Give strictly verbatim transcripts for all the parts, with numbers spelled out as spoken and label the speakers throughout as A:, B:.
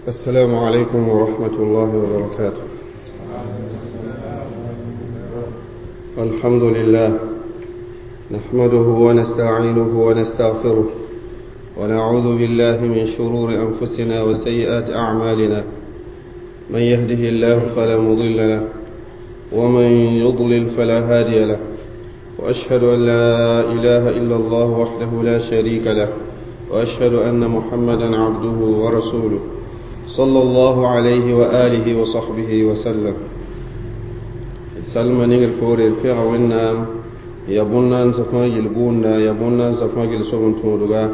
A: السلام عليكم ورحمة الله وبركاته. الحمد لله نحمده ونستعينه ونستغفره ونعوذ بالله من شرور أنفسنا وسيئات أعمالنا، من يهده الله فلا مضل له ومن يضلل فلا هادي له، وأشهد أن لا إله إلا الله وحده لا شريك له، وأشهد أن محمدا عبده ورسوله صلى الله عليه وآله وصحبه وسلم. سلم نيجر فوري في عونا يبونا سفما يلبونا يبونا سفما يلسون تودغا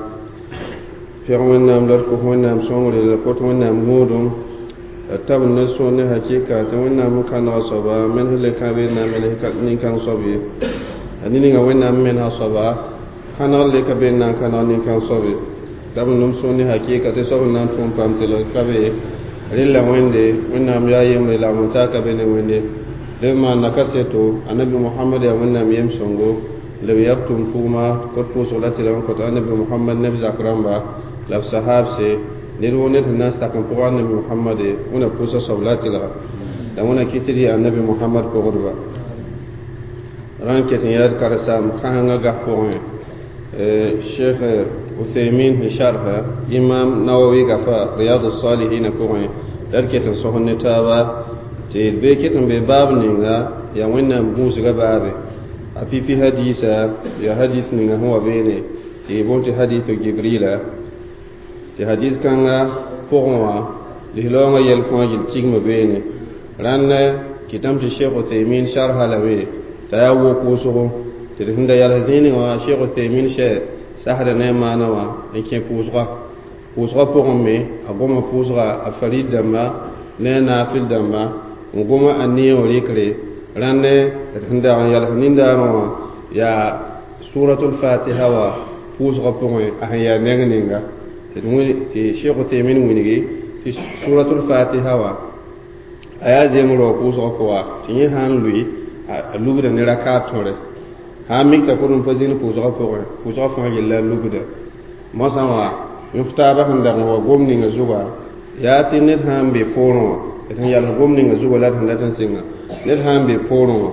A: في عونا مدرك عونا مسونغ لكوت عونا مودم تاب نسون حقيقة عونا مكان صبا من هل كابينا من هل كان صبي أني عونا من صبا كان اللي كابينا كان اللي كان صبي تاب نسون حقيقة تسون نتوم بامتلو كابي رلا ويندي وينام يا يم لا متاكا بين ويندي لما نكسيتو النبي محمد يا وينام يم سونغو لم يبتم فوما كتبو صلاة لهم كتب النبي محمد نبي زكرامبا لف صحاب سي نيرو نيت الناس تكن فوق النبي محمد ونا بوسا صلاة لها لما كتري النبي محمد كغربا ران كتن ياد كرسام خانغا غفوين الشيخ عثيمين شرح إمام نووي غفا رياض الصالحين كوين دركة صهن تابا تي بكتن بباب نينغا يا وين بوس غبابي أبي في حديثة يا حديث نينغا هو بيني تي بونت حديث جبريل تي حديث كان فوقوا لهلونغ يلفون يلتيغ بيني ران كتام الشيخ عثيمين شرح لوي تاو كوسو تي هندا يالزين شيخ عثيمين شيخ سحر نعم نوا إن كان بوزغا بوزغا بوغمي أقوم بوزغا أفريد دما نينا في الدما وقوم أني وليكري رن هندا يالهنين داروا يا سورة الفاتحة وبوزغا بوغمي أهيا نغنينغا تي شيخ تيمين وينغي تي سورة الفاتحة و أيا زمرو بوزغا كوا تي هان لوي لوغدا نراكا توري ha mik ta kurun pa zĩni pʋʋsgã pʋgẽ pʋʋsgã fãa yella lugda mosã wã yõk taabã sẽn dag n wa gom ninga zugã yaa tɩ ned sã n be poorẽ wã d sẽn yals gom ninga zugã la d sẽn dat n sɩnga ned sã n be poorẽ wã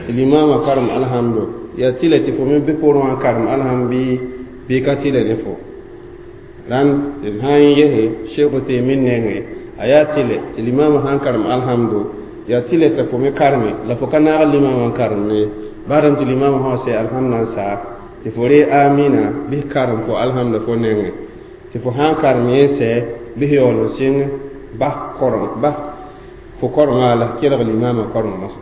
A: tɩ limaamã karem alhamdo yaa tɩla tɩ fo me be poorẽ wã n karem alham bɩ bɩ ka tɩla ne fo rãnd d sã n yese Sheikh Uthaymin nengẽ a yaa tɩlɛ tɩ limaamã sã n karem alhamdo yaa tɩlɛ t'a fo me kareme la fo ka naag limaamã n karem ne baram tɩ limaamã sã sɛ alhamda n saa tɩ fo ree amina bɩ karem fo alhamda fo nengẽ tɩ fo sã n karem yẽ sɛ bɩ yaool n sɩng bas koreng bas fo korengã la kelg limaamã koreng mosã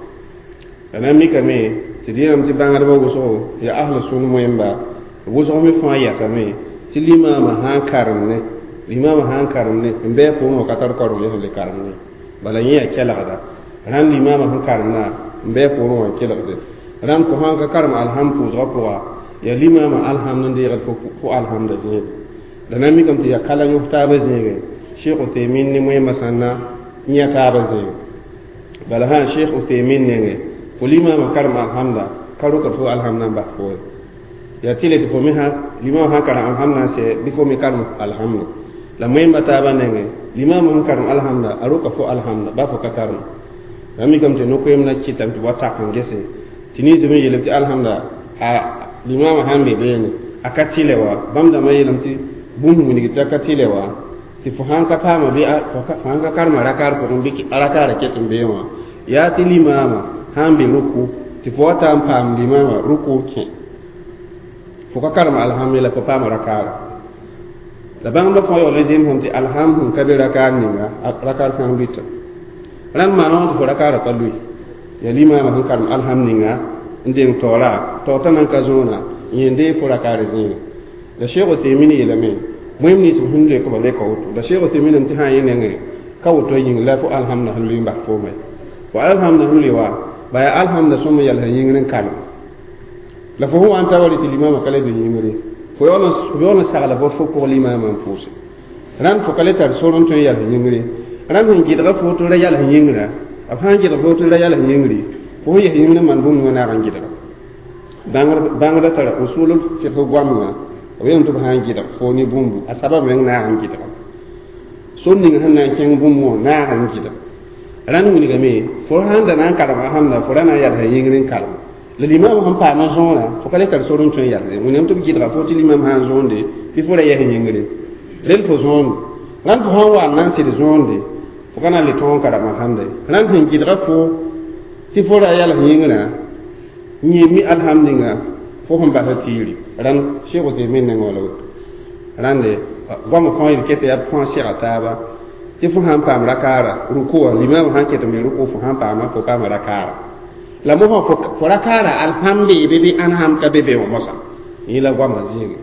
A: la na n mikame tɩ dẽenam tɩ bãngdbã wʋsgo yaa ahla sũn moẽmba wʋsg me fãa yasame tɩ limaamã sã n karem ne limaamã sã n karem ne n bɩ a pʋgẽ wã ka tar koreng ye sẽn le karem ne bala yẽ yaa kelgda rãnd limaamã sẽn karemna n bɩ a pʋgẽ wã n kelgde rãnd fo sãn ka karem alham pʋʋsgã pʋga yaa limaamã alhamd n deegd fo alhamda zẽege la na n mikame tɩ yaa kala yõs taabã zẽege Sheikh Uthaymin ne moẽmbã sãnna n yã taabã zẽege bala sã Sheikh Uthaymin nengẽ fo limaamã karem alhamda ka rokd fo alhamda n bas fo ye yaa tɩle tɩ fo me sã limaamã sãn karem alhamda n sɛ bɩ fo me karem alhamdo la moẽmbã taabã nengẽ limaamã sẽn karem alhamda a roka fo alhamda ba fo ka karem la mikame tɩ no-koeem na kɩtame tɩ wa tak n gese tɩ ninsb n yeelame tɩ alhamda a limaamã sãn be beene a ka tɩlɛ wa bãmb dãmbã yeelame tɩ bũmb wilg tɩ a ka tɩlɛ wa tɩ fo sãn ka paama bɩ fo sãn ka karema rakaar pʋgẽ bɩ rakaarã ket n bee wã yaa tɩ limaamã sãn be ruku tɩ fo wa ta n paam limaamã ruku kẽ fo ka karem alham ye la fo paama rakaara la bãngdbã fãa yaool n zemsame tɩ alham sẽn ka be rakaar ninga rakaar fãa luita rãnd maana wã tɩ fo rakaarã pa lui yaa limaamã sẽn karem alham ninga n deng taoora taoor t'a nan ka zõona yẽ n dee fo rakaar zẽege la Sheikh Uthaymin yeelame moẽm nins sẽn leokba leka woto la Sheikh Uthaymin tɩ sã n yẽ nengẽ ka woto yĩng la fo alhamda sẽn lʋɩ n bas fooma ye fo alhamda sẽn lʋɩ wa ba yaa alhamda sõm n yals yĩngr n karem la fo sẽn wa n ta wa rɩ tɩ limaamã ka le be yĩngre fo yaool n sagla fo fo kog limaamã n pʋʋse rãnd fo ka le tar sor n tõe n yals yĩngre rãnd sẽn gɩdga fo tɩ ra yals yĩngrã b sãn gɩdg fo tɩ ra yals yĩngre fo sẽn yes yĩngr n maan bũmb wã naag n gɩdga bãngda tara usulul fiqh goamgã b yeelame tɩ b sã n gɩdg fo ne bũmbu a sabab meng naag n gɩdga sor ning sẽn na n kẽng bũmb wã naag n gɩdg rãnd wilgame fo sãn da na n karem alhamda fo ra na n yalsa yĩngr n karem la limam sẽn paama zõorã fo ka le tar sor n tõe n yalse wẽnnaam tɩ b gɩdga fo tɩ limam sã n zõonde bɩ fo ra yɛs yĩngre rel fo zõonde rãnd fo sãn wa n na n sed zõonde fo ka na n le tõog n karem alhamda ye rãnd sẽn gɩdga fo tɩ fo ra yals yĩngrã n yẽ mi alhamd ninga fo sẽn basa tiiri rãnd Cheikh Uthaymin nengã wala woto rãnde goamã fãa yel ket yaa fãa sega taaba tɩ fo sãn paam rakaara ruku wã limam sãn ket n be ruku fo sãn paama fo paama rakaara la mosã fo rakaara alham beebe bɩ alham ka be be wã mosã yẽ la goamã zĩige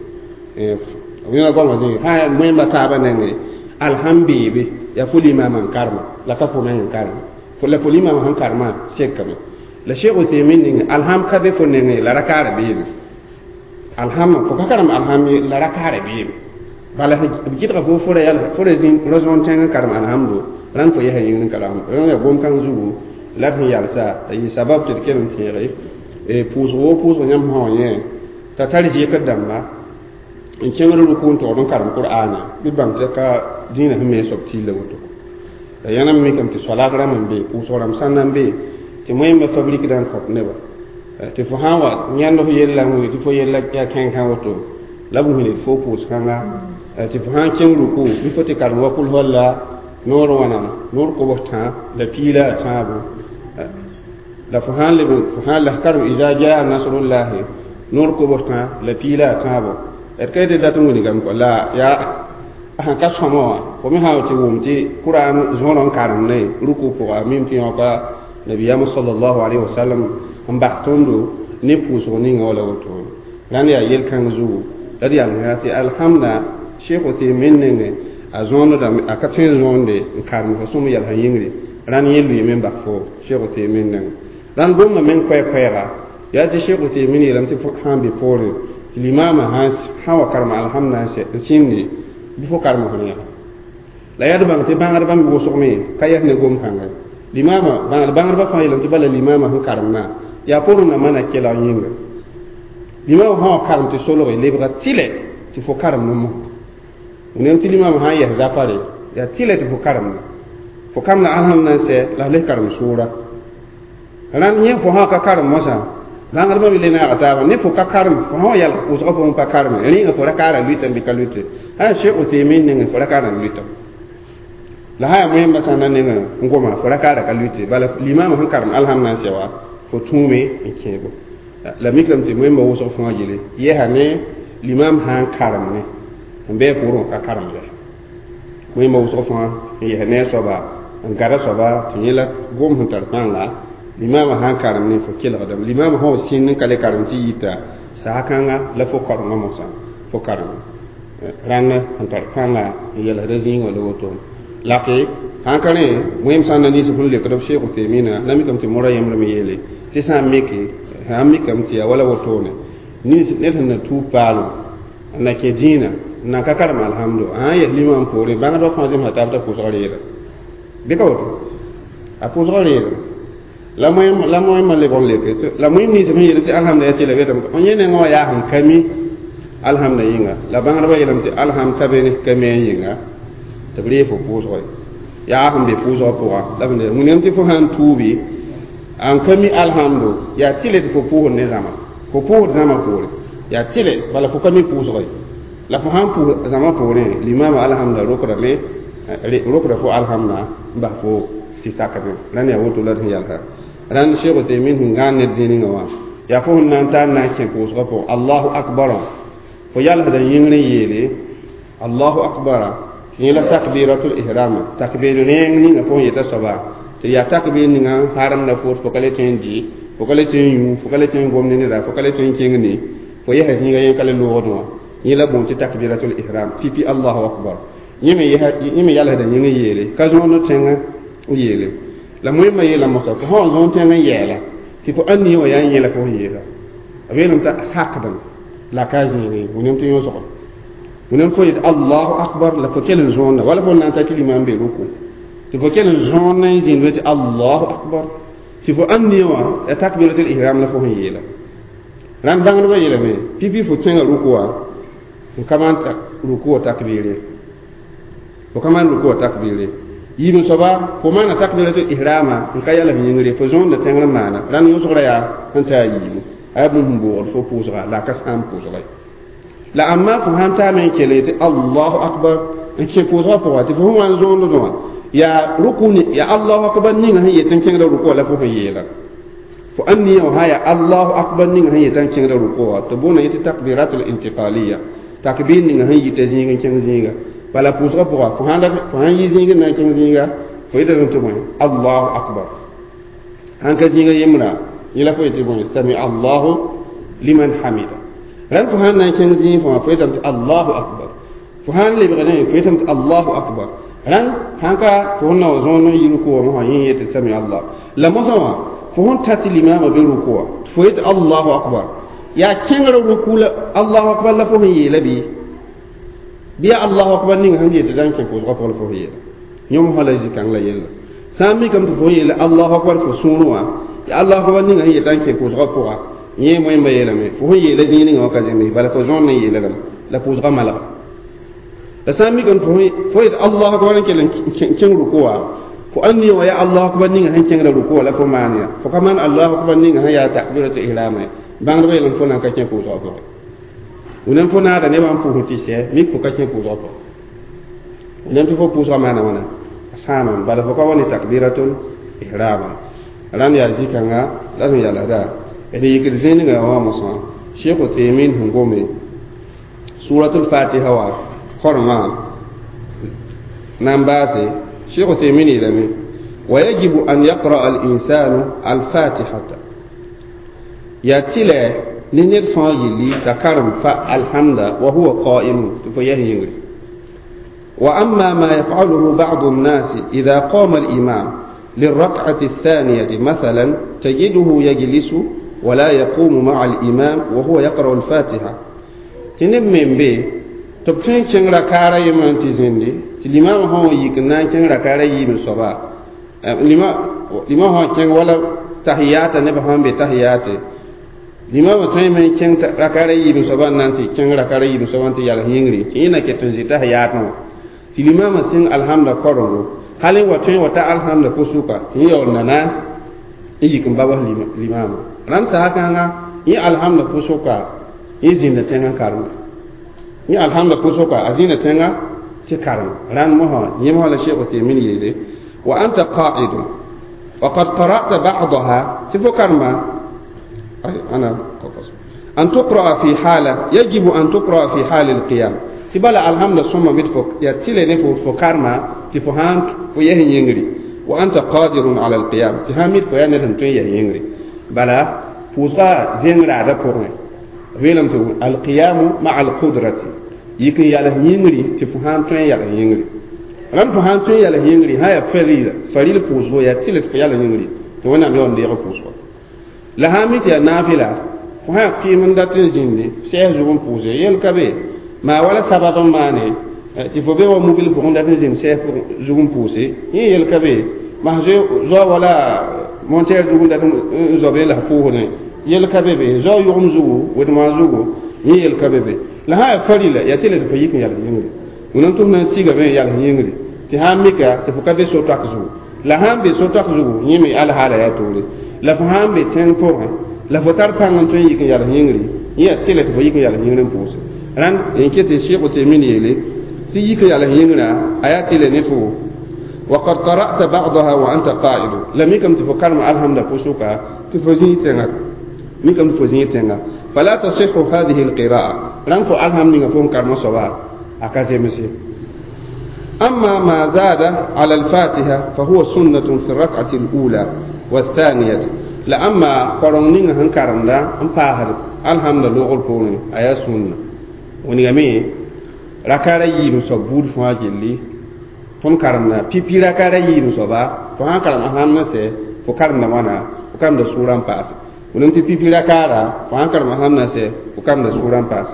A: yẽ la goamã zĩige sã yaa moẽmba taabã nengẽ alham beebe yaa fo limamã n karema la ka fo meng n karema la fo limamã sẽn karema sekame la Cheikh Uthaymin nengẽ alham ka be fo nengẽ la rakaara beebe alham fo ka karem alham ye la rakaara beebe bala b gɩdga fo fo ra yal fo ra zĩ ra-zõon tẽng n karem alhamdu rãnd fo yɛsa yĩngr n karem rãnd yaa gom-kãng zugu la d sẽn yalsa t'a yɩ sabab tɩ d kell n tẽege pʋʋsg woo pʋʋsg yãmb sã wã yẽ t'a tar zɩkr dãmba n kẽngr ruku n togd n karem qur'aana bɩ bãng tɩ ka dĩinã sẽn me soab tɩɩla woto la yãna mikame tɩ soalaag rãmb n be pʋʋsg rãmb sãn na n be tɩ moẽmba fabrikdã n kõt neba tɩ fo sã n wa yãnd f yella n wilg tɩ fo yella yaa kẽnkã woto la b wilg fo pʋʋs-kãnga tɩ fo sã n kẽng ruku bɩ fo tɩ karem wa kul walla noor wãna noor kobs tã la piila a tãabo la fo sãn leb fo sãn la karem iza jaa nasrullahi noor kobs tã la piila a tãabo d ka yetɩ dat n wilgame kɔ la yaa sẽn ka sõma wã fo me sã tɩ wʋm tɩ kuraan zõor n karem ne ruku pʋga mim tɩ yõka nabiyama sallallahu alayhi wa sallam n bas tõndo ne pʋʋsg ninga wala woto rãnd yaa yel-kãng zugu la d yalga tɩ alhamda Cheikh Uthaymin nengẽ a zõondame a ka tõe n zõonde n karem fo sõm yalsã yĩngre rãnd yẽ lʋɩɩme n bas fo Cheikh Uthaymin nengẽ rãnd gomã meng koɛɛ-koɛɛga yaa tɩ Cheikh Uthaymin yeelame tɩ sãn be poorẽ tɩ limamã sã wa karem alhamda n sĩndi bɩ fo karem f rẽega la yaa d bãng tɩ bãngdbã me wʋsgme ka yɛs ne gom-kãnga limama bãngdbã fãa yeelame tɩ bala limama sẽn karemna yaa pʋrẽ na mana kelg yĩnga limama sã wa karem tɩ solge lebga tɩlɛ tɩ fo karem ne mos wẽnnaam tɩ limama sã n yɛs zafare yaa tɩlɛ tɩ fo karemna fo kamda alhamd na n sɛ la f le karem sʋʋra rãnd yẽ fo sã ka karem mosã bãngdbã me le naaga taaba ne fo ka karem fo sã wa yalg pʋʋsgã fo n pa kareme rẽnga fo rakaara lʋɩtame bɩ ka lʋɩte sã Cheikh Uthaymin nengẽ fo rakaara n lʋɩtame la sã yaa moẽmbã sã na nengã n goma fo rakaara ka lʋɩte bala limamã sẽn karem alhamd na n sɛ wa fo tũume n kẽebo la mikrame tɩ moẽmbã wʋsg fãa yele yɛsa ne limam sã n karem ne n bɩ pʋʋrẽ ka karem yɛ moẽmbã wʋsg fãa n yɛs ne a soaba n gada soaba tɩ yẽ la gom sẽn tar pãnga limamã sã n karem ne fo kelgdame limamã sã wa sĩnd n ka le karem tɩ yita saag-kãnga la fo karengã mosã fo karem rãnd sẽn tar pãnga n yɛlsda zĩig wã la woto lake sãn ka rẽ wẽm sã n na nins sẽn lekd b Cheikh Uthayminã la mikame tɩ mora yembr me yeele tɩ sã n mike sã n mikame tɩ yaa wala wotone nins ned sẽn na tuub paalem n na kẽ dĩinã n nan ka karem alhamdo sã n yɛs limam poorẽ bãngdbã fãa zemsa taab t'a pʋʋsg reeda bɩ ka woto a pʋʋsg reeda la moẽm la moẽmã lebg n leke la moẽm nins sẽn yeel tɩ alhamda yaa tɩ la betame yẽ nengã wã yaa sẽn ka mi alhamda yĩnga la bãngdbã yeelame tɩ alham ka be ne ka me yĩnga tɩ b ree fo pʋʋsge yaa sẽn be pʋʋsgã pʋga la b wẽnnaam tɩ fo sãn tuubi n ka mi alhamdo yaa tɩlɛ tɩ fo pʋʋsd ne zãma fo pʋʋsd zãma poore yaa tɩlɛ bala fo ka mi pʋʋsge la fo sãn pʋʋs zãma poorẽ limama alhamda rokdame rokda fo alhamda n bas fo tɩ sakdẽ rãnd yaa woto la d sẽn yalsa rãnd Cheikh Uthaymin sẽn gãan ned zĩningã wã yaa fo sẽn na n tar na n kẽ pʋʋsgã pʋgẽ allahu akbar fo yalsda yĩngr n yeele allahu akbar tɩ yẽ la takbiratul ihram takbir rẽeng ninga fo yeta soaba tɩ yaa takbir ninga haremda fo fo ka le tõe n dɩ fo ka le tõe n yũ fo ka le tõe n gom ne neda fo ka le tõe n kẽng ne fo yɛsa zĩiga yẽ ka le loogd wã yẽ la boond tɩ takbiratul ihram pipi allahu akbar yẽ me yalsda yĩng n yeele ka zõond tẽng n yeele la moẽmbã yeela mosa fo sã wa zõond tẽng n yɛɛla tɩ fo ãn wã yaa yẽla fo sẽn yeela b yeelame t'a sakdem la ka zĩige wẽnnaam tɩ yõsgo wẽnnaam fo yet allahu akbar la fo kell n zõonda wala fo na n ta tɩ limam be ruku tɩ fo kell n zõond n zĩnd tɩ allahu akbar tɩ fo ãn ne wã ya takbiratul ihram la fo sẽn yeela rãnd bãngdbã yeelame pipi fo kẽnga ruku wã n ka maan ruku wã takbire Fo ka maan ruku takbire yiib soaba fo maana takbiratul ihrama n ka yalg yĩngre fo zõonda tẽngr n maana rãnd yõsgrã yaa sẽn ta a yiibu a yaa bũmb sẽn boogd fo pʋʋsga la a ka sãam pʋʋsga ye la amma fo sãn taame n kell tɩ allahu akbar n kẽ pʋʋsgã pʋga tɩ fo sẽn wa n zõond wã yaa ruku yaa allahu akbar ninga sẽn yet n kẽngda ruku la fo sẽn yeela fo ãn nia wã sã yaa allahu akbar ninga sẽn yet n kẽngda ruku wã tɩ boona yetɩ takbiratul intiqaliya takbir ninga sẽn yita zĩig n kẽng zĩiga bala pʋʋsgã pʋga fo sãn yi zĩig n na n kẽng zĩiga fo yetame tɩ bõe allahu akbar sãn ka zĩiga yembra yẽ la fo yetɩ bõe sami allahu liman hamida rãnd fo sãn na n kẽng zĩig fãa fo yetame tɩ allahu akbar fo sãn lebgdẽ fo yetame tɩ allahu akbar rãnd sãn ka fo sẽn na wa zõon n yi ruku wã mosã yẽ yetɩ sami allah la mosã wã fo sẽn ta tɩ limaamã be ruku wã fo yetɩ allahu akbar yaa kẽngrã ruku la allahu akbar la fo sẽn yeela bɩ bɩ yaa allahu akbar ninga sẽn yetɩ da n kẽ pʋʋsgã pʋgã la fo sẽn yeela yõm la zĩ-kãng la yella sã n mikame tɩ fo yeela allahu akbar fo sũurẽ wã yaa allahu akbar ninga sẽn yetã n kẽ pʋʋsgã pʋga yẽ moẽmba yeelame fo sẽn yeela zĩig ninga wã ka zems bala fo zõond n yeela lame la pʋʋsgã malga la sã n mikame fo yet allahu akbar n kell n kẽng ruku wã fo ãn nia wã yaa allahu akbar ninga sẽn kẽngra ruku wã la fo maan ya fo ka maan allahu akbar ninga sẽn yaa takbiratu ihrama ye bãngdbã yeelame fo nan ka kẽ pʋʋsgã pʋgẽ wẽnnaam fo naada nebã n pʋʋsẽ tɩ sɛ mik fo ka kẽ pʋʋsgã pʋgẽ wẽnnaam tɩ fo pʋʋsgã maana wãna a sãamame bala fo ka wa ne takbiratul ihrama rãnd yaa zĩ-kãnga la sẽn yalsda d yikd zĩig ninga wã mosã Sheikh Uthaymin sẽn gome suratul fatiha wã kormã na n baase Sheikh Uthaymin yeelame ويجب أن يقرأ الإنسان الفاتحة yaa tɩlɛ ne ned fãa yelli t'a karem fa alhamda wa huwa qaimun tɩ fo yɛs yĩngri وأما ما يفعله بعض الناس إذا قام الإمام للركعة الثانية مثلا تجده يجلس ولا يقوم مع الإمام وهو يقرأ الفاتحة تنب من بي تبتين كن ركارة يمن تزندي الإمام هو يكنا كن ركارة يمن صبا لما لما هو كن ولا تحيات نبهم بتحيات limama tõe me n kẽng rakara yiib soaba n na n tɩ kẽng rakara yiib soaba n tɩ yals yĩngri tɩ yẽ na ket n zĩ tahiyatẽ wã tɩ limama sẽng alhamda korengo hal n wa tõe n wa ta alhamda pʋsʋka tɩ yẽ yaool nana n yik n babs limama rãnd sasa kãnga yẽ alhamda pʋsʋka yẽ zĩnda tẽngã karemda yẽ alhamda pʋsʋka a zĩnda tẽngã tɩ karem rãnd mosã yẽ mosã la Sheikh Uthaymin yeele wa anta qa'idun wa qad qara'ta ba'daha tɩ fo karema أنا أن تقرأ في حالة يجب أن تقرأ في حال القيام تبلا الحمد ثم مدفك يا تيلي نفو فكارما تفهان فيه ينغري وأنت قادر على القيام تهامد فيا نتم تيه ينغري بلا فوزا زينغرا على بورن ويلم تو القيام مع القدرة يكن ياله ينغري تفهان تيه ياله ينغري ران فهان تيه ياله ينغري هيا فريل فريل فوزو يا تيلي فياله ينغري تو وانا ميون ديغ فوزو la sã n mi tɩ yaa naafɩla fo sã kɩɩm n dat n zĩndi sɛɛs zug n pʋʋse yel ka be maa wala sabab n maane tɩ fo be wa mubil pʋgẽ dat n zĩnd sɛɛs zug n pʋʋse yẽ yel ka be mas zoa wala monteer zug n dat n zobe la pʋʋsdẽ yel ka be be zoa yʋgem zugu wedmã zugu yẽ yel ka be be la sã yaa farila yaa tɩ la tɩ fo yik n yals yĩngri wẽnnaam tɩ f na n sigame n yals yĩngri tɩ sã n mika tɩ fo ka be so-toak zugu la sã n be so-toak zugu yẽ me alhaala yaa toore la fo sã n be tẽng pʋgẽ la fo tar pãng n tõe n yik n yals yĩngri yẽ yaa tɩlɛ tɩ fo yik n yals yĩngr n pʋʋse rãnd n ket tɩ Sheikh Uthaymin yeele tɩ yik n yals yĩngrã a yaa tɩlɛ ne fo وقد قرأت بعضها وأنت قائد لم يكن تفكر مع الحمد فسوكا تفزي تنغا ميكم تفزي تنغا فلا تصح هذه القراءة ران فو الحمد نغا كرم صبا أكازيمسي أما ما زاد على الفاتحة فهو سنة في الركعة الأولى والثانية لأما قرن هن كرم لا أم باهر الحمد لله البوني أيا سنة ونغمي rakara yiib soab buud fãa gilli tõnd karemda pipi rakara yiib soaba fo sãn karem alhamd sɛ fo karemda wãna fo karemda sʋʋra n paase wẽnnaam tɩ pipi rakaara fo sãn karem alhamd sɛ fo karemda sʋʋra n paase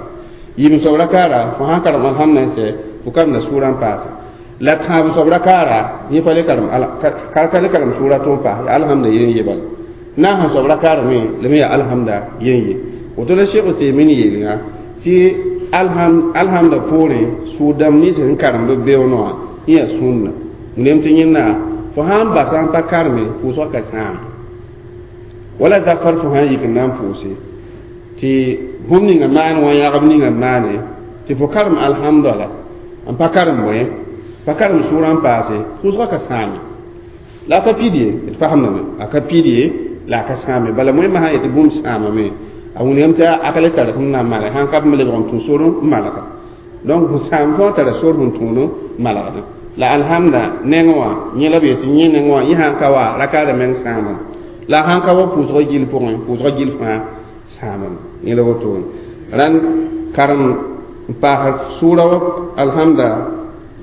A: yiib soab rakaara fo sãn karem alhamd sɛ fo karemda sʋʋra n paase la tãab soab rakaara yẽ pa le karem ka le karem sʋʋra tɩ n paas yaa alhamda yen ye bala naasã soab rakaara me la me yaa alhamda yen ye woto la Sheikh Uthaymin yeelngã tɩ alhamda poorẽ sʋʋg-dãmb nins sẽn karemd b beoonẽ wã yẽ sũnna wẽnnaam tɩ yẽnda fo sãn basa n pa karme pʋʋsgã ka sãam wala zafar fo sãn yik n na n pʋʋse tɩ bũmb ninga maan wã yãgb ninga maane tɩ fo karem alhamdala n pa karem bõe pa karem sʋʋrã n paase pʋʋsgã ka sãame la a ka pid ye d fasemdame a ka pid ye la a ka sãame bala wẽnnaam sã n yetɩ bũmb sãamame a wĩnigame tɩ a ka le tar sẽn na n malg sãn ka b lebg n tũ sor n malga donc fo sãam fãa tara sor sẽn tũud n malgdẽ la alhamda neng wã yẽ la b yetɩ yẽ neng wã yẽ sãn ka wa rakaada meng sãamame la sãn ka wa pʋʋsgã gill pʋgẽ pʋʋsgã gill fãa sãamame yẽ la wotone rãnd karem n paas sʋʋra wa alhamda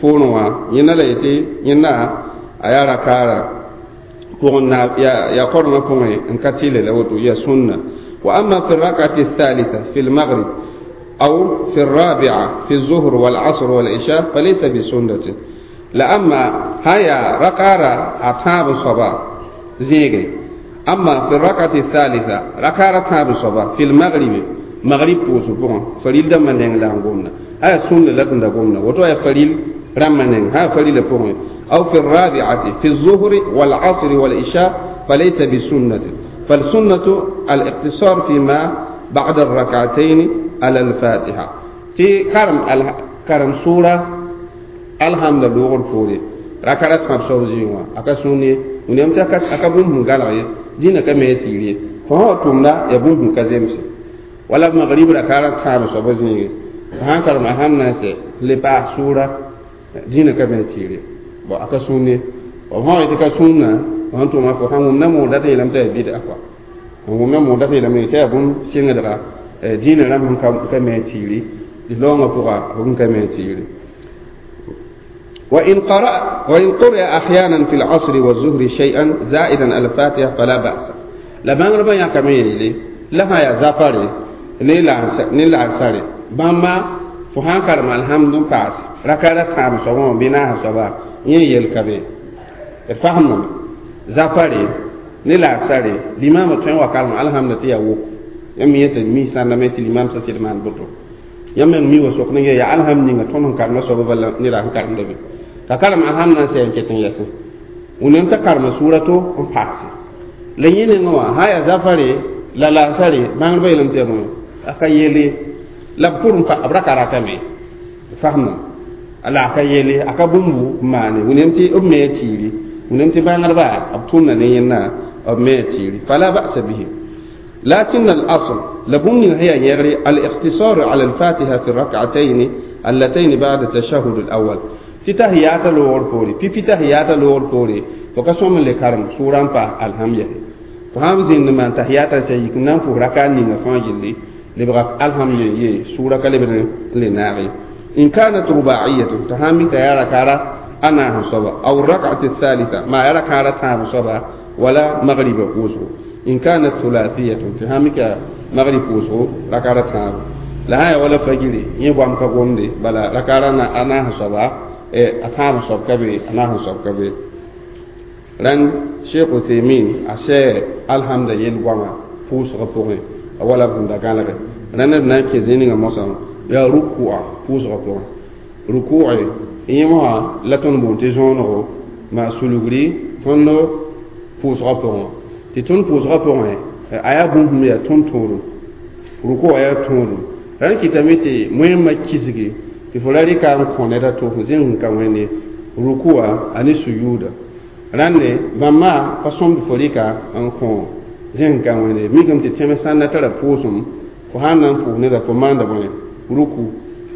A: poorẽ wã yẽnda la yetɩ yẽnda a yaa rakaara pʋgẽ na yaa korengã pʋgẽ n ka tɩle la woto yaa sũnna وأما في الركعة الثالثة في المغرب أو في الرابعة في الظهر والعصر والعشاء فليس بسنة لأما هيا ركعة أتاب الصبا زيغي أما في الركعة الثالثة ركعة تاب الصبا في المغرب مغرب بوسو فريل دم من لا غومنا هيا سنة لا تندغومنا وتو يا فريل رمنن ها فريل بوغ أو في الرابعة في الظهر والعصر والعشاء فليس بسنة فالسنة الاقتصار فيما بعد الركعتين على الفاتحة تي كرم ال... كرم سورة الحمد لله فوري ركعت خمسة وزيوا أكسوني ونيم تكاس أكبون من قال دينا كم يتيري فهو تمنا يبون من كزيمس ولا مغرب ركعت خمسة وزيوا فهان كرم أهم ناس لبا سورة دينا كم يتيري bo akasuni wa ha ita sunna wa to ma fo han na mo data yelam ta bi da akwa han na mo data yelam ta bun singa daga dina ram ka ka me tiri di longa pura bun ka me tiri wa in qara wa in qira ahyanan fi al-asr wa az-zuhr shay'an za'idan al-fatiha fala ba'sa la ban raba ya ka me yele la ha ya zafari ne la ne la sare bamba fo han karma alhamdu paas rakara tam so mo bina so ba yẽ yel ka be d fasemdame zafare ne laasare limaamã tõe n wa karem alhamda tɩ yaa woko yãmb yeta mi sãndame tɩ limaam sã sɩd maan boto yãmb meng mi wa sok ne yaa alhamd ninga tõnd sẽn karemã soaba bala neda sẽn karemda be t'a karem alhamd na n sɛ n ket n yɛsẽ wẽnnaam t'a karema sʋʋra to n paase la yẽ nengã wã sã yaa zafare la laasare bãngdbã yeelame tɩ yaa bõe a ka yele la b pʋr n pa b ra ka ratame fasemdame la ka yele aka bũmbu maane wẽnnaam tɩ b me tiiri wẽnnaam tɩ bãngdba b tʋmda ne yẽnda b me tiiri fala ba'sa bihi lakin al-asl la bũmb ning sẽn yaa yẽgre al-iqtisar ala al-fatiha fi rak'atayn allatayn ba'da tashahhud al-awwal tɩ tahiyata loogr poore pipi tahiyata loogr poore fo ka sõm n le karem sʋʋra n pa alhamya fo sãn zĩnd n maan tahiyata sã yik n na n pʋs raka ninga fãa gilli lebga alhamdu ye sʋʋra ka lebd n le naag ye إن كانت رباعية تهامي تيارا كارا أنا هصبا أو الركعة الثالثة ما يرى كارا تام صبا ولا مغرب فوزه إن كانت ثلاثية تهامي مغرب فوزه ركعة تام لا هي ولا فجري يبغى مكقوم دي بلا ركعة أنا هصبا إيه أتام صب كبي أنا هصب كبي رن شيخ عثيمين أشي الحمد لله وما فوز غفوري ولا بندقالك رن ابن كزيني موسى yaa rukua pʋʋsgã pʋgẽ rukuɛ yẽ wã la tõnd boond tɩ zõonego maa sulgri tõnd pʋʋsgã pʋgẽ tɩ tõnd pʋʋsgã pʋgẽ a yaa bũmb sẽn yaa tõnd tõodum rukua yaa tõodum rãnd kɩtame tɩ wẽmma kisgi tɩ fo ra rɩka n kõ ned a to zẽng sẽn ka wẽnde rukua a ne suyuuda rãnde bãmba pa sõmd fo rɩka n kõ zẽng ka wẽnde mikame tɩ tẽms sãn na tara pʋʋsem fo sãn na n pʋʋs neda fo maanda bõe ruku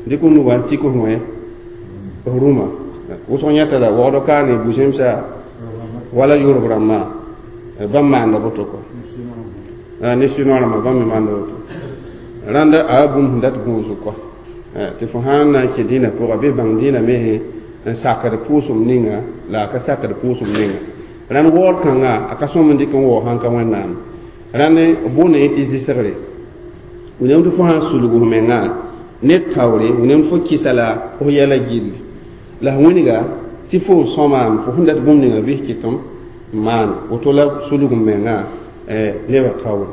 A: dɩk f nuga n tik f wẽ f rũmã wʋsg yãta la waood kaane bu-zẽmsa wala yʋrb rãmbã bãmb maanda boto kɔ ne sinoa rãmbã bãmb me maanda woto rãnda a yaa bũmb sẽn dat gũusg kɔ tɩ fo sãn na n kẽ dĩnã pʋga bɩ bãng dĩnã me n sakd pʋʋsem ninga la a ka sakd pʋʋsem ninga rãnd waood kãnga a ka sõm n dɩk n waoog sãn ka wẽnnaam rãnd boonda yẽ tɩ zɩsgre wẽnnaam tɩ fo sãn sulg f mengã ne taoore wẽnnaam fo kɩsa la f yɛla gilli la f wĩnga tɩ fo sõmaam fo sẽn dat bũmb ninga bɩs kɩtem n maan woto la sulg m mengã nebã taoore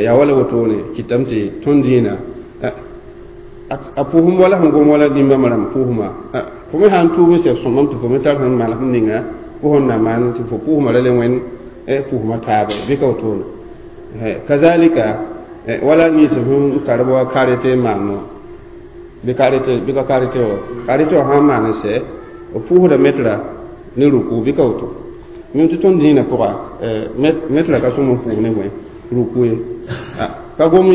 A: yaa wala wotone kɩtame tɩ tõnd dĩinã a pʋʋsem wala sẽn gom wala dĩmbãmb rãmb pʋʋsma fo me sãn tuub n sɛb sõmam tɩ fo me tar sẽn manesem ninga fo sẽn na maan tɩ fo pʋʋsmã ra le wẽnd pʋʋsmã taaba bɩ ka wotone kazalika wala nins sẽn tar wa karete n maan wã bɩ karete bɩ ka karete wã karete wã sãn maan n sɛ b pʋʋsda metra ne ruku bɩ ka woto mim tɩ tõnd dĩinã pʋga metra ka sõm n pʋʋs ne bõe ruku ye ka gom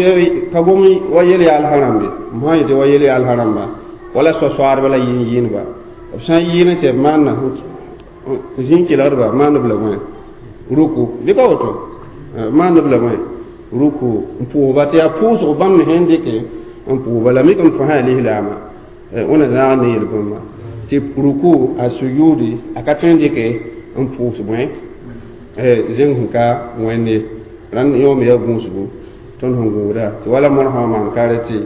A: ka gom wa yel yaal rãmbe m sã n yetɩ wa yel yaal rãmba wala soa-soaadba la yɩɩn yɩɩnba b sã n yɩɩn n sɛ b maanna zĩn kelgdba maand b la bõe ruku bɩ ka woto maand b la bõe ruku n pʋʋsba tɩ yaa pʋʋsg bãmb me sẽn dɩke n pʋʋsba la mikame fo sã yaa lislaama wẽna zãag ne yel-bũmba tɩ ruku a sujudi a ka tõe n dɩke n pʋʋs bõe zẽng sẽn ka wẽnde rãnd yõome yaa gũusgu tõnd sẽn gũuda tɩ wala mõr sã n maan karete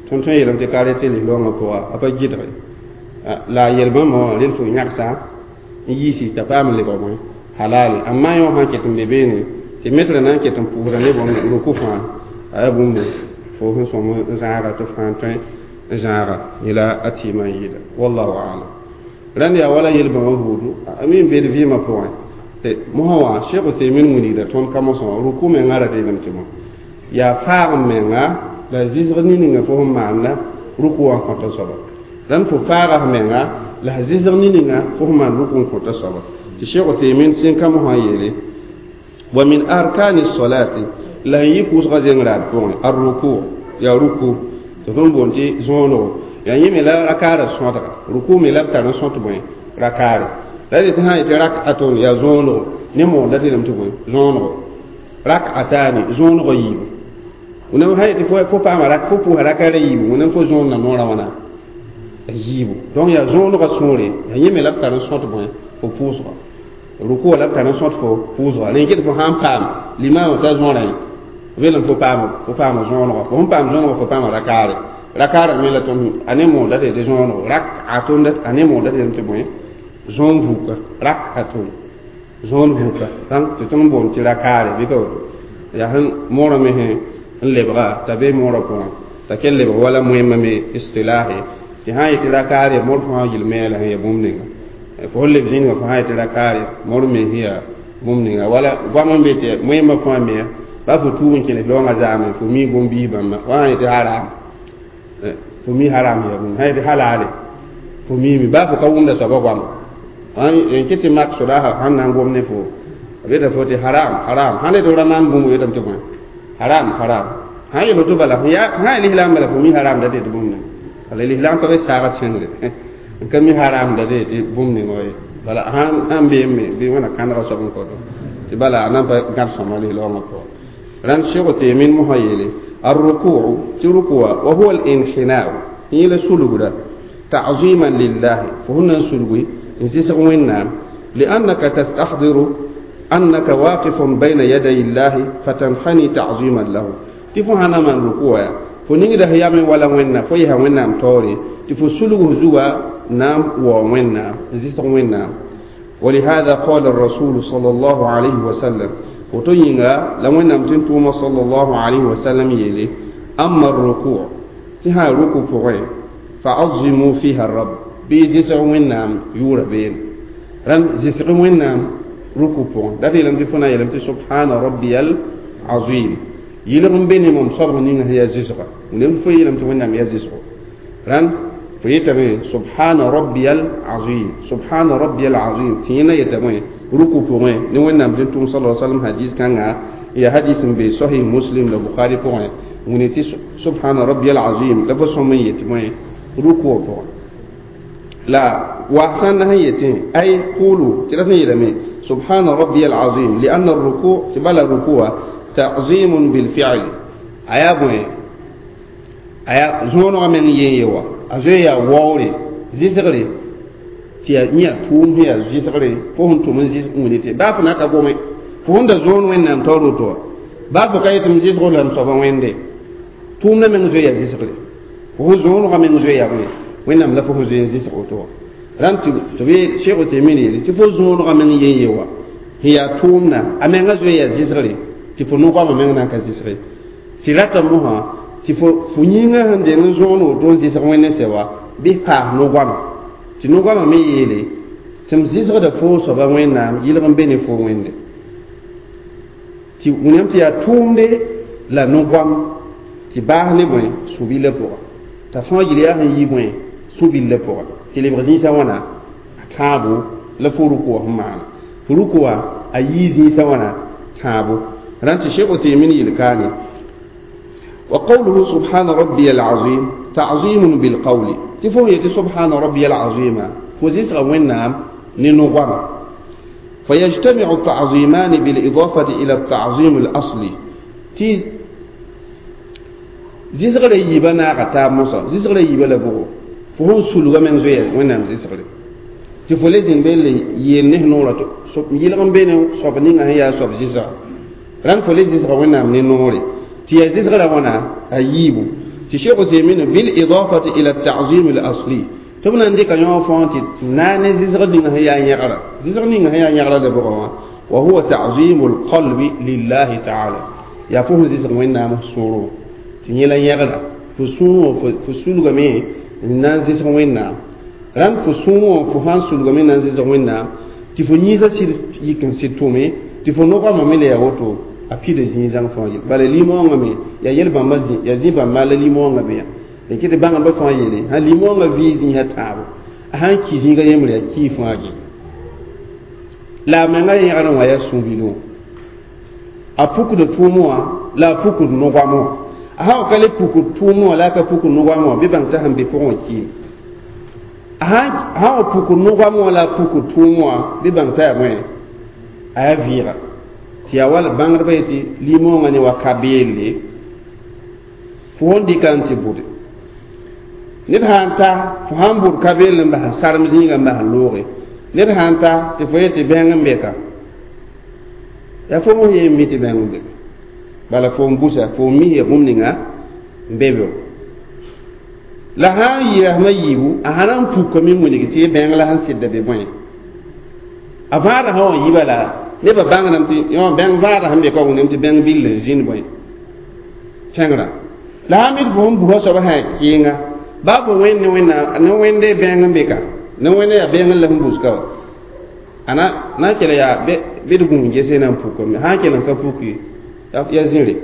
A: tõnd tõe n yeelame tɩ karete lislaoongã pʋga a pa gɩdge la a yel-bãmba wã rel fo yãgsa n yiisi t'a paam n lebg bõe halale amma yõ sã n ket n be beene tɩ metrã na n ket n pʋʋsda ne bõmb ruku fãa a yaa bũmb fo sẽn sõm n zãaga tɩ fãa tõe n zãaga yela a tɩɩmã n yɩɩda wallahu alam rãnd yaa wala yel-bãmba buudu a mi n bed vɩɩmã pʋgẽ mosã wã Cheikh Uthaymin wilgda tõnd ka-mosã wã ruku mengã ra deelem tɩ bõe yaa faag n menga la zɩsg nin-ninga fo sẽn maanda ruku wã n kõta soaba rãnd fo faaga f menga la zɩsg nin-ninga fo sẽn maan ruku n kõta soaba tɩ Cheikh Uthaymin sẽn ka-mosã yeele wa min arkani solati la n yɩ pʋʋsgã zeng raad pʋgẽ ar-ruku yaa ruku tɩ tõnd boond tɩ zõonego yaa yẽ me la rakaarã sõtga ruku me la b tar n sõt bõe rakaare la tɩ sã n yetɩ rakatun yaa zõonego ne moonda tɩ lame tɩ bõe zõonego rakatani zõonegã yiibu wẽnnaam sã yetɩ fo paama rak fo pʋʋsa rakaarã yiibu wẽnnaam fo zõonna noorã wãna yiibu donc yaa zõonegã sũure yaa yẽ me la b tar n sõt bõe fo pʋʋsga ruku la b tar n sõt fo pʋʋsga rẽ ket fo sãn paam limaamã t'a zõorã belem fo paam fo paama zõonegã fo sẽn paam zõonegã fo paama rakaare rakaarã me la tõnd a ne moonda tɩ tɩ zõonego rakatun a ne moonda tɩ tɩ bõe zõon vuka rakatun zõon vuka tɩ tõnd boond tɩ rakaare bɩ ka woto yaa sẽn moorã me sẽn n lebga t'a be moorã pʋgẽ t'a kell lebg wala moẽmã me istilahe tɩ sã n yetɩ rakaare mor fãa yel meela sẽn yaa bũmb ninga fo sẽn leb zĩnigã fo sã n yetɩ rakaare mor me sẽn yaa bũmb ninga wala goam n be tɩ moẽmã fãa me ba fo tuub n kẽles loongã zaame fo mi bũmb-biis bãmba wa sã n yetɩ haram fo mi haram yaa bũmb sã n yetɩ halale fo miime ba fo ka wʋmda soaba goama n ket tɩ mak sodaasã sãn na n gom ne fo b yeta fo tɩ haram haram sãn yetɩ ra maan bũmb yetame tɩ bõe haram haram sãn yel woto bala sã yaa lislaam bala fo mi haram da tɩ bũmb ninga bala lislaam ka be saagd sẽngre n ka mi haram da tɩ bũmb ninga wa ye bala sãn beeme bɩ wẽna kãndga soab n koto tɩ bala a nan pa gãd sõma lislaoongã pʋgã rãnd Cheikh Uthaymin mosã yeele الركوع تركوا وهو الانحناء هي سلوغدا تعظيما لله فهنا سلوغي نزيسغ وينام لأنك تستحضر أنك واقف بين يدي الله فتنحني تعظيما له تفو هنا من ركوع فنيغدا هي من ولا وينا فيها وينام توري تفو سلوغ زوا نام ووينام نزيسغ وينام ولهذا قال الرسول صلى الله عليه وسلم woto yĩnga la wẽnnaam tɩ n tʋʋma sallallahu alayhi wa sallam yeele amma ruku tɩ sã ruku pʋgẽ fa'azimu fiha rabb bɩ zɩsg wẽnnaam yʋʋra beene rãnd zɩsg wẽnnaam ruku pʋgẽ dat yeelame tɩ fo na n yeelame tɩ subhana rabbiyal azim yɩlg n be ne mam soabg ninga sẽn yaa zɩsga wẽnnaam tɩ fo yeelame tɩ wẽnnaam yaa zɩsgo rãnd fo yetame subhana rabbiyal azim subhana rabbiyal azim tɩ yẽna yetame ruku pʋgẽ ne wẽnnaam tɩ n tʋm sala sallam hadis kãnga ya hadis n be sahih muslim la bukhari pʋgẽ wĩne tɩ subhana rabbiyal azim la fo sõm n yetɩ bõe ruku pʋgẽ la wa sãn na sẽn yetẽ ay qulu tɩ ra sẽn yeelame subhana rabbiyal azim lianna ruku tɩ bala rukuwa ta'zimun bilfi'li a yaa bõe a yaa zõonegã meng yen ye wa a zoe yaa waoore zɩsgre tɩ yaa yẽ yaa tʋʋm sẽn yaa zɩsgre fo sẽn tʋm n zɩs wĩne tɩ baa fo na ka gome fo sẽn da zõon wẽnnaam taoor woto wã baa fo ka yetɩ m zɩsgo la m soaba wẽnde tʋʋmdã meng zoe yaa zɩsgre fo sẽn zõonegã meng zoe yaa bõe wẽnnaam la fo sẽn zoe n zɩsg woto wã rãnd tɩ b Cheikh Uthaymin yeele tɩ fo zõonegã meng yen ye wa sẽn yaa tʋʋmdã a menga zoe yaa zɩsgre tɩ fo no-goamã meng na n ka zɩsge tɩ rata mosã tɩ fo fo yĩngã sẽn deng n zõon woto n zɩsg wẽnd sɛ wa bɩ paas no-goamã tɩ Tɩ no-goamã me yeele tɩ m zɩsgda fo soaba Wẽnnaam yɩlg n be ne fo Wẽnde tɩ wilgame tɩ yaa tʋʋmde la no-goam tɩ baas ne bõe sũ-billã pʋga t'a fãa yel yaa sẽn yi bõe sũ-billã pʋga tɩ lebg zĩisã wãna a tãabo la fo ruku wã sẽn maana fo ruku wã a yii zĩisã wãna tãabo rãnd tɩ Sheikh Uthaymin yel kaane wa qawluhu subhana rabbiya al-azim ta'zimun bil qawli tɩ fo yetɩ subhana rabbiya al-azima fo zɩsga Wẽnnaam ne no-goama فيجتمع التعظيمان بالإضافة إلى التعظيم الأصلي تي زيزغ يبا ناغا تاب موسى زيزغ يبا لبوغو فهون سلوغا من زوية وينام زيزغ تي فولي زين بيل ينه نورا يلغم بين صوب نيغا هي صوب زيزغ ران فولي زيزغ وينام ني نوري تي زيزغ ونا أيبو تي شيخ عثيمين بالإضافة إلى التعظيم الأصلي tɩ b na n dɩka yõ fãa tɩ na ne zɩsg ning sẽn yaa yẽgra zɩsg ning sẽn yaa yẽgra la bʋgã wã wa huwa ta'zimu lqalbi lillahi taala yaa fo sẽn zɩsg Wẽnnaam sũurẽ tɩ yẽ la yẽgra fo sũurẽ fo sulgame n na n zɩsg Wẽnnaam rãnd fo sũurẽ fo sãn sulgame n na n zɩsg Wẽnnaam tɩ fo yĩnsã sɩd yik n sɩd tʋme tɩ fo no-goamã me la yaa woto a pida zĩig-zãng fãa yel bala limõongã me yaa yel-bãmbã zĩ yaa zĩ-bãmba la limõongã be yã tɩ tɩ bãngã fãa yeele sã limõongã vɩɩ zĩisã tãabo a sãn ki zĩiga yembre yaa kii fãa gɩ la a menga yẽgr wã yaa sũ-bilẽ a pukd tʋʋm wã la a pukd no-goam wã a sã wa ka le pukd tʋʋm wã la a ka pukd no-goam wã bɩ bãng t'a sẽn be pʋgẽ wã kiime a sã wa pukd no-goam wã la a pukd tʋʋm wã bɩ bãng t'a yaa bõe a yaa vɩɩga tɩ yaa wala bãngdbã yetɩ limõongã ne wa ka beelle fo sẽn dɩka n tɩ bʋde ned sãn ta fo sãn bʋd ka beel n bas sarem zĩigã n bas n looge ned sãn ta tɩ fo yetɩ bẽng n be ka yaa fo mos yee n mi tɩ bẽng n be bala fo n busa fo n mis ya bũmb ninga n be be la sãn yɩ rasmã yiibu a sã na n pukame n wilg tɩ bẽng la sẽn sɩdda be bõe a vãadã sã wã yiba la nebã bãngdame tɩ yõ bẽng vãadã sẽn be ka wẽnnaam tɩ bẽng bill n zĩnd bõe kẽngrã la sã mid fo sẽn busa soaba sã yaa kɩɩnga baa fo wẽnd ne wẽnnaam ne wẽnde bẽng n be ka ne wẽnde yaa bẽng n la sẽn buska wa a na n kell yaa bɩ d gũus gese na n pukame sã n kell n ka puki yaa zĩre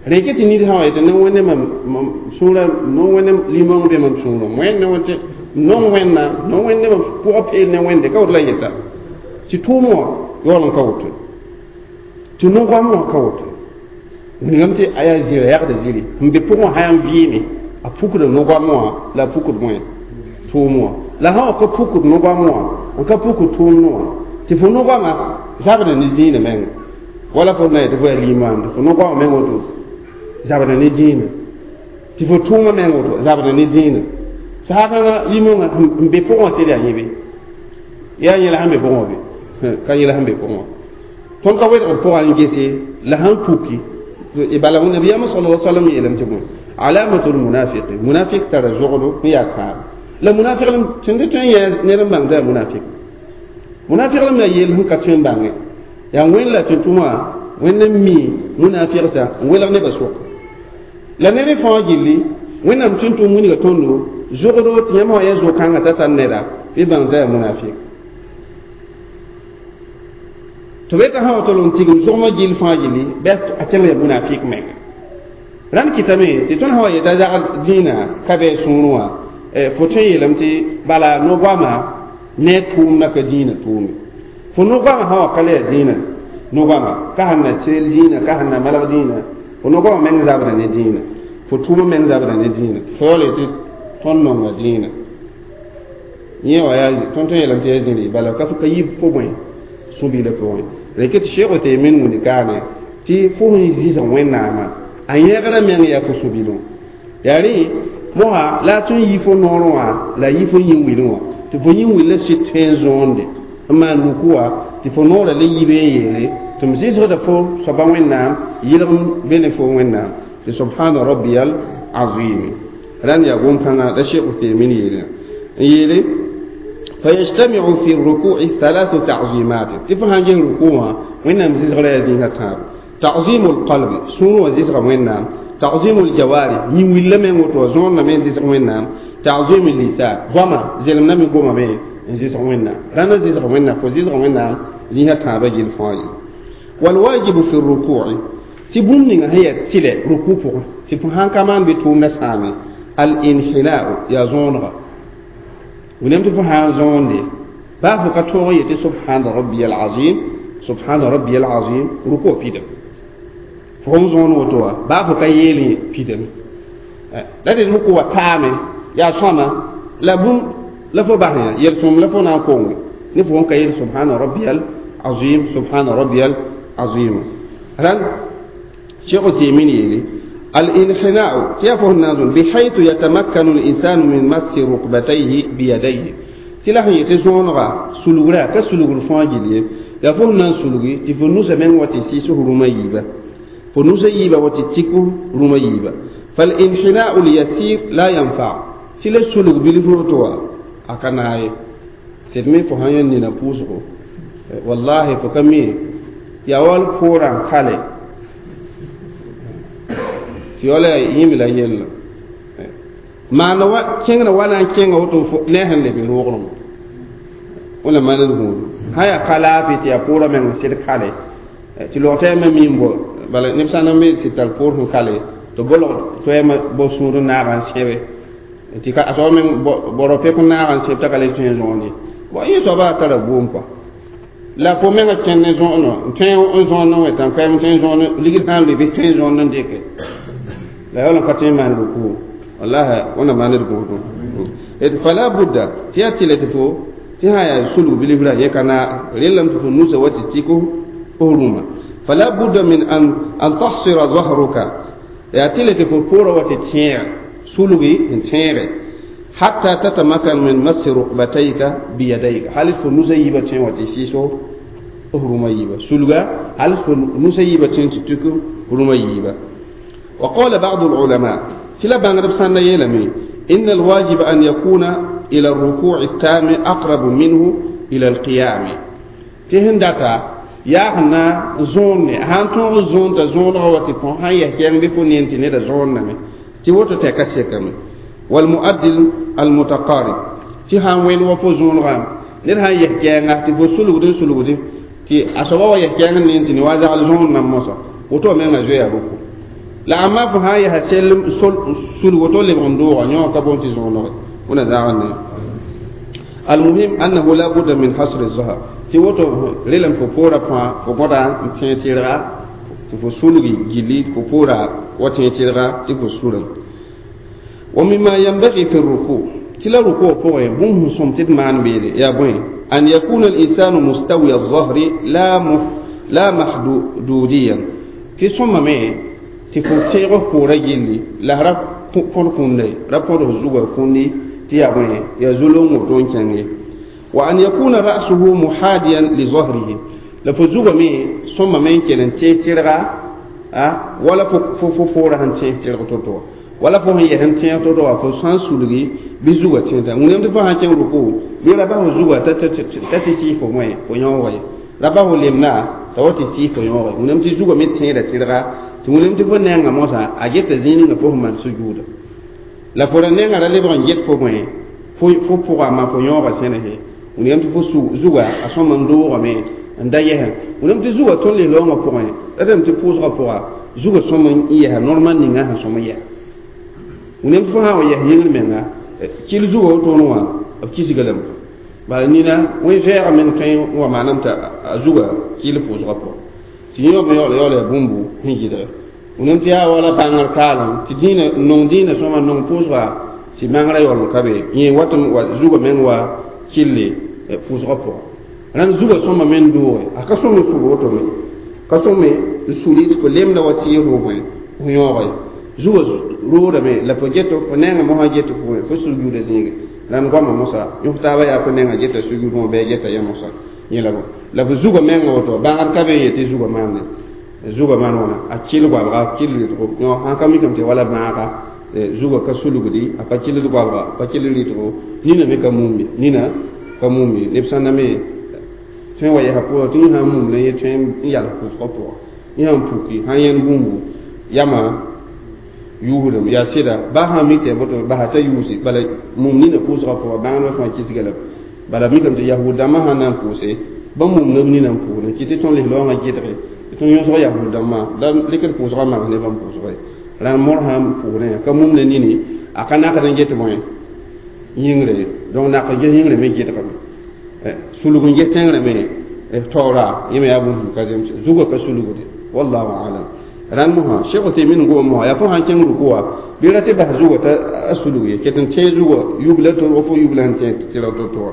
A: rẽke tɩ nid sã wa yetɩ ne wẽnde mam sũurã no wẽnde limong be mam sũurẽ wẽnd ne wẽnd nong wẽnnaam no wẽnde mam pʋgã peel ne wẽnde ka woto la yeta tɩ tʋʋm wã yaool n ka woto tɩ no-goam wã ka woto wilgame tɩ a yaa zĩra yagda zĩri n be pʋgẽ wã sã yaa n vɩɩme a pukd no-goam wã la a pukd bõe tʋʋm wã la sã wa ka pukd no-goam wã n ka pukd tʋʋmd wã tɩ fo no-goamã zabda ne dĩinã menga wala fo na yetɩ fo yaa limaam tɩ fo no-goamã meng woto zabda ne dĩinã tɩ fo tʋʋmã meng woto zabda ne dĩinã saakãngã limõngã n be pʋgẽ wã sɩd yaa yẽ be yaa yẽ la sẽn be pʋgẽ wã be ka yẽ la sẽn be pʋgẽ wã tõnd ka wedgd pʋgã n gese la sãn puki bala nabiyaamã sala alaihi wasallam yeelame tɩ bõe alamatul munafiqi munafiq tara zogdo n yaa kãab la munafiq lem tɩ tõe n yɛɛ ned n bãng t'a yaa munafiq munafiq lem yaa yeel sẽn ka tõe n bãnge yaa wẽnd la tɩ tʋma wẽnd n mi munafiqsã n welg nebã sʋka la ned fãa gilli wẽnnaam tʋ n tʋm wilga tõndo zogdo tɩ yãmb wã yaa zo-kãngã t'a tar neda bɩ bãng t'a yaa munafiq tɩ b yetã sã wa tol n tigim zogmã gill fãa gilli bɩ a tẽng yaa munafiq menga rãnd kɩtame tɩ tõnd sã wa yeta zagd dĩinã ka bɩ sũurẽ wã fo tõe n yeelame tɩ bala no-goamã ne tʋʋmdã ka dĩinã tʋʋme fo no-goamã sã wa ka le yaa dĩinã no-goamã ka sẽn na teel dĩinã ka sẽn na malg dĩinã fo no-goamã meng zabra ne dĩinã fo tʋʋmã meng zabra ne dĩinã fo yaool yetɩ tõnd nonga dĩinã yẽ wã yaa tõnd tõe n yeelame tɩ yaa zĩri bala ka ka yib fo bõe sũ-bilã pʋgẽ rẽke tɩ Sheikh Uthaymin wĩnd kaane tɩ fo sẽn zɩsg Wẽnnaamã a yẽgrã meng yaa fo sũ-bilẽ yaa rẽ mosa la a tõe n yi fo noorẽ wã la a yi fo yĩn-wilẽ wã tɩ fo yĩn-wilã sɩd tõe n zõonde n maan ruku wã tɩ fo noorã le yibe n yeele tɩ m zɩsgda fo soaba Wẽnnaam yɩlg n be ne fo Wẽnnaam tɩ subhana rabbiyal azim rãnd yaa gom-kãngã la Sheikh Uthaymin yeele n yeele فيجتمع في الركوع ثلاث تعظيمات تفهم جه ركوع وإنما زغرا يزينها تاب تعظيم القلب سنو زغرا وإنما تعظيم الجوارح يويل من وتو زون من زيس وينام تعظيم اللسان غما زلم نمي غما مي زيس وينام رانا زيس وينام فو زيس وينام ليها تابا جيل فاي والواجب في الركوع تبون هي تيله ركوع تفهم كمان بتوم نسامي الانحناء يا زونغا ونمت فهم زون دي بافو كتوغي سبحان ربي العظيم سبحان ربي العظيم ركوع بيدم فهم زون وتوا بافو كيلي بيدم لا دي ركوع تامي يا سوما لا بوم لا فو باهيا يرسم لا فو نان نفهم كيل سبحان ربي العظيم سبحان ربي العظيم هل شيخ تيميني الانحناء كيف النازل بحيث يتمكن الإنسان من مس ركبتيه بيديه تلاحظ يتزونغا سلوغرا كسلوغ الفاجلية يفهم نان سلوغي تفنوس من وتسيسه رميبة فنوس يبا وتتيكو رميبة فالانحناء اليسير لا ينفع تلا سلوغ بالفروتوا أكناي سيدمي فهاين نينا بوسكو والله فكمي يا وال فوران كالي تيولا يملا يلا ما نوا كينغ وانا كينغ وتو نهن لبي روغرم ولا ما نقول هيا كلا في تيا بورا من سيد كالي تلو تيما ميمبو بل نفسنا مي سيتال بور كالي تو بولو تويما بو سورو ناران سيبي تي كا اسو من بورو بيكو ناران سيب تكالي تين زوني بو يسوبا ترى بومبا la fo menga kẽnd zõono n tõe n zõon n wẽtã koɛɛm tõe n zõon ligd sã n leb tõe n zõon n dɩke la yaool n ka tõe n maan rukuu wallahi wẽna maand d gũudum d fala budda tɩ yaa tɩlɛ tɩ fo tɩ sã yaa sulg bilifra yẽ ka naa rellame tɩ fo nusa wa tɩ tɩk f rũmã fala budda min an an tahsira zahruka yaa tɩlɛ tɩ fo poorã wa tɩ tẽega sulgi n tẽege حتى تتمكن من مس ركبتيك بيديك هل فنوسا يبا تين وتي سيسو رما يبا سلغا هل فنوسا يبا تين تتكو رما يبا وقال بعض العلماء تلا بانغرب سنة يلمي إن الواجب أن يكون إلى الركوع التام أقرب منه إلى القيام تهن داتا يا هنا زون هان تون زون تا زون هو تكون هاي يحكي بفنين تني زون نمي تي وتو تكاسيكمي والمؤدل المتقارب تي هان وين وفو زون غام نير هان يحكيغا تي فو سلوغدي سلوغدي تي اسوا وا يحكيغا نين تي واجا زون نام موسى وتو مينغا جويا روكو لا اما فو هان يح سيل سل وتو لي بوندو نيو كابون تي زون لو ونا داغن المهم انه لا بد من حصر الظهر تي وتو ليلم فو بورا فا فو بودا تي تيرا تي فو سلوغي جيلي فو بورا وتي تيرا تي فو سلوغ ومما ينبغي في الركوع كلا ركوع فوق بوم سمتد مان بيري يا بوي أن يكون الإنسان مستوي الظهر لا مح لا محدوديا في صمم مي تفوتيره كورا جيلي لا رب كون كوني رب كون زوغا كوني تي يا بوي يا زولون وتون كاني وأن يكون رأسه محاديا لظهره لفزوغا مي صمم مي كلن تيتيرغا أه ولا فو فو فورا هن تيتيرغا توتو wala fo sẽn yɛsem tẽeg to-to wa fo sã n sulgi bɩ zugã tẽeda wẽnnaam tɩ fo sã n kẽng ruku bɩ ra bas fo zugã t'a tɩ sɩɩs fo wẽ fo yõoga ye ra bas fo lemna t'a wa tɩ sɩɩs fo yõoga ye wẽnnaam tɩ zugã me tẽeda tɩrga tɩ wẽnnaam tɩ fo nengã mosã a geta zĩig ninga fo sẽn maan sujuuda la fo ra nengã ra lebg n get fo bõe fo pʋga ma fo yõoga sẽnesẽ wẽnnaam tɩ fo zugã a sõm n doogame n da yɛsẽ wẽnnaam tɩ zugã tõnd lis-loongã pʋgẽ ratame tɩ pʋʋsgã pʋga zugã sõm n yɛsa normal ninga sẽn sõm n yɛsa wẽnnaam tɩ fo sã n wa yɛs yĩngr menga kɩl zugã wotone wã b kisga lame bala nina wẽ vɛɛga meng tõe n wa maaname t'a zugã kɩl pʋʋsgã pʋgẽ tɩ yẽ me yaool yaool yaa bũmbu sẽn yɩlge wẽnnaam tɩ yaa wala bãngr kaalem tɩ dĩinã nong dĩinã sõma nong pʋʋsga tɩ mangrã yaool n ka be yẽ wat n wa zugã meng wa kɩlle pʋʋsgã pʋgẽ rãnd zugã sõma me n dooge a ka sõm n sug wotome ka sõm n suli tɩ fo lemda wa sɩɩs fo bõe fo yõoga ye zuga roodame la fo get fo nengã mosã get fo fo sujuuda zĩige rãnd goamã mosã yõs taabã yaa fo nengã geta sujuud wã bɩ a geta yã mosã yẽ la la fo zugã mengã woto bãgr ka be n yetɩ zugã maande zugã maan wãna a kɩl goabga kɩl rɩtgo yõ sãn ka mikame tɩ wala bãaga zugã ka sulgdi a pa kɩld goabga a pa kɩl rɩtgo nina me ka mumbe nina ka mumbe neb sã na me tõe n wa yɛsa pʋgã tɩ yẽ sã n mum la yẽ tõe n yals pʋʋsgã pʋgã yẽ sãn puki sãn yẽnd bũmbu yama yuusdem yaa sɩda baa sã n mik tɩ yaa boto basa t'a yuusi bala mum nina pʋʋsgã pʋga bãngdbã fãa kisga la bala mikame tɩ yahud dãmbã sãn na n pʋʋse bãmb mum neb nina n pʋʋsdẽ kɩ tɩ tõnd lislaoongã gɩdge tɩ tõnd yõsg yahud dãmbã la rɩkd pʋʋsgã mags ne bãmb pʋʋsga ye rãnd mor sã n pʋʋsdẽ ka mum ne nini a ka nakd n get bõe yĩngre ye donc nak n ges yĩngre me gɩdgame sulg n ges tẽngrã me taoora yẽ me yaa bũmb ka zemse zugã ka sulgde wallahu alam rãnd mosã Cheikh Uthaymin gom mosã yaa fo sãn kẽng ruku wã bɩ ra tɩ bas zugã t'a a sulg ye ket n tẽeg zugã yubla to fo yubla sẽn tẽeg tɩ ra to-to wã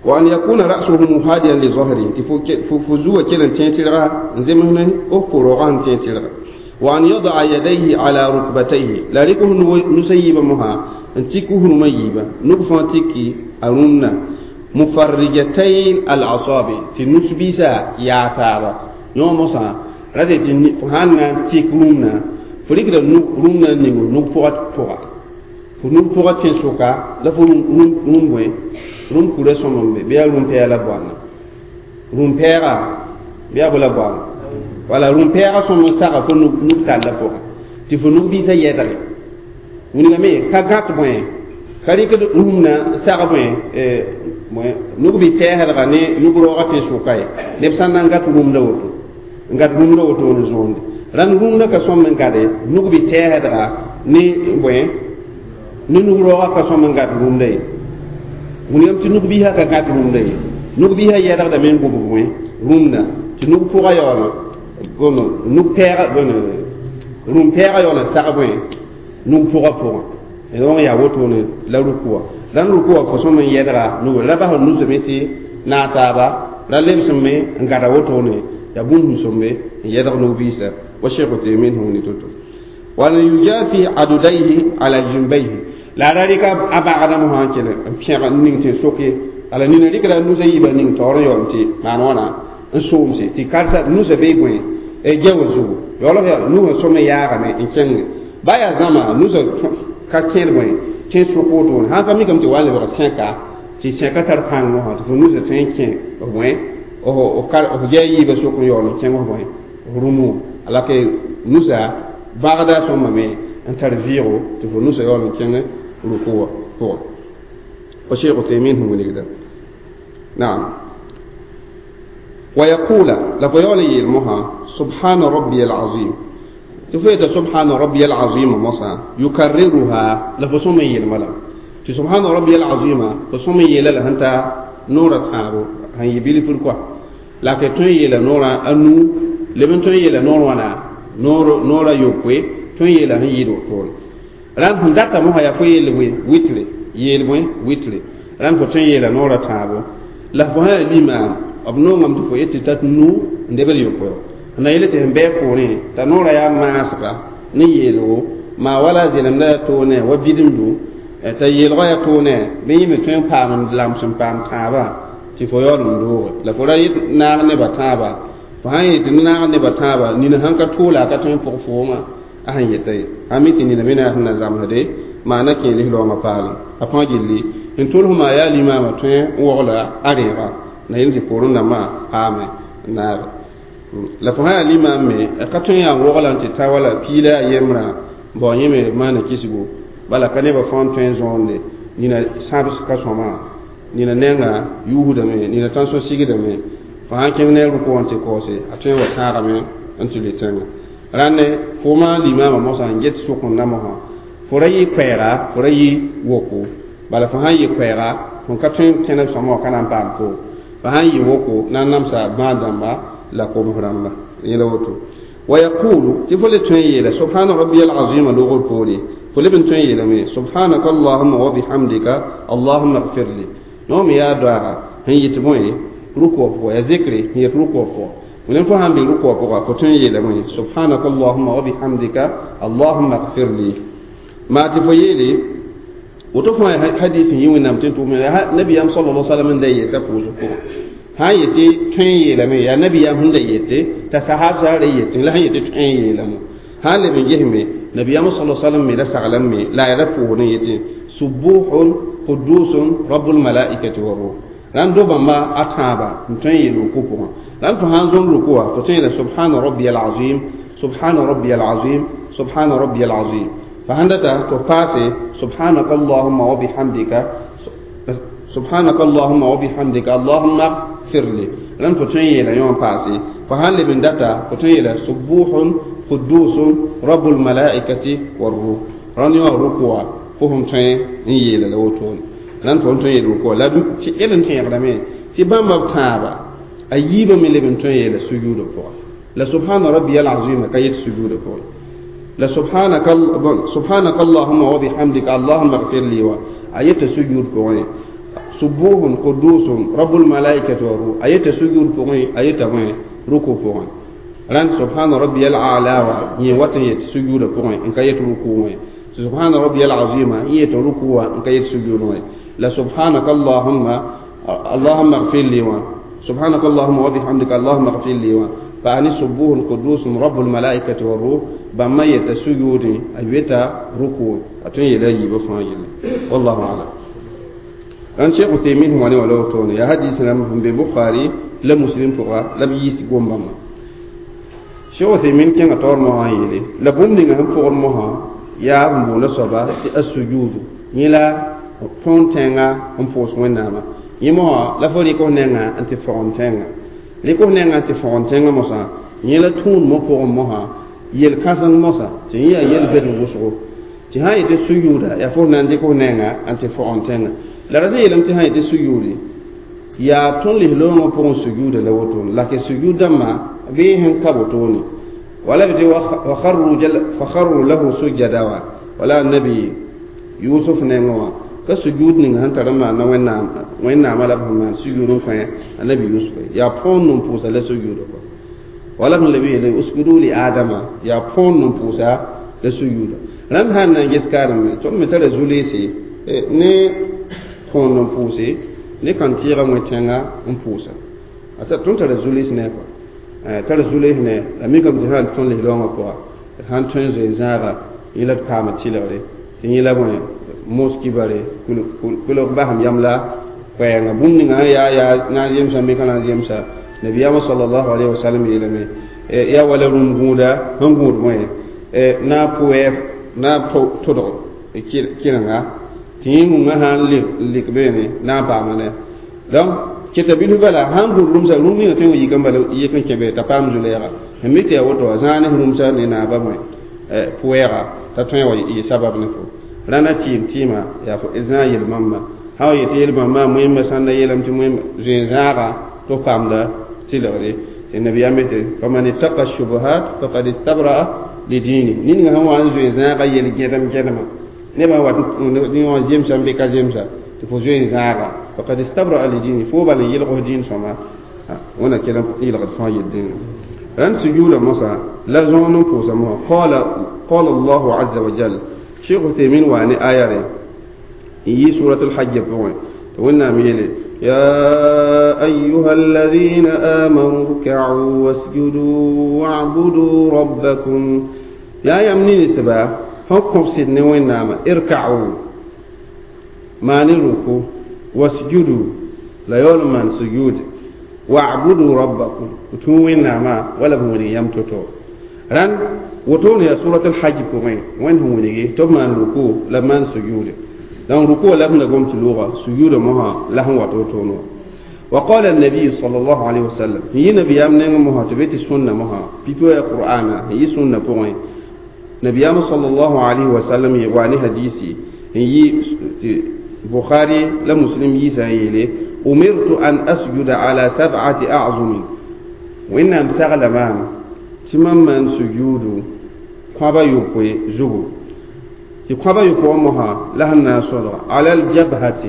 A: wa an yakuna ra'suhu muhadiyan li zahrihi tɩ fo zugã kell n tẽeg tɩrga n zems ne f pʋrogã sẽn tẽeg tɩrga wa an yadaa yadayhi ala rukbatayhi la rɩk f nusã yiibã mosã n tik f rũmã yiibã nug fãa tiki a rũmna mufarrijatayn al asabi tɩ nus-biisã yaa taaba yõ mosã ra tɩ fo sãn na n tik rũmna fo rɩkda rũmna n ning nug pʋgã pʋga fo nug pʋgã tẽn-sʋka la fo rũm bõe rũm kurã sõm n be bɩ yaa rũm-pɛɛg la boanda rũm-pɛɛga bɩ yaa bo la boanda wala rũm-pɛɛgã sõm n saga fo nug tallã pʋga tɩ fo nug-biisã yɛdge wilgame ka gãt bõe ka rɩkd rũmna sag bõe nug bɩ tɛɛsdga ne nug raoogã tẽn-sʋka ye neb sã n na n gat rũmda woto n gat rũmda woto n zõonde rãnd rũmda ka sõm n gade nug bɩ tɛɛsdga ne bõe ne nug raoogã ka sõm n gat rũmda ye wilgame tɩ nug-biisã ka gãt rũmda ye nug-biisã yɛdgdame n gʋbg bõe rũmna tɩ nug pʋgã yaool nug pɛɛga rũm-pɛɛgã yaool n sag bõe nug pʋgã pʋgã donc yaa wotone la rukuwa rãnd rukuwa fo sõm n yɛdga nug ra bas nusame tɩ naag taaba ra lebsme n gada wotone yaa bũmb sõmbe n yɛdg nug-biisã wa Cheikh Uthaymin sẽn wilg to-to wa an yujafi adudayhi ala jimbayhi la ra rɩka a bagdã mosã n kell n pẽg n ning tɩ sok ye ala nina rɩkda nusã yiibã ning taoor n yaool tɩ maan wãna n soomse tɩ karsa nusã bee bõe gewr zugu yaool yaa nusã sõm n yaagame n kẽnge ba yaa zãma nusã ka kẽed bõe tẽ sʋk wotone sãn ka mikame tɩ wa n lebg sẽka tɩ sẽka tar pãng mosã tɩ fo nusã tõe n kẽ bõe f gɛ yiibã sʋk n yaool n kẽng f bõe rũmu ala ke nusã bagda sõmbame n tar vɩɩgo tɩ fo nusã yaool n kẽng ruku wã pʋgẽ wa Cheikh Uthaymin sẽn wilgda naam wa yaqula la fo yaool n yeel mosã subhana rabbiya alazim tɩ fo yeta subhana rabbiya alazima mosã yukarriruha la fo sõm n yeelma la tɩ subhana rabbiya alazima fo sõm n yeela la sẽn ta noorã tãabo sẽn yɩ bilfr kɔa la ke tõe n yeela noorã a nuu leb n tõe n yeela noor wãna noorã yopoe tõe n yeela sẽn yɩɩd wotone rãnd sẽn data mosã yaa fo yeel bõe witre yeel bõe witre rãnd fo tõe n yeela noorã tãabo la fo sã yaa limaam b nongame tɩ fo yet tɩ tat nuu n lebd yopoe na yele tɩ sẽn bɩ poorẽ t'a noorã yaa maasga ne yeelgo maa wala zelemda yaa toonɛ wa bidemdu t'a yeelgã yaa toonɛ bɩ yẽ me tõe n paam n lams n paam tãabã tɩ fo yaool n dooge la fo ra yet naag nebã tãaba fo sãn yet tɩ naag nebã tãaba nina sãn ka toola a ka tõe n pʋg foomã a sẽn yeta ye a mi tɩ nina me na yaa sẽn na zãmsde maana kẽ lislaoongã paalem a fãa gilli n tʋls maa yaa limaamã tõe n wogla a rẽega na yel tɩ poorẽ dãmbã paame n naage la fo sã yaa limaam me ka tõe n yaa n wogla n tɩ ta wala piila yaa yembrã bao yẽ me maana kisgo bala ka nebã fãa n tõe n zõonde nina sãbs ka sõma nina nenga yuusdame nina tãnso sigdame fo sãn kẽng ne rʋk wã n tɩ kaoose a tõe n wa sãagame n tɩ le tẽnga rãnde fo maa limaamã mosã n get sʋk n na mosã fo ra yɩ koɛɛga fo ra yɩ woko bala fo sãn yɩ koɛɛga fo ka tõe n kẽneb sõma wã ka na n paam fo fo sãn yɩ woko na n namsa bãad-dãmba la koms rãmba yẽla woto wa yaqulu tɩ fo le tõe n yeela subhana rabbiya alazima logr poore fo leb n tõe n yeelame subhanaka allahuma wa bihamdika allahuma gfir li yõ me yaa doaaga sẽn yɩt bõe rukʋa pʋga yaa zikre sẽn yet rukʋa pʋga wẽnem fo sãn be rukʋa pʋga fo tõe n yeelame subhanaka allahuma wa bihamdika allahuma gfir li maa tɩ fo yeele woto fãa hadis n yɩ wẽnnaam tɩ n tʋʋm nabiyam sallallahu alaihi wasallam n da yeta pʋʋsg pʋgẽ sãn yetɩ tõe n yeelame yaa nabiyam sẽn da yete t'a sahabsã ra yetẽ la sẽn yetɩ tõe n yeelame sãn leb n gesme nabiyam sallallahu alaihi wasallam me ra saglame la a ra pʋʋsdẽ yetẽ subuhun qudusun rabbul malaikati wa ruh rãnd do bãmba a tãaba n tõe n yeel ruku pʋgẽ rãnd fo sãn zõm ruku wã fo tõe n yeela subhana rabbiyal azim سبحان ربي العظيم سبحان ربي العظيم فهندتا تفاسي سبحانك اللهم وبحمدك سبحانك اللهم وبحمدك اللهم اغفر لي لن فتني لا يوم فاسي فهل من دتا فتني لا سبوح قدوس رب الملائكة والروح رن يوم ركوع فهم تني يلا لوتون لن فتني ركوع لا تي إلن تني غدامي تي بام تابا أييب من لبن تني لا سجود فوق لا سبحان ربي العظيم كيت سجود فوق لا سبحانك سبحانك اللهم وبحمدك اللهم اغفر لي آية سجود فوق سبوح قدوس رب الملائكة والروح آية سجود فوق آية ركوع فوق ران سبحان ربي الأعلى ني واتن يت سجود فوق إن كيت ركوع سبحان ربي العظيم يت ركوع إن كيت سجود لا سبحانك اللهم اللهم اغفر لي سبحانك اللهم وبحمدك اللهم اغفر لي فأني سبوح قدوس رب الملائكة والروح بما يتسجود أيتا ركوع أتون يلاجي بفاجل والله أعلم أن شيخ عثيمين هو ولو توني يا حديث لم ببخاري لا مسلم فقا لا بيس قوم شيخ عثيمين كان تور مهايلي لا بوم نغا هم فور مها يا مبولا صبا السجود نيلا فونتينغا هم فوس ويناما يمو لا فوري كو نغا انت فونتينغا لكو نغا انت فونتينغا موسا نيلا تون مو فور مها يل كاسن موسا تي يا يل بن وسو تي هاي تي سجودا يا فور ناندي كو نغا انت فونتينغا la ra yeelame tɩ sã n yetɩ sujuudi yaa tõnd lislaoongã pʋgẽ sujuuda la wotone la ke sujuud dãmbã bɩ sẽn ka wotone wala b tɩ fakharru lahu sujada wã wala nabi yusuf nengẽ wã ka sujuud ning sẽn tar n maana wẽnnaam wẽnnaamã la b sẽn maan sujuud n kõ a nabi yusuf yaa põond n pʋʋsa la sujuuda kɔ wala b sẽn leb yeele usjudu li adama yaa põond n pʋʋsa la sujuuda rãmb sãn na n ges kaareme tõnd me tara zulese ne põond n pʋʋse ne kãn tɩɩga wẽ-tẽnga n pʋʋsa ata tõnd tara zules ne kɔ tara zules ne la mikame tɩ sãn tõnd lislaoongã pʋga sãn tõe n zoe zãaga yẽ la d paama tɩlgre tɩ yẽ la bõe moski bare kulg basem yam la koɛɛngã bũmb ninga yaa yaa na n zemsa me ka na n zemsa nabiyaamã sallallahu alayhi wa sallam yeelame yaa wala rũm gũuda sẽn gũud bõe na pʋɛ na tʋdg kɩrenga tɩ yẽ wũngã sãn lik beene na n paama ne donc keta bilf bala sãn gũud rũmsa rũm ninga tõe n yik n bala yik n kẽ be t'a paam zu-lɛɛga sẽn mi tɩ yaa woto wã zãag ne rũmsa ne naaba bõe pʋɛɛga t'a tõe wa yɩ sabab ne fo rãna tɩɩm tɩɩma yaa zãag yel-bãmba sã wa yetɩ yel-bãmba moẽmba sãn da yeelame tɩ moẽmba zoe-zãaga tɩ f paamda tɩlgre tɩ nabiyaam yetɩ faman ittaqa shubuhat faqad istabra'a lidini ninga sẽn wa n zoe-zãaga yel-gẽdem gẽdemã nebã wat wã zemsa n be ka zemsa tɩ fo zoe zãaga faqad istabra'a lidini fo bala n yelg f dĩin sõma wẽna kell n yelgd fãa yel dĩnã rãnd sujuuda mosã la zõon n pʋʋsa mosã qala qala allahu azza wa jal cheikh uthaymin waa ne aya re n yi surat alhajj pʋgẽ tɩ wẽnnaam yeele يا أيها الذين آمنوا اركعوا واسجدوا واعبدوا ربكم يا يمني سبا حكم سيدنا وينام اركعوا ما نركو واسجدوا لا يولم من سجود واعبدوا ربكم وتوين ما ولا بمولي يمتوتو ران وتون يا سورة الحج بوين وين هم ولي تب من ركو لمن سجود لأن ركوع لم نقوم تلوغة سجود مها لهم وتوتونو وقال النبي صلى الله عليه وسلم هي نبي أمنا مها تبيت السنة مها بيتو يا قرآن هي سنة بوين نبي صلى الله عليه وسلم يواني حديثي هي بخاري لا مسلم يسا يلي أمرت أن أسجد على سبعة أعظم وإن أمسغل مام تمام من سجود قبا يقوي زغو قبا يقوي مها لهنا صدر على الجبهة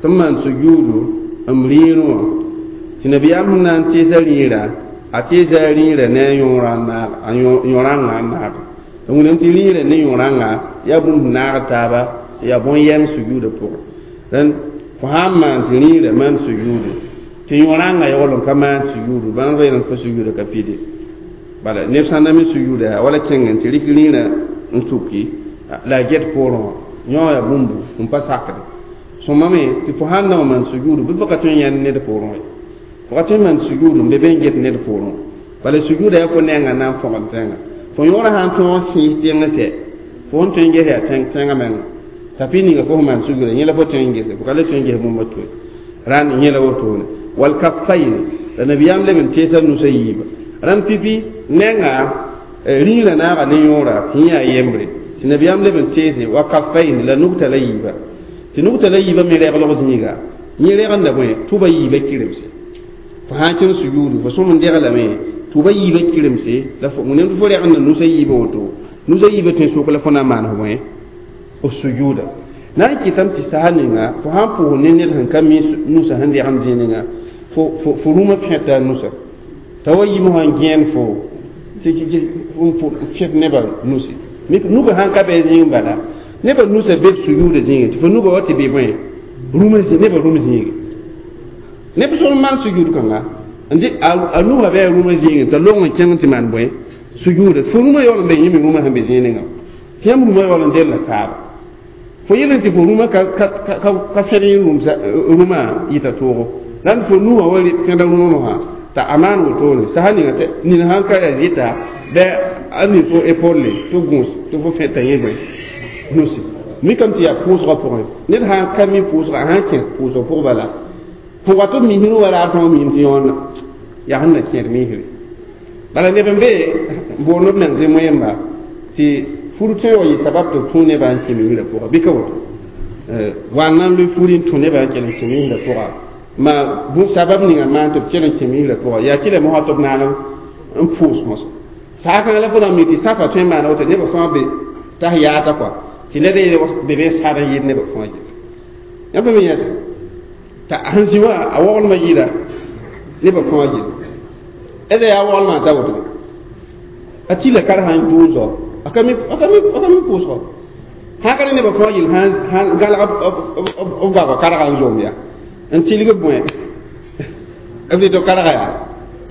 A: ثم سجود أمرينو تنبي أمنا تيزاليرا أتيزاليرا نا يورانا يورانا نار wẽnnaam tɩ rĩirã ne yõ-rãnga yaa bũmb naag taaba yaa bõn-yɛng sujuudã pʋgẽ dẽn fo sãn maan tɩ rĩirã maan sujuudu tɩ yõ-rãngã yaool n ka maan sujuudu bãmb reelem fo sujuudã ka pide bala neb sã n na me sujuuda yaa wala kẽng n tɩ rɩk rĩirã n tuki la a get poorẽ wã yõ yaa bũmbu n pa sakde sõma me tɩ fo sãn na wa maan sujuudu bɩ fo ka tõe n yãnd ned poorẽ ye fo ka tõe n maan sujuudu n be be n get ned poorẽ Bala sujuuda yaa fo nengã na n fõgd tẽngã fo yõora sã n tõog sẽes tẽng sɛ fo n tõe n ges yaa tẽngã menga t'a pɩ ninga fo sẽn maan sujuuda yẽ la fo tõe n gese fo ka le tõe n ges bũmb to rãnd yẽ la wotone wal kaffayn la nabiyaam leb n teesa nusa yiiba rãnd pipi nengã rĩirã naaga ne yõora tɩ yẽ yaa yembre tɩ nabiyaam leb n teese wa kaffayn la nugta la yiiba tɩ nugta la yiiba me reglg zĩiga yẽ regenda bõe tʋba yiiba kɩremse fo sã n kẽng sujuudu fo sõm n deglame tʋba yiiba kɩremse la fo ned fo regenda nusa yiiba woto nusa yiiba tõe sok la fo na n maan f bõe f sujuuda na n kɩtame tɩ saha ninga fo sã n pʋʋs ne ned sẽn ka mi nusa sẽn degend zĩig ninga fo fo rũmã fẽta a nusa t'a wa yim sã n gẽen fo tɩ fẽt nebã nusi nugã sãn ka bɩ zĩig bala nebã nusa be sujuuda zĩige tɩ fo nugã wa tɩ bɩ bõe rũmã nebã rũm zĩige neb sõm maan sujuud kãnga n dɩ a nugã bɩ a rũmã zĩige t'a long n kẽng tɩ maan bõe sujuuda fo rũmã yaool n be yẽ me rũmã sẽn be zĩig ninga tɩ yãmb rũmã yaool n della taaba fo yel tɩ fo rũmã ka fẽd yẽ rũmã yɩta toogo rãnd fo nugã wa fẽda rũmã mosã t'a a maan wotone saha ninga tɩ nin sãn ka ya zɩta bɩ a nin fo épaule tɩ gũus tɩ fo fẽta yẽ bõe nusi mikame tɩ yaa pʋʋsgã pʋgẽ ned sãn ka mi pʋʋsga a sãn kẽ pʋʋsg pʋg bala fo wa tɩ b misr wa raar tõog miim tɩ yõona yaa sẽn na kẽed misre bala neb n be boond b meng tɩ moẽmba tɩ fur tõe wa yɩ sabab tɩ b tũ nebã n kẽ misrã pʋga bɩ ka woto wa n na n loe furi n tũ nebã n kell n kẽ misrã pʋga ma bũ sabab ninga maan tɩ b kell n kẽ misrã pʋga yaa tɩ la mosã tɩ b naag n pʋʋs mosã saa kãngã la fo na n mi tɩ sãfa tõe n maana woto nebã fãa be tas yaata kɔa tɩ ned be be sad n yɩɩd nebã fãa gil yãmb me yẽta t'a sẽn zĩ wã a waglmã yɩɩda nebã fãa gil d yaa waglmã t'a woto a tɩla kar sã n dʋʋsɔ a ka mi a ka mi a ka mi pʋʋsgɔ sã ka ne nebã fãa yel sãn gãlg b goagã karga n zom ya n tilg b bõe b dɩ tɩ karga yaa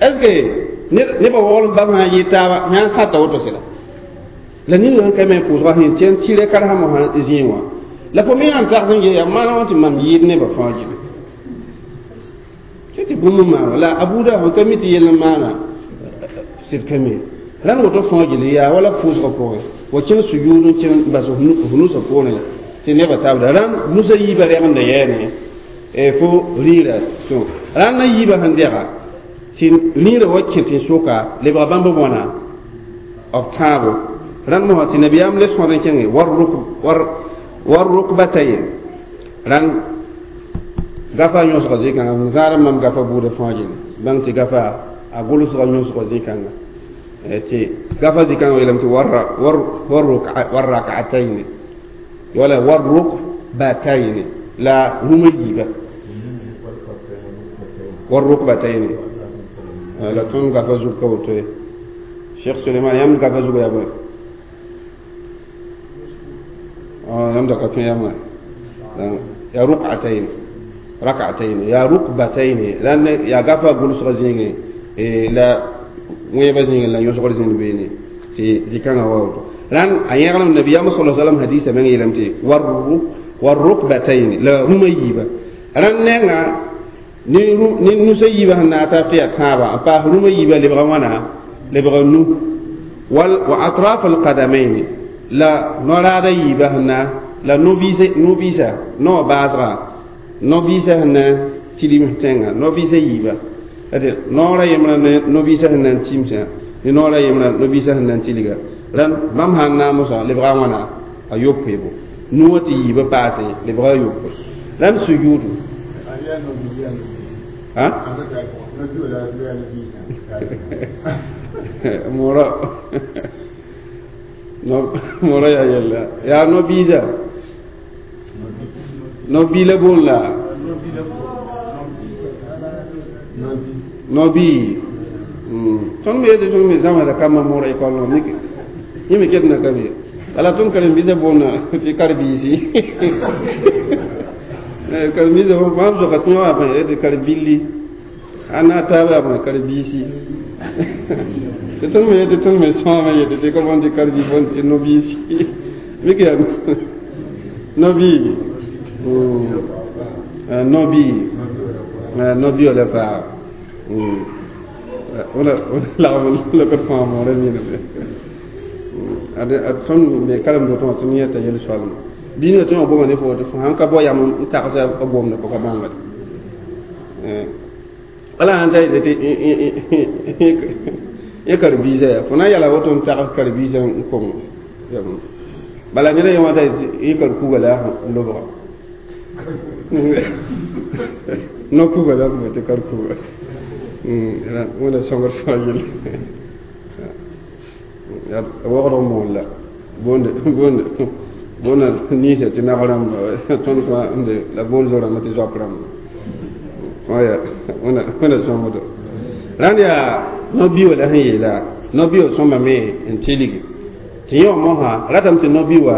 A: est ce que nebã waglem bam sã n yɩ taaba yãn sãta woto sɩda la nin sẽn ka me pʋʋsgã sẽn tɩ n tɩrɛ karsã mosã zĩig wã la fo me yã n tags n yaa maana wã tɩ mam yɩɩd nebã fãa gil tɩ tɩ bũmb n maana la a buuda sẽn ka mi tɩ yell n maana sɩd ka mi rãnd woto fãa gil yaa wala pʋʋsgã pʋgẽ wa kẽng sujuud n kẽng bas f nusã poorẽ tɩ nebã tabda rãnd nusã yiibã regenda yɛɛne fo rĩirã tõ rãnd na yiibã sẽn dɛga tɩ rĩirã wa kẽ tɩ soka lebga bãmb bõna b tãabo rãnd mosã tɩ nabiyaam le sõd n kẽnge war rukbatayn rãnd gafa yõsga zĩ-kãngã n zãad mam gafa buudã fãa gil bãng tɩ gafa a gʋlsga yõsga zĩ-kãnga tɩ gafa zĩ-kãngã yeelame tɩ war rak'atayn wala war rukbatayn la rũmã yiiba war rukbatayn la tõnd gafa zug ka woto ye Cheikh Suleiman yãmb gafa zug yaa bõe yãmb da ka tõe yãmba yaa ruk'atayn rak'atayn yaa rukbatayn la yaa gafa gʋlsga zĩigẽ la wẽebã zĩigẽ la yõsgr zĩnd beene tɩ zĩ-kãngã wa woto rãnd a yẽglem nabiyaam sala salam hadisa meng yeelame tɩ war rukbatayn la rũmã yiiba rãnd nenga ne nusã yiibã sẽn na n tab tɩ yaa tãabã n paas rũmã yiibã lebga wãna lebga nu wal wa atraf alqadamain la noraada yiibã sẽn na la no-biisa no baasga no-biisa sẽn na n tilim tẽngã no-biisa yiibã noora yembrã ne no-biisa sẽn na n timsã ne noora yembrã no-biisa sẽn na n tilga rãnd bãmb sã n naag mosã lebga wãna a yopoebo nu wã tɩ yiibã paase lebga a yopoe rãnd sujuudu ha mora no mora ya yella ya no biza no bila bon la no bi tõnd me yetɩ tõnd me zãmsda kambã moora école wã mik yẽ me ket na ka be ala tõnd karen-biisã boonda tɩ karen-biisi karen-biisã fãa zoka tɩ yõ bõe tɩ karen-billi a na taaba yaa bõe karen-biisi tɩ tõnd me yetɩ tõnd me sõama yetɩ tɩ ka bõn tɩ karen-bi bõn tɩ no-biisi mik yaa no-bi no-bi no-bi la faa wala lagm lokot fãa moorã niname ad ad tõnd be karem do tɩ yeta yel soalma bɩ ninga tõe wã goma ne fo tɩ fo sãn ka bao yam n tagsã a gomda fo ka bãngd wala sãn ta yetɩ yẽ karen-biisã yaa fo na n yala woto n tags karen-biisã n kong bala ned a ye wã ta yẽ karen-kuga la n lobga no kuga la b tɩ karen-kuga wẽnda sõngr fãa yelle wogd moon la boonde boonde boonda ninsã tɩ nag rãmba tõnd fãa n be la boond zo-rãmba tɩ zoap rãmba fãa yaa wẽnda sõngdo rãnd yaa no-biwã la sẽn yeela no-biwã sõmbame n tilgi tɩ yẽ wã mosã ratame tɩ no-biwã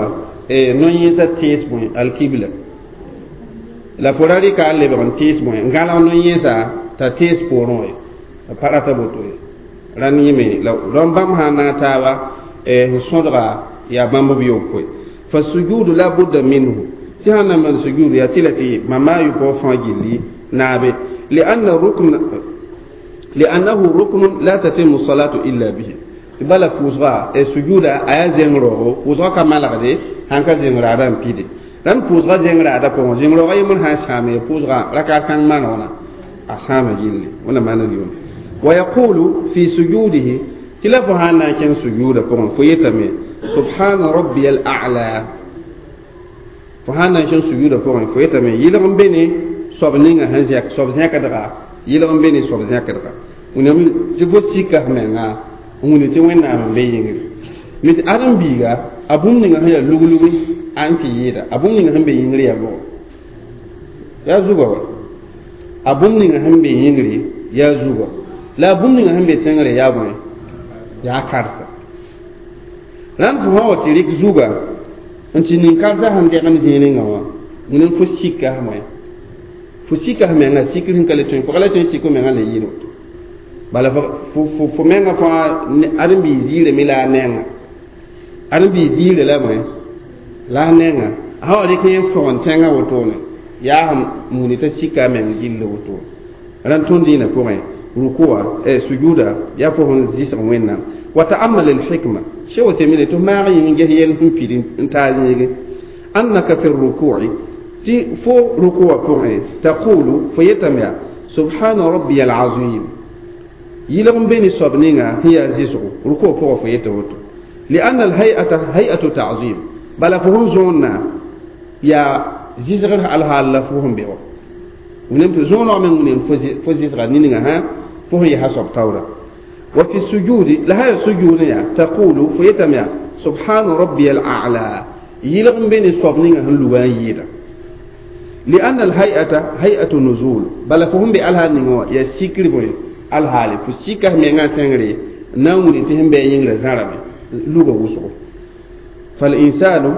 A: no-yẽesã tẽes bõe alkibla la fo ra rɩka n lebg n tẽes bõe n gãlg no-yẽesã t'a tẽes poorẽ wã ye a pa rata boto ye rãnd yẽme la rãmb bãmb sã n naag taaba n sõdga yaa bãmb b yopoe fa sujudu la budda minhu tɩ sãn na maan sujudu yaa tɩ la tɩ mama a yopoa fãa gilli naabe lianna rukn liannahu ruknun la tatimu salatu illa bihi tɩ bala pʋʋsga sujuda a yaa zẽng rooogo pʋʋsga ka malgde sãn ka zẽng raada n pide rãnd pʋʋsga zẽng raada pʋgẽ zẽng roogã yembr sã n sãame pʋʋsga rakat kãng manegna a sãama gilli wẽnna maana rɩʋʋm wa yaqulu fi sujudihi tɩ la fo sãn na n kẽng sujuuda pʋgẽ fo yetame subhana rabbiya al a'la fo sãn na n kẽng sujuuda pʋgẽ fo yetame yɩlg n be ne soab ninga sẽn zẽk soab zẽkdga yɩlg n be ne soab zẽkdga wẽnnaam tɩ fo sika f menga n wilg tɩ wẽnnaam n be yĩngri me tɩ ãdem-biiga a bũmb ninga sẽn yaa luglugi a n tɩ yɩɩda a bũmb ninga sẽn be yĩngri yaa bʋgɔ yaa zugã wa a bũmb ninga sẽn be yĩngri yaa zugã la a bũmb ninga sẽn be tẽngre yaa bõe yaa karsa rãnd fo sã wa tɩ rɩk zugã n tɩ nin-karsã sẽn degem zĩig ninga wã wẽnem fo sika f bõe fo sika f menga sikr sẽn ka le tõe fo ka le tõe n sik f menga le yɩɩd woto bala fo fo menga fãa ãdem-biig ziirame la a nenga ãdem-biig ziire la bõe la a nenga a sã wa rɩk yẽ fõgen tẽngã wotone yaa sẽn muni t'a sika a meng gilli wotone rãnd tõnd dĩinã pʋgẽ rukuwa sujuda yaa fo sẽn zɩsg wẽnnaam wa ta'ammal al-hikma sheikh Uthaymeen tɩ maag yĩng ges yɛl sẽn pid n taa zĩige annaka fi ruku'i tɩ fo rukuwa pʋgẽ taqulu fo yetame yaa subhana rabbiya al-azim yɩlg n be ne soab ninga sẽn yaa zɩsgo rukuwa pʋgã fo yeta woto lianna al-hay'ata hay'atu ta'zim bala fo sẽn zõonna yaa zɩsgr alhaal la fo sẽn be wã wẽnnaam tɩ zõoneg meng wẽnnaam fo zɩsga ninga hã fo sẽn yesa soab taoora wa fi sujudi la haya sujud ya taqulu fo yetame yaa subhana rabbiya al-a'la yɩlg n be ne soab ninga sẽn lugã n yɩɩda lianna al-hay'ata hay'atu nuzul bala fo sẽn be alhaal ninga wã yaa sikr bõe alhaale fo sika f mengã tẽngre n na n wilg tɩ sẽn bɩ a yĩngrã zãrame luga wʋsgo falinsanu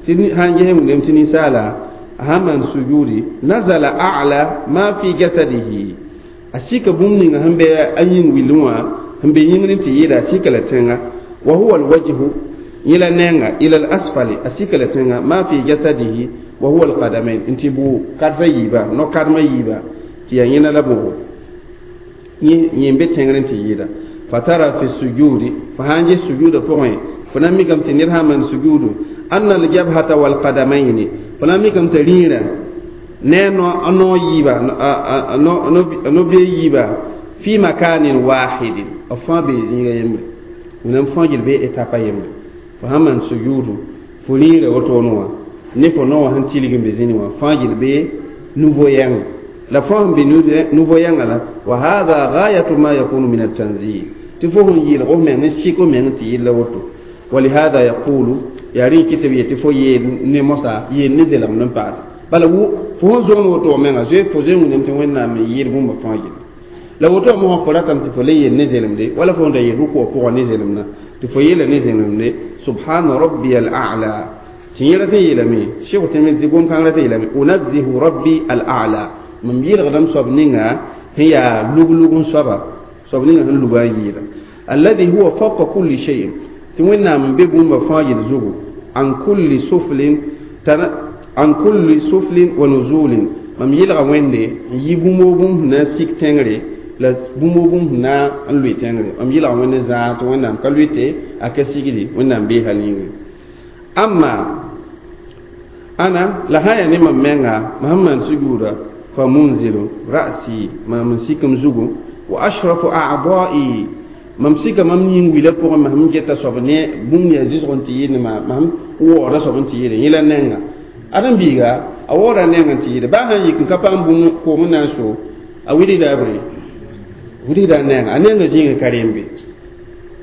A: tɩ sãn ges wẽnnaam tɩ ninsaala sãn maan sujudi nazala a'la ma fi jasadihi a sika bũmb ninga sẽn bɩ a yĩng willẽ wã sẽn be yĩngr n tɩ yɩɩda a sika la tẽnga wa huwa alwajhu yẽ la nenga ila al-asfali a sika la tẽnga ma fi jasadihi wa huwa alqadamain n tɩ bʋ karsa yiiba no-kadmã yiiba tɩ yaa yẽna la bʋgo yẽ n be tẽngr n tɩ yɩɩda fatara fi sujudi fo sãn ges sujuda pʋgẽ fo na n mikame tɩ ned sã n maan sujudu anna aljabhata walqadamaini fo na n mikame t'a rĩirã ne a no yiiba a no-bee yiiba fi makanin wahidin b fãa bee zĩiga yembre wẽnnaam fãa gil bee etapa yembre fo sãn maan sujudu fo rĩirã wotone wã ne fo no wã sẽn tilg n be zĩni wã fãa gil bee nouveau yãnga la fãa sẽn be nouveau yãnga la wa hada gayatu ma yakunu min altanzih tɩ fo sẽn yɩɩlg f meng n sik f meng tɩ yɩlla woto walihada yaqulu yaa rẽ kɩ tɩ b yetɩ fo yeel ne mosã yeel ne zelem n paase bala fo sẽn zõon woto menga zoe fo zoe wẽnnaam tɩ wẽnnaam n yɩɩl bũmba fãa gilli la woto mosã fo ratame tɩ fo le yeel ne zelemde wala fo da yeel rʋkʋwã pʋgã ne zelemdã tɩ fo yeela ne zelemde subhana rabbiya al-a'la tɩ yẽ rat n yeelame Cheikh Uthaymeen tɩ gom-kãng rat n yeelame unazzihu rabbi al-a'la mam yɩlgdame soab ninga sẽn yaa lug-lug n soaba soab ninga sẽn lugã n yɩɩda alladhi huwa fawqa kulli shay'in tɩ wẽnnaam n be bũmba fãa yel zugu an kulli suflin an kulli suflin wa nuzulin mam yɩlga wẽnde n yɩ bũmb o bũmb sẽn na n sik tẽngre La bũmb bũmb na n lʋɩ tẽngre m yɩlg wẽnd zãag tɩ wẽnnaam ka lʋɩte a ka sigdi wẽnnaam bee hal yĩngre amma ana la sã n yaa ne mam menga mam sẽn maan sujuuda fa munzilu ra'si mam n sik m zugu wa ashrafu a'dha'i mam sika mam yĩng wila pʋgẽ mam sẽn geta soab ne bũmb yaa zɩsg n tɩ yɩɩd ma mam waooda soab n tɩ yɩɩde yẽ la nengã ãdem-biiga a waooda neng n tɩ yɩɩde baa sãn yik n ka paam bũmb koom n na n so a wilgda a bõe wilgda a nenga a nenga zĩigã ka rembe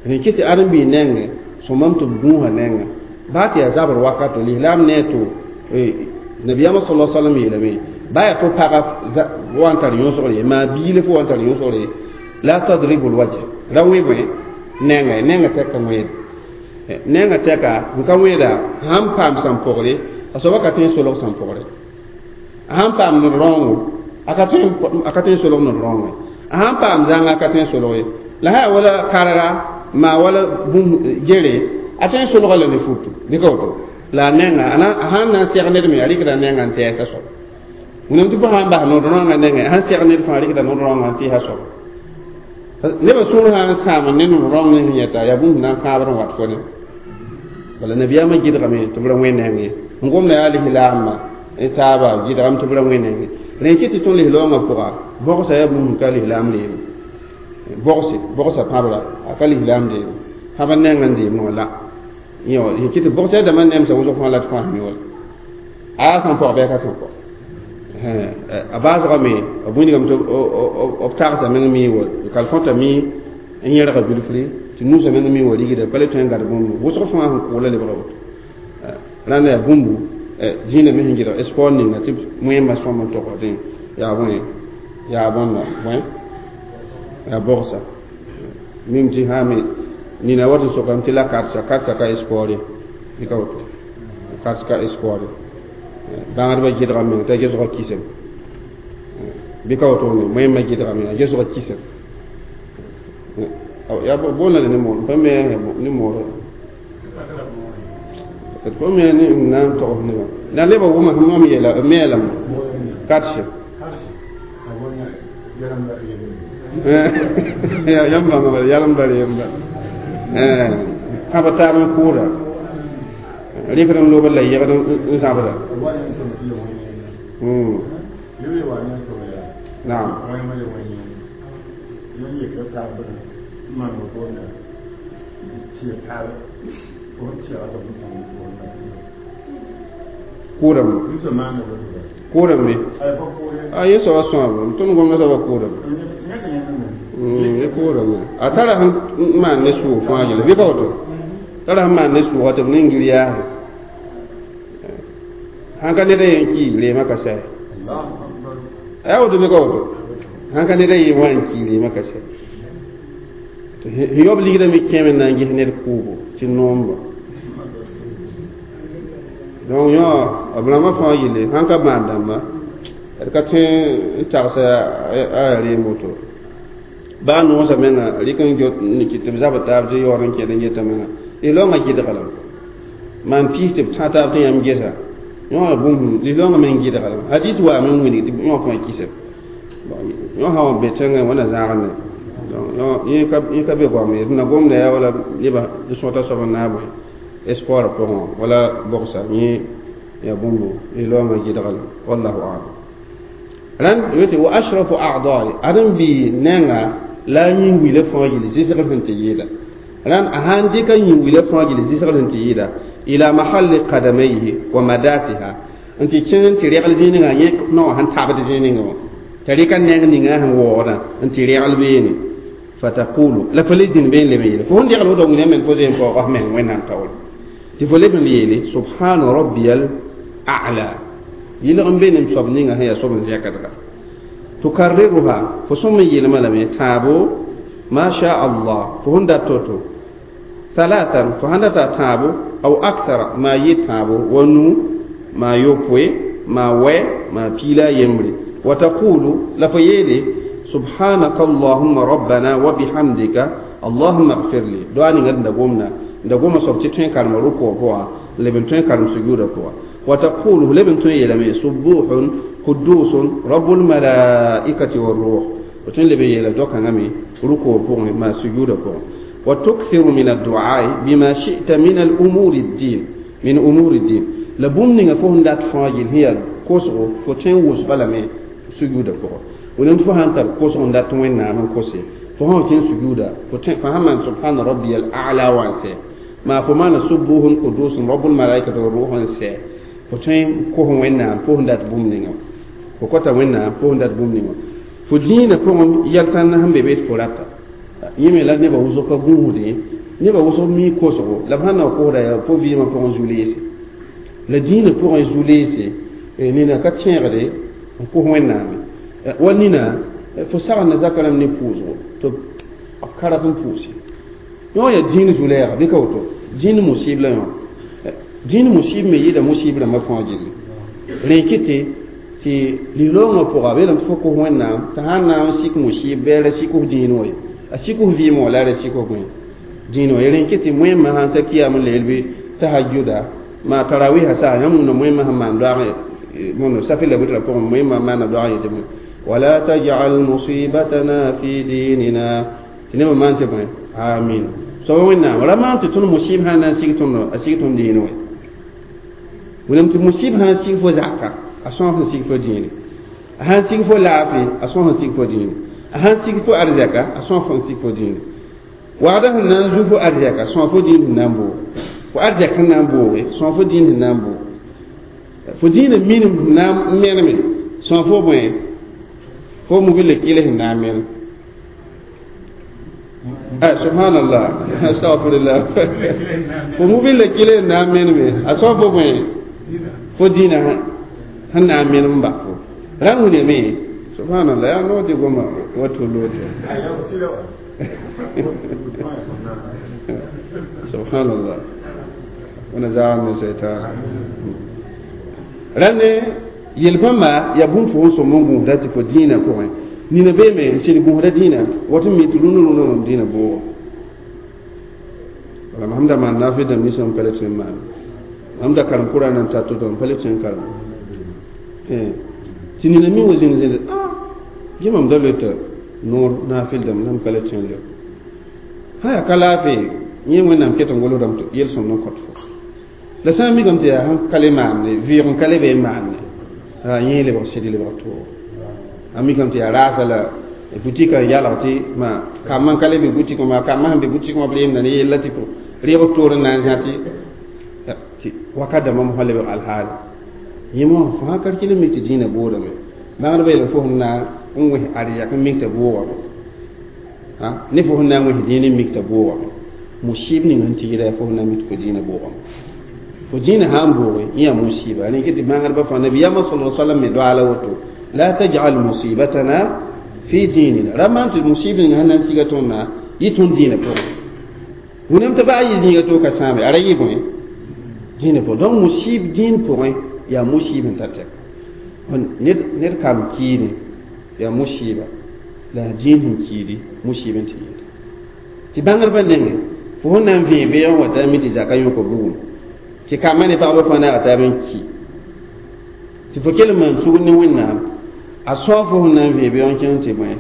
A: rẽ kɩ tɩ ãdem-biig nengẽ sõmam tɩ b gũusa nengã baa tɩ yaa zabr wakato lislaam ne to nabiyaamã sala salam yeelame baa yaa fo paga wa n tar yõsgre ye maa biile fo wa n tar yõsgre ye la tadribu lwajh ra wẽ bõe nenga nenga tɛka wẽed nenga tɛka n ka wẽeda sãn paam sãn pɔgre a soaba ka tõe n solg sãn pɔgre a sãn paam ned rãoongo a ka tõe n solg ned rãoongo a sãn paam zãnga a ka tõe n solg ye la sã yaa wala karga maa wala bũmb gere a tõe n solga la ne futu dɩka woto la a nenga a sãn na n sɛg ned me a rɩkda nenga n tɛɛsa soab wẽnnaam tɩ fo sãn bas nod rãongã nengẽ sãn sɛg ned fãa rɩkda nod rãongã n tɩɩsa soab nebã sũur sã n sãam ne nod rãong ne sẽn yɛta yaa bũmb na n kãabr n wat fo ne bala nabiyaamã gɩdgame tɩ b ra wẽ nengẽ n gomda yaa lislaambã ne taaba gɩdgame tɩ b ra wẽ nengẽ rẽ kɩ tɩ tõnd lislaoongã pʋga bogsa yaa bũmb ka lislaam deeme bogse bogsa pãbra a ka lislaam deeme pãbr neng n deemẽ wã la yẽ kɩ tɩ bogsa yaa dãmbã nemsa wʋsg fãa la tɩ fãa mi wala a sãn pɔg bɩ a ka sẽn pɔg a baasgame b wĩndgame tɩ b tagsa meng mi wa kal kõta mi n yẽrga bilfri tɩ nusa meng mi wa rigda pa le tõe n gad bũmb wʋsg fãa sẽn kʋʋla lebga woto rãnda yaa bũmbu zĩnã me sẽn gɩdg sport ninga tɩ wẽmba sõm n togdẽ yaa bõe yaa bõnda bõe yaa bogsa mim tɩ sã me nina wat n sokame tɩ la karsa karsa ka sport ye dɩka woto karsa ka sport ye bãngdbã gɩdga meng t'a gesga kisem bɩ ka woto ne wẽmba gɩdga meng a gesga kisem yaa boonda ne moor pa me ne moor pa me ne n na n togs nebã la nebã wʋma mam yeela me yeelame karse yãmb bãnga bala yalem bara yemba kãba taab n kʋʋda rɩkd n lob la yegd n zãbda naam kʋʋdame kʋʋdame a yẽ soaba sõame tõnd gomda soaba kʋʋdame ye kʋʋdame a tara sẽn maan ne sʋʋg fãa yɛla bɩ ka woto tara sẽn maan ne sʋʋga tɩ b ning yaase sãn ka ned a yen ki reemã ka sɛ a yaa woto bɩ ka woto sãn ka ned a yen wa n ki reemã ka sɛ sẽn yaob ligdã me kẽeme n na n ges ned kʋʋbo tɩ noomba donc yõ b rãmbã fãa yelle sãn ka maan dãmba d ka tõe n tagsa a reem woto baa noosã menga rɩk n kɩ tɩ b zabd taab tɩ yaood n kẽd n geta menga lislaoongã gɩdga lame maan piis tɩ b tã taab tɩ yãmb gesa yõ bũmb lislaoongã meng gɩdga lame hadis waame n wilg tɩ yõ fãa kisem yõ sã wa be tẽngã wẽnna zãagd ne donc yẽ ka be goam ye d na gomda yaa wala nebã d sõta soab n na n bõe espoir pʋgẽ wala bogsa yẽ yaa bũmbo lislaoongã gɩdga lame wallahu alam rãnd yetɩ wa ashrafu a'dai ãdem-biig nenga la yĩng wila fãa yɩl zɩsgr sẽn tɩ yɩɩda rãnd a sãn dɩka yĩng wila fãa yɩl zɩsgr sẽn tɩ yɩɩda ila mahalli qadamayhi wa madasiha n tɩ kẽng n tɩ regl zĩig ninga yẽ naowã sẽn tabd zĩig ninga wã t'a rɩka neng ninga sẽn waoodã n tɩ regl beene fataqulu la fo le zĩnd been leb n yeele fo sẽn regl woto wĩna men fo zẽn paoog f meng wẽnnaam taoore tɩ fo leb n yeele subhana rabbiyal a'la yɩlg n be nem soab ninga sẽn yaa soab n zɛkdga tukarriruha fo sõm n yeelmã lame tãabo ma sha allah fo sẽn dat to-to thalathan fo sãn data tãabo aw akthara maa yɩ tãabo wa nu maa yopoe maa wɛ maa piila a yembre wa taqulu la fo yeele subhanaka allahumma rabbana wa bihamdika allahumma ighfir li doa ninga d da gomda da goma soab tɩ tõe n karema rukɔ pʋga leb n tõe n karem sujuuda pʋga wa taqulu leb n tõe n yeelame subuhun قدوس رب الملائكة والروح fo tõe n leb n yeela do-kãngã me rukoo pʋgẽ maa sujuudã pʋgẽ wa tukthiru min adduai bima shi'ta min al-umuri ddin min umuri ddin la bũmb ninga fo sẽn dat fãa gill sẽn yaa kosgo fo tõe n wʋsga lame sujuudã pʋgẽ wẽnnaam tɩ fo sãn tar kosg n dat wẽnnaam n kose fo sã kẽn sujuuda fo tõe fo sãn maan subhana rabbiya al-a'la wã n sɛ maa fo maana subuhun qudusun rabbul malaikati wa ruh n sɛ fo tõe n kos wẽnnaam fo sẽn dat bũmb ninga fo kota wẽnnaam fo sẽn dat bũmb ninga fo dĩinã pʋgẽ yɛl-sãnd sẽn be be tɩ fo rata yẽ me la nebã wʋsg ka gũusdẽ nebã wʋsg mi kosgo la b sãn na kosda yaa fo vɩɩmã pʋgẽ zu-leese la dĩinã pʋgẽ zu-leese nina ka tẽegde n kos wẽnnaame wa nina fo sagenda zaka rãmb ne pʋʋsgo tɩ b ka rat n pʋʋse yõ yaa dĩin zu-lɛɛga bɩ ka woto dĩin musib la yõ dĩin musib me yɩɩda musib rãmbã fãa gilli rẽ kɩtɩ tɩ lislaoongã pʋga beelame tɩ fo kos wẽnnaam tɩ sãn na n sik musib bɩ a ra sik f dĩin wã ye a sik f vɩɩmẽ wã la a ra sik f bõe dĩin wã ye rẽ kɩ tɩ moẽmã sãn ta kiyam n leel bɩ tahajjuda maa tarawiha saa yãmb wũna moẽmã sẽn maan doag mono safi la witra pʋgẽ moẽmã maana doag yetɩ bõe wala tajal musibatana fi dinina tɩ nebã maan tɩ bõe amin soaba wẽnnaam ra maan tɩ tõnd musib sãn na n sig tõnd a sig tõnd dĩin wã wẽnnaam tɩ musib sãn sig fo zaka a sõs n sig fo dĩine a sãn sig fo laafɩ a sõs n sig fo dĩine a sãn sig fo arzɛka a sõs n sig fo dĩine wagda sẽn na n zu fo arzɛka sõs fo dĩin sẽn na n boog fo arzɛk sẽn na n booge sõs fo dĩin sẽn na n boog fo dĩinã minim sẽn na n meneme sõs fo bõe fo mobile kɩl sẽn na n menem subhanallah astaghfirullah fo mobile kɩl sẽn na n meneme a sõs fo bõe fo dĩinã sẽn na n menem n bas fo rãnd wilame subhanallah yaa noog tɩ goma wa tʋl woto subhanallah wẽna zaag ne saitan rãnd yel-bãmba yaa bũmb fo sẽn sõm n gũusda tɩ fo dĩinã pʋgẽ nina beeme n sɩd gũusda dĩinã wat n mi tɩ rũndã rũndã mam dĩinã boogo wala mam da maan naafɩ dãmb ninsã m pa le tõe n maane mam da karem kʋra nan tar to-to m pa le tõe n karem tɩ nina mi wa zĩnd zĩnd ah yẽ mam da loeta noor naafɩl dãmb la m ka le tõe n leo sã yaa ka laafɩ yẽ wẽnnaam ket n golsdame tɩ yel-sõmd n kõt fo la sã n mikame tɩ yaa sẽn ka le maamne vɩɩg n ka le be n maamne yẽ lebg sɩd lebg toogo a mikame tɩ yaa raasa la butikã n yalg tɩ ma kambã n ka le be butik wã maa kambã sẽn be butik wã b reemda ne yella tɩ reeg toor n na n zã tɩ tɩ wakat dãmbã mosã lebg alhaali yẽ mosã fo sã ka kɩl n mik tɩ dĩinã boodame bãngdbã yeelame fo sẽn na n wẽs arzɛk n mik t'a boogame ne fo sẽn na n wẽs dĩin n mik t'a boogame musib ning sẽn tɩgda fo sẽn na n mik tɩ fo dĩinã boogame fo dĩinã sã n booge yẽ yaa musiba rẽ tɩ bãngdbã fãa nabiyaamã sala sallam me doaala woto la tajal musibatana fi dinina ra maan tɩ musib ning sẽn na n siga tõndã yɩ tõnd dĩinã pʋgẽ wẽnnaam tɩ baa yɩ zĩiga to ka sãame a ra yɩ bõe dĩinã pʋgẽ donc musib dĩin pʋgẽ yaa musib n tar tɛka ned ned kam kiine yaa musiba la dĩin sẽn kiidi musib n tɩ yɩɩda tɩ bãngdbã nengẽ fo sẽn na n vẽe beoog wã t'a mi tɩ zaka yõka bugum tɩ kambã ne pagba fãa naag taab n ki tɩ fo kell n maan sugr ne wẽnnaam a sõa fo sẽn na n vẽe beoog n kẽng tɩ bõe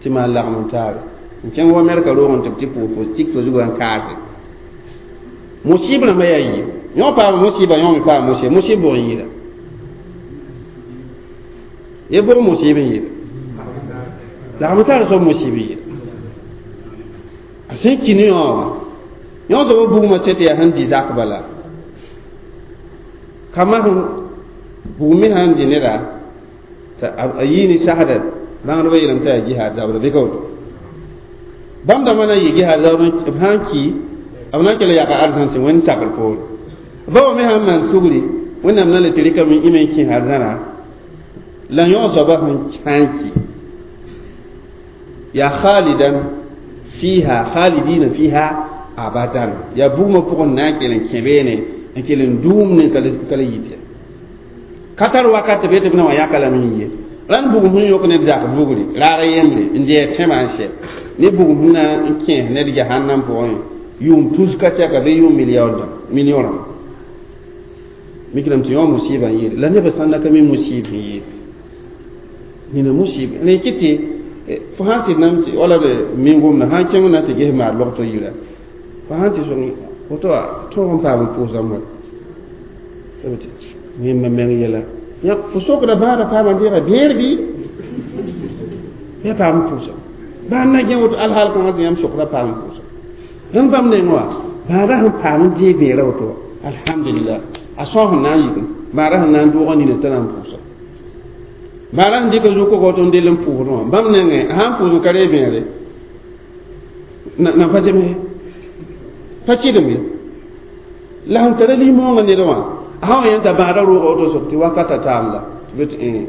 A: tɩ maan lagem n taare n kẽng wa mɛrka roog n tɩ b tɩ pʋʋs fo tik fo zugã n kaase musib rãmbã yaa yiib yõ paama musiba yõ me paama musib musib bʋg n yɩɩda ye bʋg musib n yɩɩda lagm tar soab musib n yɩɩda a sẽn ki ne yõ wã yõ soaba bugmã tẽ tɩ yaa sẽn dɩ zak bala kambã sẽn bugum me sãn dɩ neda t'a a yɩ ne sasda bãngdbã yeelame t'a yaa jihaad zabra bɩ ka woto bãmb dãmbã na n yɩ jihaad zabr b sãn ki b na n kell yaka arzãn tɩ wẽnd sakr poore ba wa me sãn maan sugri wẽnnaam na le tɩ rɩkame ime n kẽes arzãna la yõ soaba sẽn ki yaa khalidan fiha khalidina fiha abadan yaa bugmã pʋgẽ na n kell n kẽ beene n kell n dũum ne ka le yit ya ka tar wakat tɩ be tɩ b na wã yãka lame n ye rãnd bugum sẽn yõk ned zak vugri raar yembre n dɩ tẽmã n sɛ ne bugum sẽn na n kẽes ned jahannam pʋgẽ yʋʋm tus ka tɛka bɩ yʋʋm million rãmba mikrame tɩ yõ musiba n yɩɩde la nebã sãn na ka mi musib n yɩɩde nina musib rẽ kɩ tɩ Fo sãn sɩd nan wala d mingum na sãn kẽng na tɩ ges maar logto yira fo sãn tɩ sõng woto tõog n paam n pʋʋsame wa yẽmba meng yɛla ya fo sokda bãada paama deega bẽer bɩ bɩ a paam n pʋʋsa bãad na gẽ woto alhaal kãngã tɩ yãmb sokda paam n pʋʋsa rãmb bãmb neng wã bãada sẽn paam n deeg bẽera woto wa alhamdulillah a sõs sẽn na n yik bãada sẽn na n doogã nina t'a na n pʋʋsa bãada sẽn dɩka zu-kogo woto n dell n pʋʋsdẽ wã bãmb nengẽ a sãn pʋʋs n ka reeg bẽere na pa zems pa kɩdem ye la sẽn tara lis-moongã ned wã a sã wa yẽn t'a bãada rooga woto soab tɩ wakata taam la tɩ be tɩ n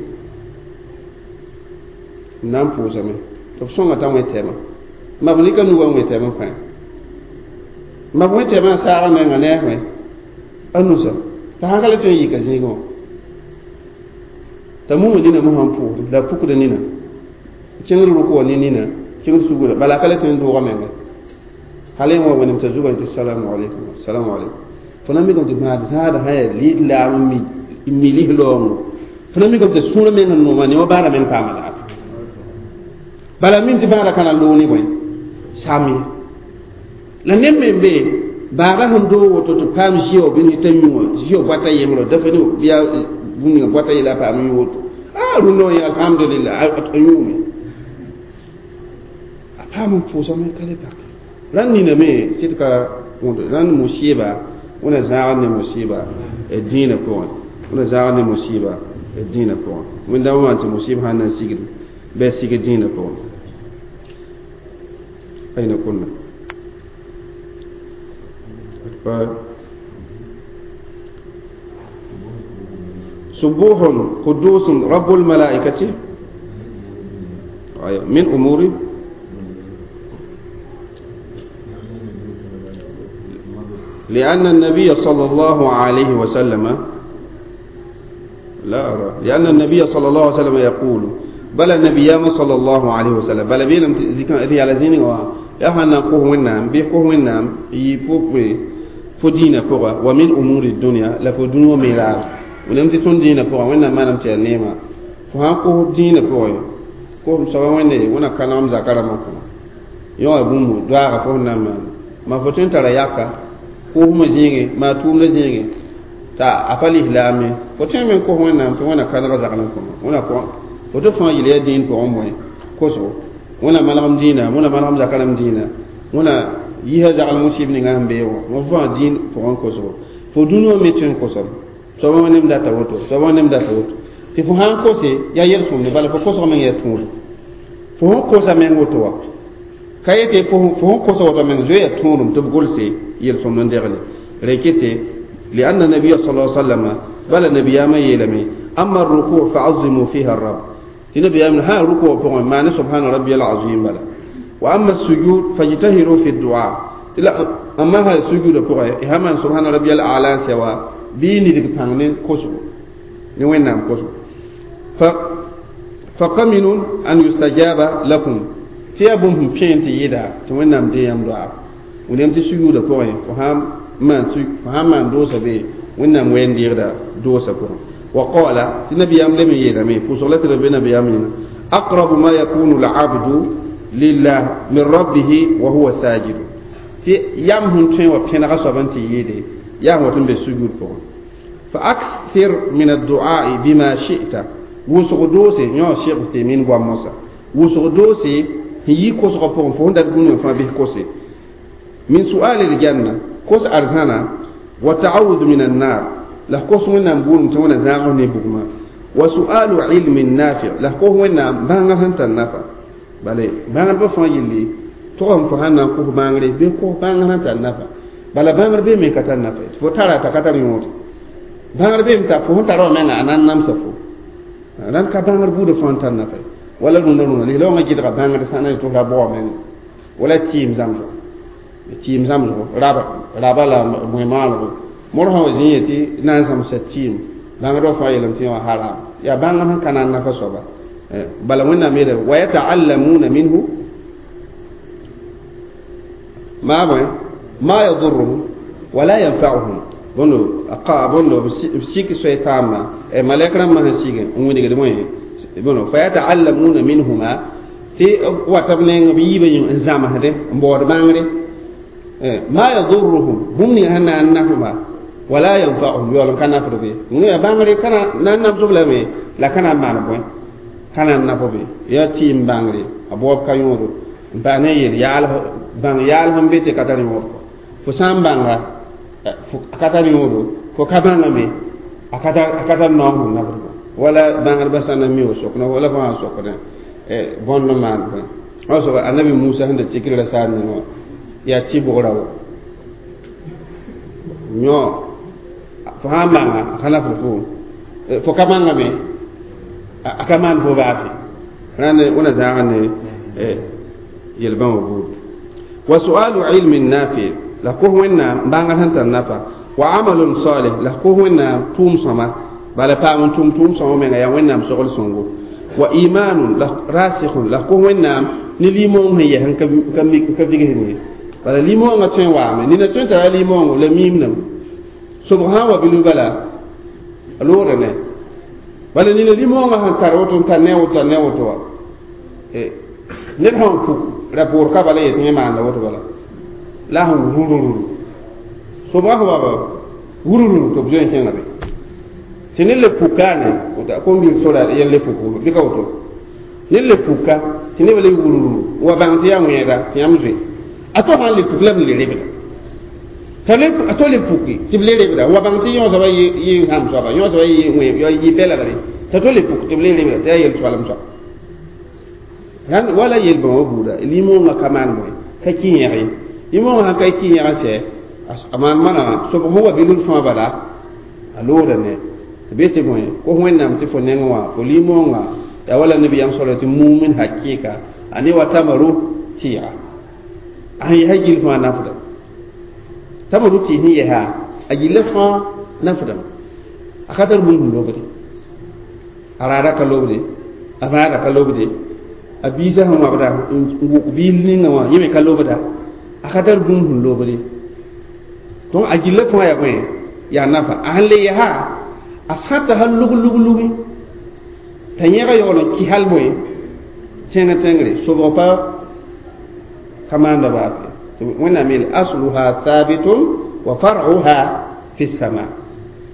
A: na n pʋʋsame tɩ b sõnga t'a wẽ tɛmã ma b rɩka nugã n wẽ tɛm n kõ ma b wẽ tɛmã n saagã menga ne a wẽ a nusa t'a sãn ka le tõe n yika zĩigẽ wã t'a muma nina mosã n pʋʋsd la a pukda nina kẽngd rʋk wa ne nina kẽngd sugda bala a ka le tõe n doogã menga hal yẽ wa wẽnem t'a zugã tɩ salamu aleykum assalamu aleykum fo na mikame tɩ bãad zãada sã yaa lislaam n mi lis-laoongo fo na mikame tɩ sũurã meng n nooma ne wa bãada meng paama laafɩ bala min tɩ bãada ka na loog ne bõe sam ye la neb me n be baada sẽn doog woto tɩ paam zɩo bɩ t'a yũ wã zɩo boata yembrã dafa ne bɩa bũmb ninga boata yela a paam yũ woto a rũndã wã yẽ alhamdulillah a yũume a paam n pʋʋsame ka le pake rãnd nina me sɩd ka rãnd musɩɩba wẽna zãagd ne musɩɩba dĩinã pʋgẽ wẽna zãagd ne musɩɩba dĩinã pʋgẽ wẽn-dãmbã maan tɩ musɩɩb sãn na n sigd bɩ a sig dĩinã pʋgẽ أين كنا؟ سبوح قدوس رب الملائكة من أمور لأن النبي صلى الله عليه وسلم لا أرى لأن النبي صلى الله عليه وسلم يقول بل النبي صلى الله عليه وسلم بل بيلم ذي على زين و يا قوه ونام بي قوه ونام يفوق فدينا فوق ومن أمور الدنيا لا فدنيا ميرا ولم تكن دينا فوق وين ما نم تنيما فها قوه دينا فوق قوه سوا وين ونا كلام زكرا ما كنا يا أبو دعاء فوق نام ما فتن ترى ياكا قوه مزينه ما توم لزينه تا أفعل إسلامي فتن من قوه ونام فونا كلام زكرا كنا ونا قوه woto fãa yel yaa dĩin pʋgẽ bõe kosgo wẽna manegem dĩinã wẽna manegem zakarem dĩinã wẽna yisa zagl musib ninga sẽn bee wã wã fãa dĩin pʋgẽ kosgo fo dũni wã me tõe n kosame soaba wã nem data woto soaba wã nem data woto tɩ fo sãn kose yaa yel-sõmde bala fo kosg meng yaa tũud fo sẽn kosa meng woto wã ka yetɩ fo sẽn kosa woto meng zoe yaa tũudum tɩ b golse yel-sõmd n degle rekete لأن النبي صلى الله عليه وسلم بل النبي ما يلمي أما الركوع فعظموا فيها الرب تنبي أمن ها ركوع فقط معنى سبحان ربي العظيم بلا وأما السجود فاجتهروا في الدعاء لا أما ها السجود فقط هما سبحان ربي الأعلى سوا بيني دك بانني كوسو نوين نام كوسو ف فقمن أن يستجاب لكم تيابهم بين تيدا توين نام ديام دعاء ونم تسجود فقط فهم ما فهم ما دوسا بي وين نام وين ديردا دوسا فقط وقال النبي أم لم يلمي فصلت ربنا بيامين أقرب ما يكون العبد لله من ربه وهو ساجد تي يام هن تين وبين غصبا تيدي يا هو تن بالسجود فوق فأكثر من الدعاء بما شئت وسغدوسي نيو شيخ تيمين بواموسا وسغدوسي هي كوسغ فوق فوق دات بونو فما به كوسي من سؤال الجنة كوس أرزانا وتعوذ من النار la kos wẽnnaam buudum tɩ wẽna zãag ne bugmã wa su'alu ilmin nafi' la kos wẽnnaam bãngr sẽn tar nafa bala bãngdbã fãa yelle tʋgame fo sãn na n kos bãngre bɩ kos bãngr sẽn tar nafa bala bãngr bee me ka tar nafa tɩ fo tara t'a ka tar yõod bãngr beeme t'a fo sẽn tara wã menga a na n namsa fo rãnd ka bãngr buudã fãa n tar nafa wala rũndã rũndã lislaoongã gɩdga bãngd sã na tɩ ra bʋga menga wala tɩɩm zãmsgo tɩɩm zãmsgo raba raba la bõe-maalgo mor sã wa zĩ yetɩ na n zãmsa tɩɩm bãngd wã fãa yeelame tɩ yã wã haram yaa bãngr sẽn ka na n nafa soaba bala wẽnnaam yeela wa yataallamuna minhu ma bõe ma yadurruhum wala yanfa'uhum bõndo bõndo b sik soay taamba malɛk rãmbã sẽn sig n wilgd bõe bõndo fa yataallamuna minhuma tɩ wata b neng b yiibã yĩng n zãmsdẽ n baood bãngre ma yadurruhum bũmb ninga sẽn na n nafba wala yanfa'uhum yaool n ka nafd be yaa bãngre ka na n namsb lame la ka na n maan bõe ka na n naf be yaa tɩɩm bãngre a baoob ka yõodo n paas ne yel yaal bãng yaal sẽn be tɩ ka tar yõod fo sã n bãnga a ka tar yõodo fo ka bãngame a ka tar naoong sẽn nafd wala bãngdbã sã na mi wa sok wala fo sã n sokdẽ bõnd n maan bõe wa soaba annabi Musa sẽn da tikr ra saar ning wã yaa tɩ-bʋgra wo yõ fo sã n bãnga a ka nafd fo fo ka bãngame a ka maan fo baafe rãnd wẽna zãag ne yel-bãmba buud wa su'alu ilmin nafi la kos wẽnnaam bãngr sẽn tar nafa wa amalun salih la kos wẽnnaam tʋʋm sõma bala paam n tʋm tʋʋm sõma menga yaa wẽnnaam sogl sõngo wa imanun la rasikhun la kos wẽnnaam ne limoong sẽn yɛs n ka vigsd ye bala limoongã tõe n waame nina tõe n tara limoongo la miimdame sobg sã n wa bilf bala a loogda ne bala nina limoongã sẽn tar woto n tar ne woto ne woto wa ned sãn puk ra-poor ka bala yetɩ yẽ maanda woto bala la sẽn wurururu sobgã sẽn wa wurururu tɩ b zoe n kẽnga be tɩ ned le pukaane kom-bil sora yẽn le puk bɩ ka woto ned le puka tɩ nebã le wurururu wa bãng tɩ yaa wẽeda tɩ yãmb zoe a to sãn le puk la b le rebda a to le puki tɩ b le rebda wa bãng tɩ yõ soaba yɩ sãmb soaba yõ soaba yɩ pɛlgre t'a to le puk tɩ b le rebda tɩ yaa yel-soalem soab rãnd wala yel-bãmba buuda limoongã ka maan bõe ka kɩ yẽg ye limoongã sãn ka kɩ yẽg n sɛ a maan manama sobg sẽn wa bilf fãa bala a loogda ne tɩ be tɩ bõe kos wẽnnaam tɩ fo neng wã fo limoongã yaa wala nabiyaam soala tɩ mumin hakɩɩka a ne wa tamaru tɩɩga a sẽn yɛsa gill fãa nafdame tamaru tɩɩs sẽn yɛsa a gilla fãa nafdame a ka tar bũmb sẽn lobde a raada ka lobde a vãada ka lobde a biisã sẽn wãbda n wʋk biil ninga wã yẽ me ka lobda a ka tar bũmb sẽn lobde donc a gilla fãa yaa bõe yaa nafa a sẽn le yɛsa a sãta hal lug lug lugi t'a yẽga yaool n kɩ hal bõe tẽng tẽngre sobg pa ka maanda baafe wẽnnaam yeel asluha thabitun wa far'uha fi sama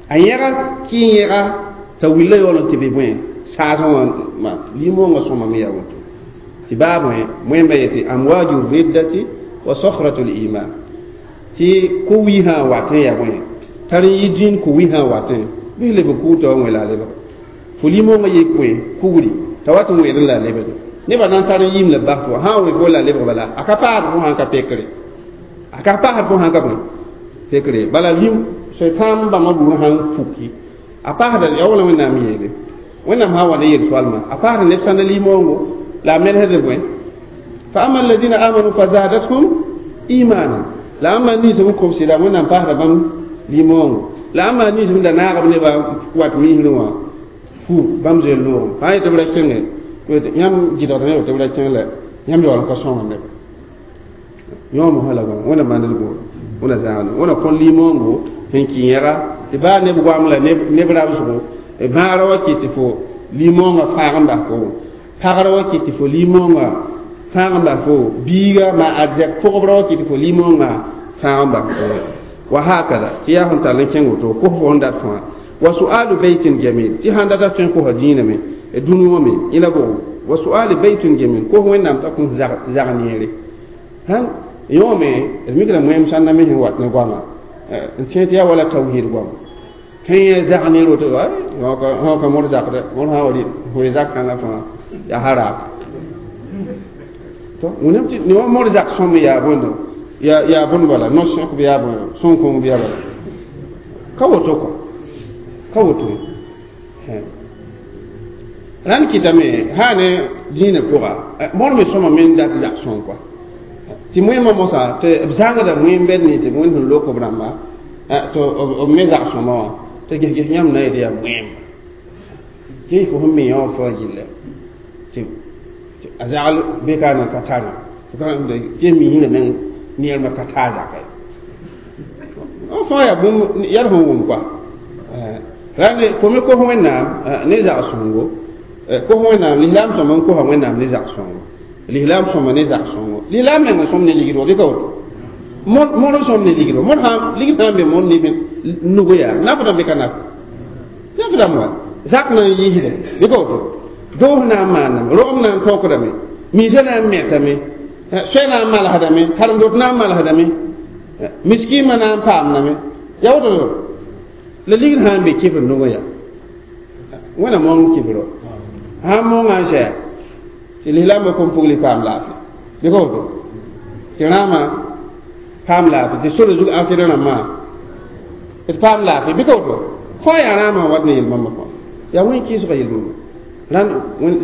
A: a yẽga kɩ yẽga t'a willa yaool n tɩ be bõe saasẽ wã limoongã sõmame yaa woto tɩ baa bõe wẽmba yetɩ amwaju riddati wa sokhratu liman tɩ ko-wiisã watẽ yaa bõe tar n yɩ dĩin ko-wiisã watẽ bɩ leb kuutã wa wẽ la a lebg fo limoongã yik bõe kugri t'a wat n wẽed n la a lebg nebã na n tar n yɩɩm la bas fo sã n wẽ fo la lebg bala a ka paasd fo sãn ka pekre a ka paasd fo sãn ka bõe pekre bala lim soetãam bãmba buud sãn puki a paasda yaa wala wẽnnaam yeele wẽnnaam sã n wa ne yel-soalmã a paasd neb sãnda limoongo la a menesd bõe fa ama alladina amanu fa zadathum imana la ãmba nins n kobs la wẽnnaam paasda bãmb limoongo la ãmba nins n da naagb nebã wat misrẽ wã fu bãmb zoe loogem sã n yetɩ b ra kẽnge yãmb gɩdgd ne tɩ b ra kẽng la yãmb yaool n ka sõng neba yõom sã la wẽna maand d goor wẽna zãagd wẽna kõ limoongo sẽn kɩ yẽga tɩ baa neb goam la neb rabsgo bãagrã wa kɩ tɩ fo limoongã fãag n bas fo pagrã wa kɩ tɩ fo limoongã fãag n bas fo biiga ma arzɛk pʋgbra wa kɩ tɩ fo limoongã fãag n bas fo wa hakada tɩ yaa sẽn tall n kẽng woto kos fo sẽn dat fãa wa su'alu baitin jamil tɩ sãn data tõe n kosa dĩinã me dũni wã me yẽla bʋgo wa su'alu baitin jamil kos wẽnnaam t'a kõ zag neere sãn yõome d mikra moẽm sãnda me sẽn wat ne goama n tẽ tɩ yaa wala tawhid goama tõe yẽ zag neer woto sã ka mod zakdɛ mod sã wa wẽ zak kãngã fãa yaa haraak to wẽnnaam tɩ ne wa mod zak sõm yaa bõndo yaa yaa bõnd bala no-sõk bɩ yaa bõe sõn-kõng bɩ yaa bala ka woto kɔ ka woto rãnd kɩtame sã ne dĩinã pʋga mod me sõma me n dat zak sõng kɔa tɩ moẽmã mosã tɩ b zãngda moẽm bɛd nins b wẽnd sẽn lok b rãmba tɩ b me zak sõma wã tɩ ges-ges yãmb na yetɩ yaa moẽmba tɩ fo sẽn me yã wã fãa gilla tɩ a zagl be ka na ka tare tɩ misrã meng neermã ka taa zaka ye fãa yaa bũmb yaa sẽn wʋm kɔa rãnd fo me kos wẽnnaam ne zag-sõngo kos wẽnnaam lislaam sõm n kosa wẽnnaam ne zag-sõngo Lislaam sõma ne zak sõngo lislaam meng sõm ne ligdo bɩ ka woto mõr sõm ne ligdo mõr sã ligd sã n be mõr nif nugu yaa nafdame bɩ ka naf nafdame wa zak na n yiisde bɩ ka woto doos na n maaname rogem na n tõkdame miisã na n mɛtame soɛ na n malsdame karen-dot na n malsdame miskiimã na n paamdame yaa woto la ligd sã n be kifr nugẽ yaa wẽna mong kifro sã n monga n zɛa tɩ lislaambã kom pugli paam laafɩ bɩ ka woto tɩ rãamã paam laafɩ tɩ sore zug asɩd rãmbã d paam laafɩ bɩ ka woto fãa yaa rãamã n wat ne yel-bãmbã fãa yaa wẽn kɩɩsgã yel-bãmba rãnd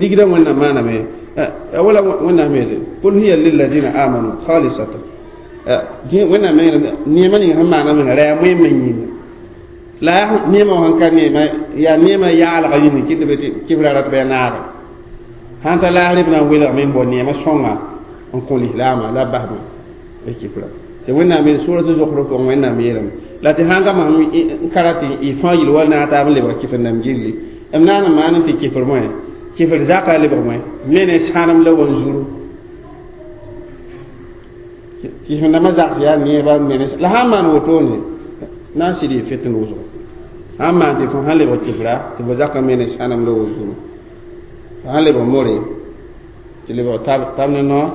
A: ligdã wẽnnaam maaname wala wẽnnaam yeele qul hiya lilladina amanu khalisatan wẽnnaam neemã ning sẽn maana menga ra yaa moẽmã yĩnga la yaa neemã wã sẽn ka neemã yaa neemã yaalga yĩng kɩ tɩ be tɩ kɩfra rat bɩ a naaga sãn ta laasr b na n welgame n bao neemã sõnga n kõ lislaamã la b basmã b kɩfra tɩ wẽnnaam yeel sʋra tɩ zokr pʋgẽ wẽnnaam yeelame la tɩ sãn ka masem n ka ra tɩ y fãa yel wal naag taab n lebg kɩfr nam gilli m na n maan tɩ kɩfr moẽ kɩfr zaka lebg moẽ me ne sãnem la wanzuru kɩfr dãmbã zaks yaa neeba mene la sãn maan wotone na n sɩd yɩ fitn wʋsgo sãn maan tɩ fo sãn lebg kɩfra tɩ fo zaka me ne sãnem la wanzuru sãn lebg more tɩ lebg tab ne noor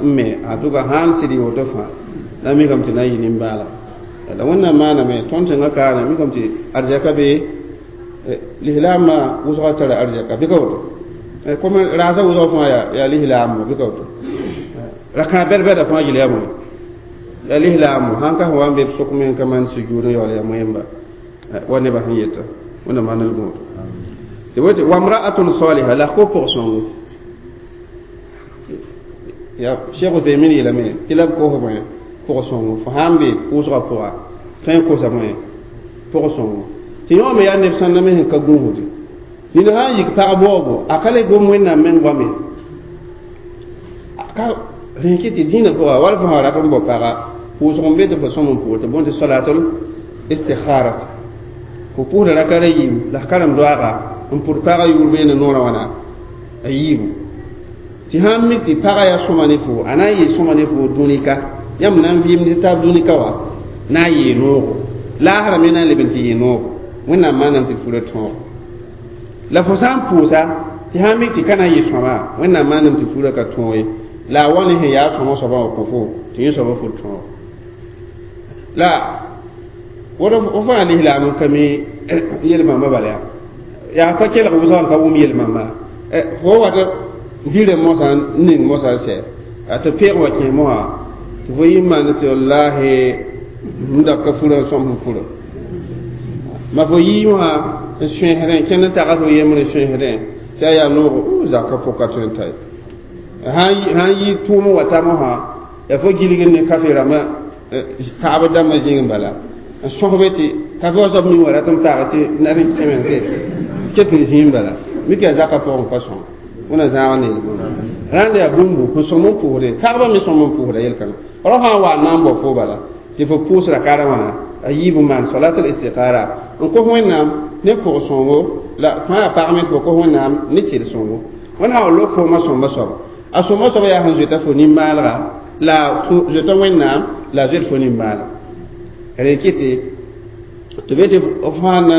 A: n me en tout cas sãn sɩd yɩ woto fãa la mikame tɩ na n yɩ nimbaalga la wẽnnaam maaname tõnd tẽngã kaana mikame tɩ arzɛka be lislaamã wʋsga tara arzɛka bɩ ka woto comme raasã wʋsg fãa yaa lislaam bɩ ka woto rakã bɛd-bɛda fãa yel yaa moe yaa lislaam sãn ka sẽn wa n be b sʋk me n ka maan sujuud n yaool yaa moẽmba wa nebã sẽn yeta wẽnnaam maan l gũud tɩ wote wamra'atun saliha la ko pʋg-sõngo ya Cheikh Uthaymin yeelame tɩ la b kos bõe pʋg-sõngo fo sãn be pʋʋsgã pʋga tõe n kosa bõe pʋg-sõngo tɩ yõome yaa neb sãnda me sẽn ka gũusde nina sã n yik pag baoobo a ka le gom wẽnnaam meng goame ka rẽ kɩ tɩ dĩinã pʋga wala fo sã rat n bao paga pʋʋsg n be tɩ fo sõm n pʋʋs tɩ bõn tɩ solatul istikharat fo pʋʋsda raka ra yiibu la f karem doaaga n pʋd pagã yʋʋr beene noorã wãna a yiibu tɩ sãn mik tɩ pagã yaa sõma ne fo a na n yɩ sõma ne fo dũnika yãmb na n vɩɩmd taab dũnika wa na n yɩɩ noogo laasrã me na n leb n tɩ yɩ noogo wẽnnaam maanam tɩ fura tõog la fo sã n pʋʋsa tɩ sãn mik tɩ ka na n yɩ sõma wẽnnaam maanam tɩ fura ka tõog ye la a wa ne sẽn yaa sõma soabã wã kõ fo tɩ yẽ soabã fur tõog la woto fo fãa lislaam n ka mi yel-bãmba bala yaa yaa pa kelg wʋsg n ka wʋm yel-bãmba fo wat vɩrã mosã n ning mosã n sɛ tɩ peeg wa kẽ mosã tɩ fo yɩ n maan tɩ wallahi n da ka furã n sõm sẽn furã ma fo yii wã n sõesdẽ kẽnd n tags fo yembr n sõesdẽ tɩ a yaa noogo zaka pʋka tõe n ta ye sãn yɩ tʋʋm wa ta mosã yaa fo gilgd ne kafe rãmbã pagbd dãmbã zĩig n bala n sõsbe tɩ kafe wã soab ning wa rat n paag tɩ nar n kẽme tɩ ket n zĩig n bala mik yaa zakã pʋgẽ pa sõng wẽna zãag ne rãnd yaa bũmbu sẽn sõm n pʋʋsde pagba me sõm n pʋʋsda yel-kãngã rao sã n wa n na n bao fo bala tɩ fo pʋʋsra kara wãna a yiib n maan solatul istikhara n kos wẽnnaam ne pʋg-sõngo la fãa yaa pag me tɩ fo kos wẽnnaam ne sɩd-sõngo wẽnd sã wa lok foomã sõmba soaba a sõmba soaba yaa sẽn zoeta fo nin-maalga la zoeta wẽnnaam la a zoet fo nin-maalga rẽ kɩtɩ tɩ be tɩ f sã na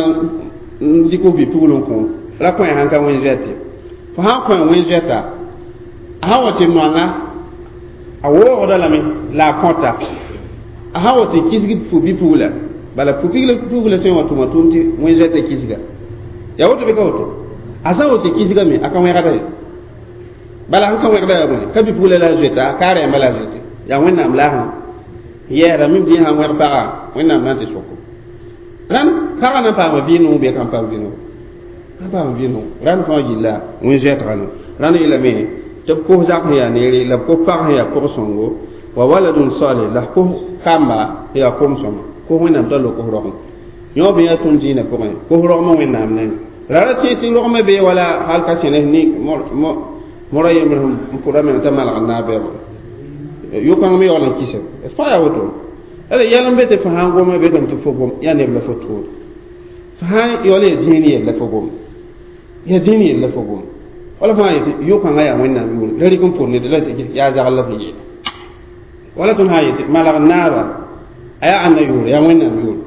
A: n dɩk f bi-pugl n kõ ra kõ sãn ka wẽn zoɛt ye fo sãn kõ wẽn zoɛta a sã wa tɩ noanga a woogda lame la a kõta a sã wa tɩ kisg fo bi-pugla bala pugla tõe n wa tʋma tʋʋm tɩ wẽn zoɛta kisga yaa woto bɩ ka woto a sã n wa tɩ kisgame a ka wẽgda ye bala sẽn ka wẽgda yaa bõe ka bi-pugla la a zoeta ka a rɛɛmba la a zoete yaa wẽnnaam la sã yɛɛra mim tɩ yẽ sãn wẽg pagã wẽnnaam na n tɩ soko rãnd pagã na n paama vɩ-noog bɩ kan paam vɩ-noog ka paam vɩ-noog rãnd fãa gilla wẽn zoɛtgã no rãnd yeelame tɩ b kos zak sẽn yaa neere la b kos pag sẽn yaa pʋg-sõngo wa waladun salih la f kos kamba sẽn yaa kom-sõma kos wẽnnaam t'a lok f rogem yõ bɩ yaa tõnd zĩinã pʋgẽ kos rogmã wẽnnaam nengẽ ra ra tẽ tɩ rogmã bee wala hal ka sẽnes ni mora yembr n pʋda meng t'a malg n naab bɛɛba yʋkãng me yaool n kɩsem fãa yaa woto ala yɛl n be tɩ fo sãn goma betame tɩ fo gom yaa neb la fo tʋʋd fo sãn yaool yaa dĩin yell la fo gom yaa dĩin yell la fo gom Wala fãa yetɩ yʋ-kãngã yaa wẽnnaam yʋʋre la rɩk n pʋr ned la yaa zagl la f yeela wala tõnd sã n yetɩ malg naaba a yaa ãnna yʋʋre yaa wẽnnaam yʋʋre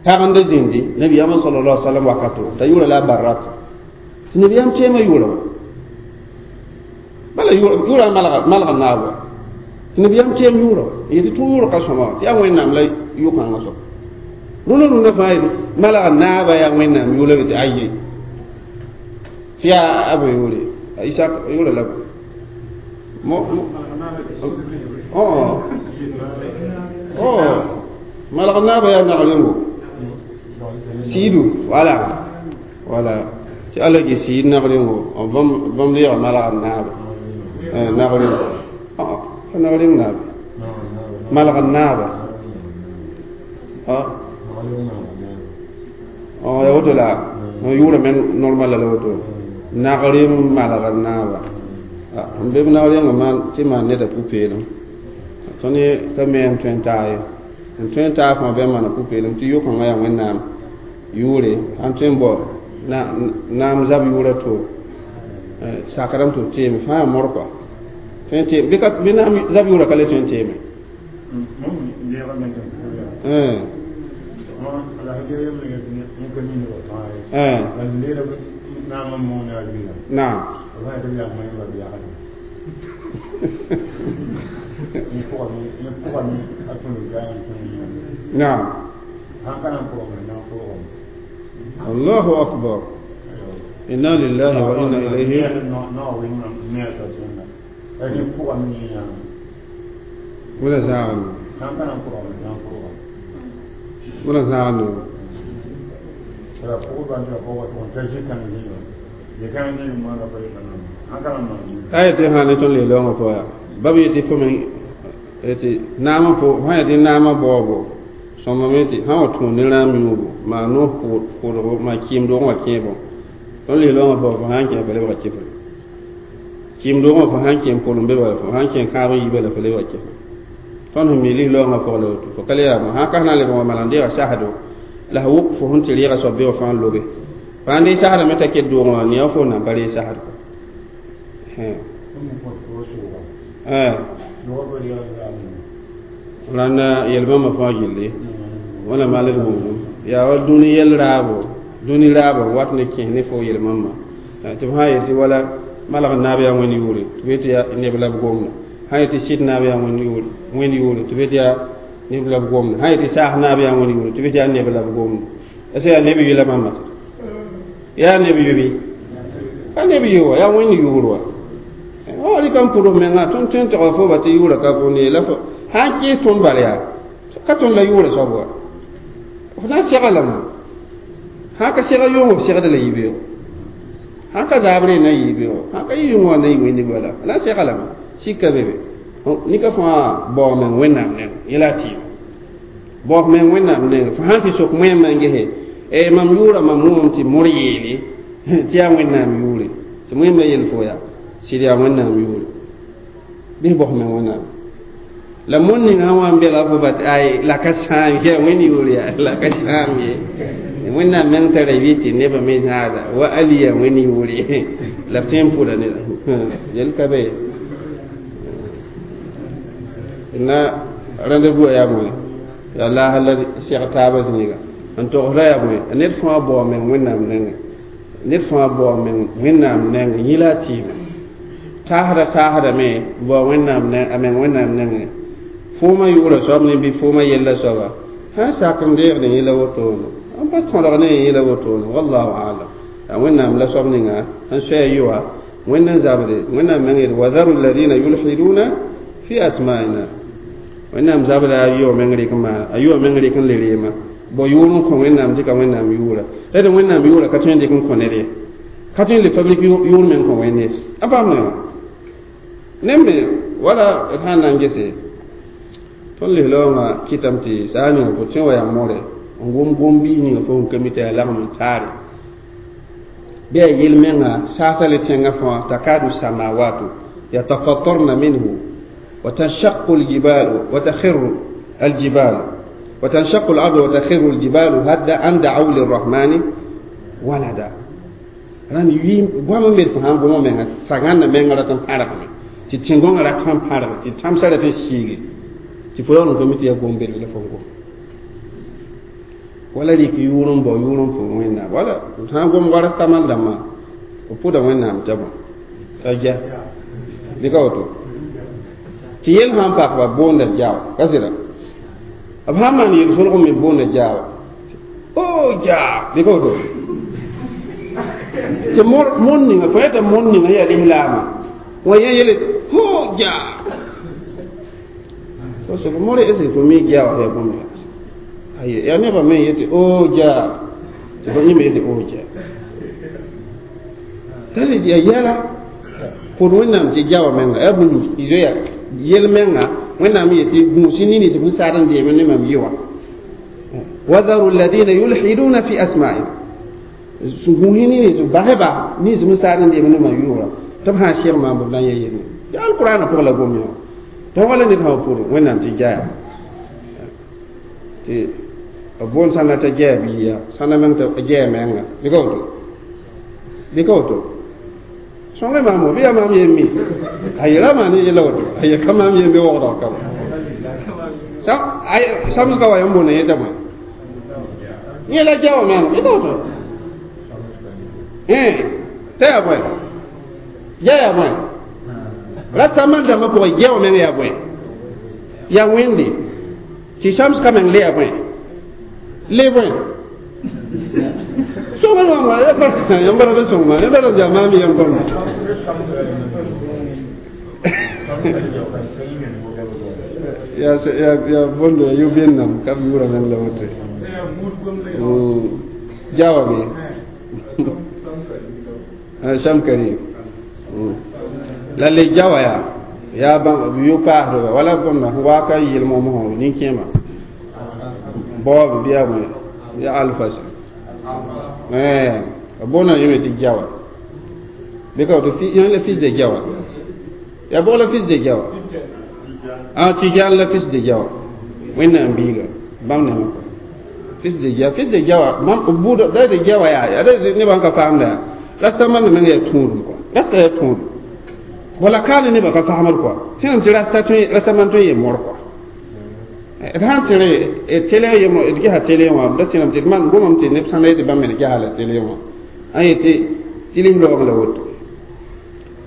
A: pag n da zĩndi nabiyaamã sallallahu alaihi wasallam wakato t'a yʋʋra la a barrat tɩ nabiyaam teema yʋʋra wa bala yʋʋra malg naab wa tɩ nabiyaam teem yʋʋra wa n yetɩ tʋ yʋʋr ka sõma wa tɩ yaa wẽnnaam la yʋ-kãngã soab rũnã rũnã fãa yetɩ malg naaba yaa wẽnnaam yʋʋra tɩ aye tɩ yaa a bõe yʋʋre a Isak yʋʋra la mo oh oh malg naaba yaa nagrengo siidu voilà voilà tɩ alla gɩ siid nagrengo bãmb leega malg naaba nagrengo pa nagreng naaba malg naaba ya woto la yʋʋra meng normal la woto nagrem malg naaba n be b nagrengã maan tɩ maan neda pʋ-peelem tõnd ka me n tõe n taa ye n tõe n taa fãa bɩ n maana pʋ-peelem tɩ yʋ-kãngã yaa wẽnnaam yʋʋre sãn tõe n bao naam zab yʋʋra to sakrame tɩ b teeme fãa yaa mor kɔa tõe n teem bɩ naam zab yʋʋra ka le tõe n teeme naam نعم الله أكبر إنا لله وإنا إليه ولا زعل ولا زعل ayɛ tɩ sã ne tõnd leelongã pʋga ba b yetɩ fo me tɩ naamã po sã yetɩ naamã baoobo sõmbame tɩ sã wa tũud ne rãam yũubu maa noos kʋʋdgo maa kɩɩm-doogã wã kẽebõ tõnd leelongã pʋga fo sã n kẽ fo lebga kɩfre kɩɩm-doogã fo sã n kẽ n pʋlem be bala fo sã n kẽ kãab n yi bala fo lebga kɩfre tõnd sẽn mi lislaoongã pʋg la woto fo ka le yaa sã n ka sẽn na n lebg wa malan deega sasdo la f wʋk fo sẽn tɩ reega soab be wã fãa n lobe fãa n dee sasdame t'a ket doogã wã nia fo nan pa ree sasd rãnda yel-bãmbã fãa gilli wẽna malg buudum yaa wa dũni yɛl raabo dũni raabo wat ne kẽes ne fo yel-bãmbã tɩ b sã n yetɩ wala malg naab yaa wẽnd yʋʋre tɩ b yetɩ yaa neb la b gomda sã n yetɩ sɩd naab yaa wẽnd yʋʋre wẽnd yʋʋre tɩ b yetɩ yaa neb la b gomda sã n yetɩ saas naab yaa wẽnd yʋʋre tɩ b yetɩ yaa neb la b gomda ase yaa neb yʋla bãmba yaa neb yʋ bɩ ka neb yʋ wa yaa wẽnd yʋʋr wa wa rɩka n pʋd f menga tõnd tõe n tɩg fo ba tɩ yʋʋra ka bõnd ye la fo sã n kẽes tõnd bal yaa ka tõnd la yʋʋra soab wa f na n sega lame sã ka sega yʋng f segda la yibeoogo sã ka zaabre na yibeoogo sã ka yɩ yʋng wã na yɩ wẽnde bala f na n sega lame sika be be nika fãa bao meng wẽnnaam neng yẽla a tɩɩma bao f meng wẽnnaam neng fo sãn tɩ sok wẽmã n gese e mam yʋʋra mam wʋmame tɩ mor yeele tɩ yaa wẽnnaam yʋʋre tɩ wẽmã yel fo yaa sɩd yaa wẽnnaam yʋʋre bɩs bos meng wẽnnaam la mon ninga sã wa n bela fo bat ay la ka sãam yaa wẽnd yʋʋr yaa la ka sãam ye wẽnnaam meng tara yɩ tɩ nebã me zãada wa ali yaa wẽnd yʋʋre la b tõe n pʋda neda yel ka be na rendez-vous yaa bõe yaa laasã la seg taabã zĩiga n togsda yaa bõe ned fãa bao meng wẽnnaam nengẽ ned fãa bao meng wẽnnaam nengẽ yẽ la a tɩɩma taasda taasdame bao wẽnnaam a meng wẽnnaam nengẽ foomã yʋʋra soab ne bɩ foomã yella soaba sã n sak n deegd yẽ la wotone n pa tõdg ne yẽ la wotone wallahu alam a wẽnnaam la soab ninga n soa yʋa wẽnd n zabde wẽnnaam meng yet wadaru alladina yulhiduna fi asma'ina wẽnnaam zabda a yʋa meng rɩk n maana a yʋa meng rɩk n le reema bao yʋʋr n kõ wẽnnaam tɩ ka wẽnnaam yʋʋra la tɩ wẽnnaam yʋʋra ka tõe n dɩk n kõ ned ye ka tõe n le fabrik yʋʋr meng kõ wẽnd ye a paam ne wã ne me wala d sã n na n gese tõnd lislaoongã kɩtame tɩ saa ninga fo tõe wa yaa more n gom gom-biis ninga fo sẽn ka mi tɩ yaa lagem n taare bɩ yaa yel-mengã saasa le tẽngã fãa takadu samawatu yatafatarna minhu وتنشق الجبال وتخر الجبال وتنشق الأرض وتخر الجبال هدا أن دعوا للرحمن ولدا Rãnd yɩ goam n be fo sã n gom menga sagãnda menga rat n pãrgme tɩ tẽn-gõngã rat n pãrg tɩ tãmsã rat n siige tɩ fo yaool n ka mi tɩ yaa gom belg la fo n gom wala rɩk yʋʋr n bao yʋʋr n pʋʋr wẽnnaam wala sã n gom wa rastaman dãmbã f pʋda wẽnnaam t'a bõ t'a ja dɩka woto tɩ yel sã n pak ba boonda jao ka sɩda b sã n maan yel-solg me boonda jao o ja dɩka woto tɩ mon ninga fo yeta mon ninga yaa lislaamã wa yẽ yele tɩ ho ja fo soka more est ce que fo mi jawa yaa bũmb aye yaa nebã me yetɩ o ja tɩ fo yẽ me yetɩ o ja tara yaa yɛla pʋd wẽnnaam tɩ jawa menga yaa bũmb zoya yel menga wẽnnaam yetɩ gũus nins b sad n deem ne mam yɩ wã wadaru alladina yulhiduna fi asma'i gũus nins basba nins b sad n deem ne mam yʋʋra tɩ b sã n seg maam b na n ya yelle yaa alqur'ana pʋg la gom yã tɩ wala ned sã pʋd wẽnnaam tɩ jaya tɩ b boond sãnda t'a jaya biiya sãnda meng t'a jaya menga dɩka woto dɩka woto sõnge maamo bɩ yaa maam yem mi a yela maan yella woto a ye ka maam yem bɩ wogdg ka samsga wa yãmb boonda yẽta bõe yẽ la jawa menga dɩka woto t'a yaa bõe ja yaa bõe rasta man dãmbã pʋgẽ jawa meng yaa bõe yaa wẽnde tɩ samsga meng le yaa bõe le bõe sõnge maama yãmb ra be sõng ma yãmb ra yaa maam yem kõm ya ya ya bondo yu bennam kam yura men la wote jawa be samkari lalle jawa ya ya ban yu paasdba wala bõmba wa ka yɩlem mosã nin-kẽema baoob bɩ yaa bõe ya alfas eh boonda yẽme tɩ jawa bɩ ka woto yẽ la fils de jawa ya bog la fils de jawa ah Tijan la fils de jawa wẽnnaam biiga bãmb nema fils de jawa fils de jawa mam buudã da de jawa yaa yaa nebã n ka faamda yaa rasta man meng yaa tũudum kɔa rasta yaa tũudum wala kaane nebã ka faamd kɔa tẽnem tɩ rasta tõe rasta man tõe n yee mor kɔa d sãn tẽre télé yem d gesa télé wã da tẽnem tɩ d man gomame tɩ neb sãnda yetɩ bãmb me d gesa la télé wã n yetɩ tɩ lislaoog la woto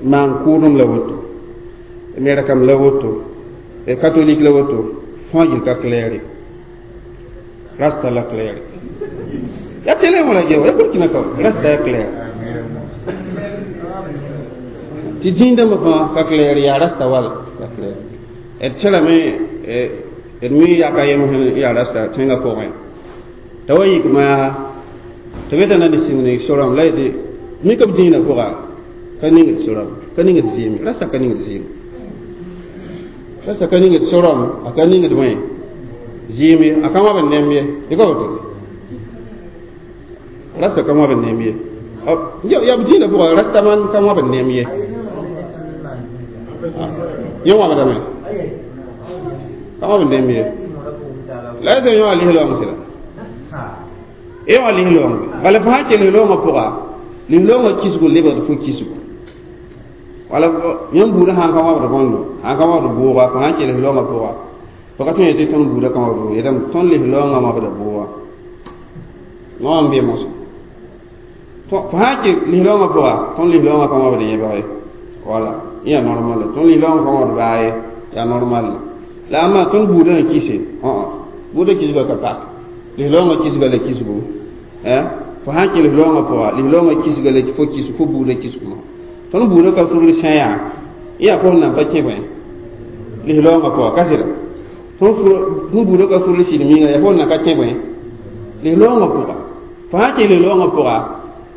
A: maan kʋʋdem la woto merekam la woto catholique la woto fãa gil ka claire rasta la claire ya télé wã la gewa ya burkina ka rasta ya claire tɩ dĩindãmbã fãa ka claire yaa rasta wala ka claire d tẽrame d mi yaka yem sẽn yaa rasta tẽngã pʋgẽ t'a wa yik maa tɩ be t'a na ne sĩng ne sorame la yetɩ mika b dĩinã pʋga ka ningd sorame ka ningd zɩɩme rasta ka ningd zɩɩme rasta ka ningd sorame a ka ningd bõe zɩɩme a ka wãb n nemb ye dɩka woto rasta ka wãb n nemb ye yaa b dĩinã pʋga rasta man ka wãb n nemb ye yẽ wãbdame ka wãb n nemb ye la ya tɩ yõ a lislaoong sɩda yõ a lislaoong bala fo sã n kell lislaoongã pʋga lislaoongã kisgo lebgd fo kisgo wala yãmb buudã sãn ka wãbd bõndo sãn ka wãbd bʋʋga fo sãn kell lislaoongã pʋga fo ka tõe n yetɩ tõnd buudã ka wãbd bʋʋga yetame tõnd lislaoongã wãbda bʋʋga wã n be mosã fo sãn kell lislaoongã pʋga tõnd lislaoongã ka wãbd yẽbg ye wala yaa normal tõnd lislaoongã ka wãbd baa ye yaa normal la amma tõnd buudã n kise buudã kisga ka pak lislaoongã kisga la kisgo fo sãn kell lislaoongã pʋga lislaoongã kisga la fo kis fo buudã kisgmã tõnd buudã ka fugl sã yaa yaa fo nan pa kẽ bõe lislaoongã pʋga ka sɩda tõnd buudã ka fugl sɩd minga yaa fo nan ka kẽ bõe lislaoongã pʋga fo sãn kell lislaoongã pʋga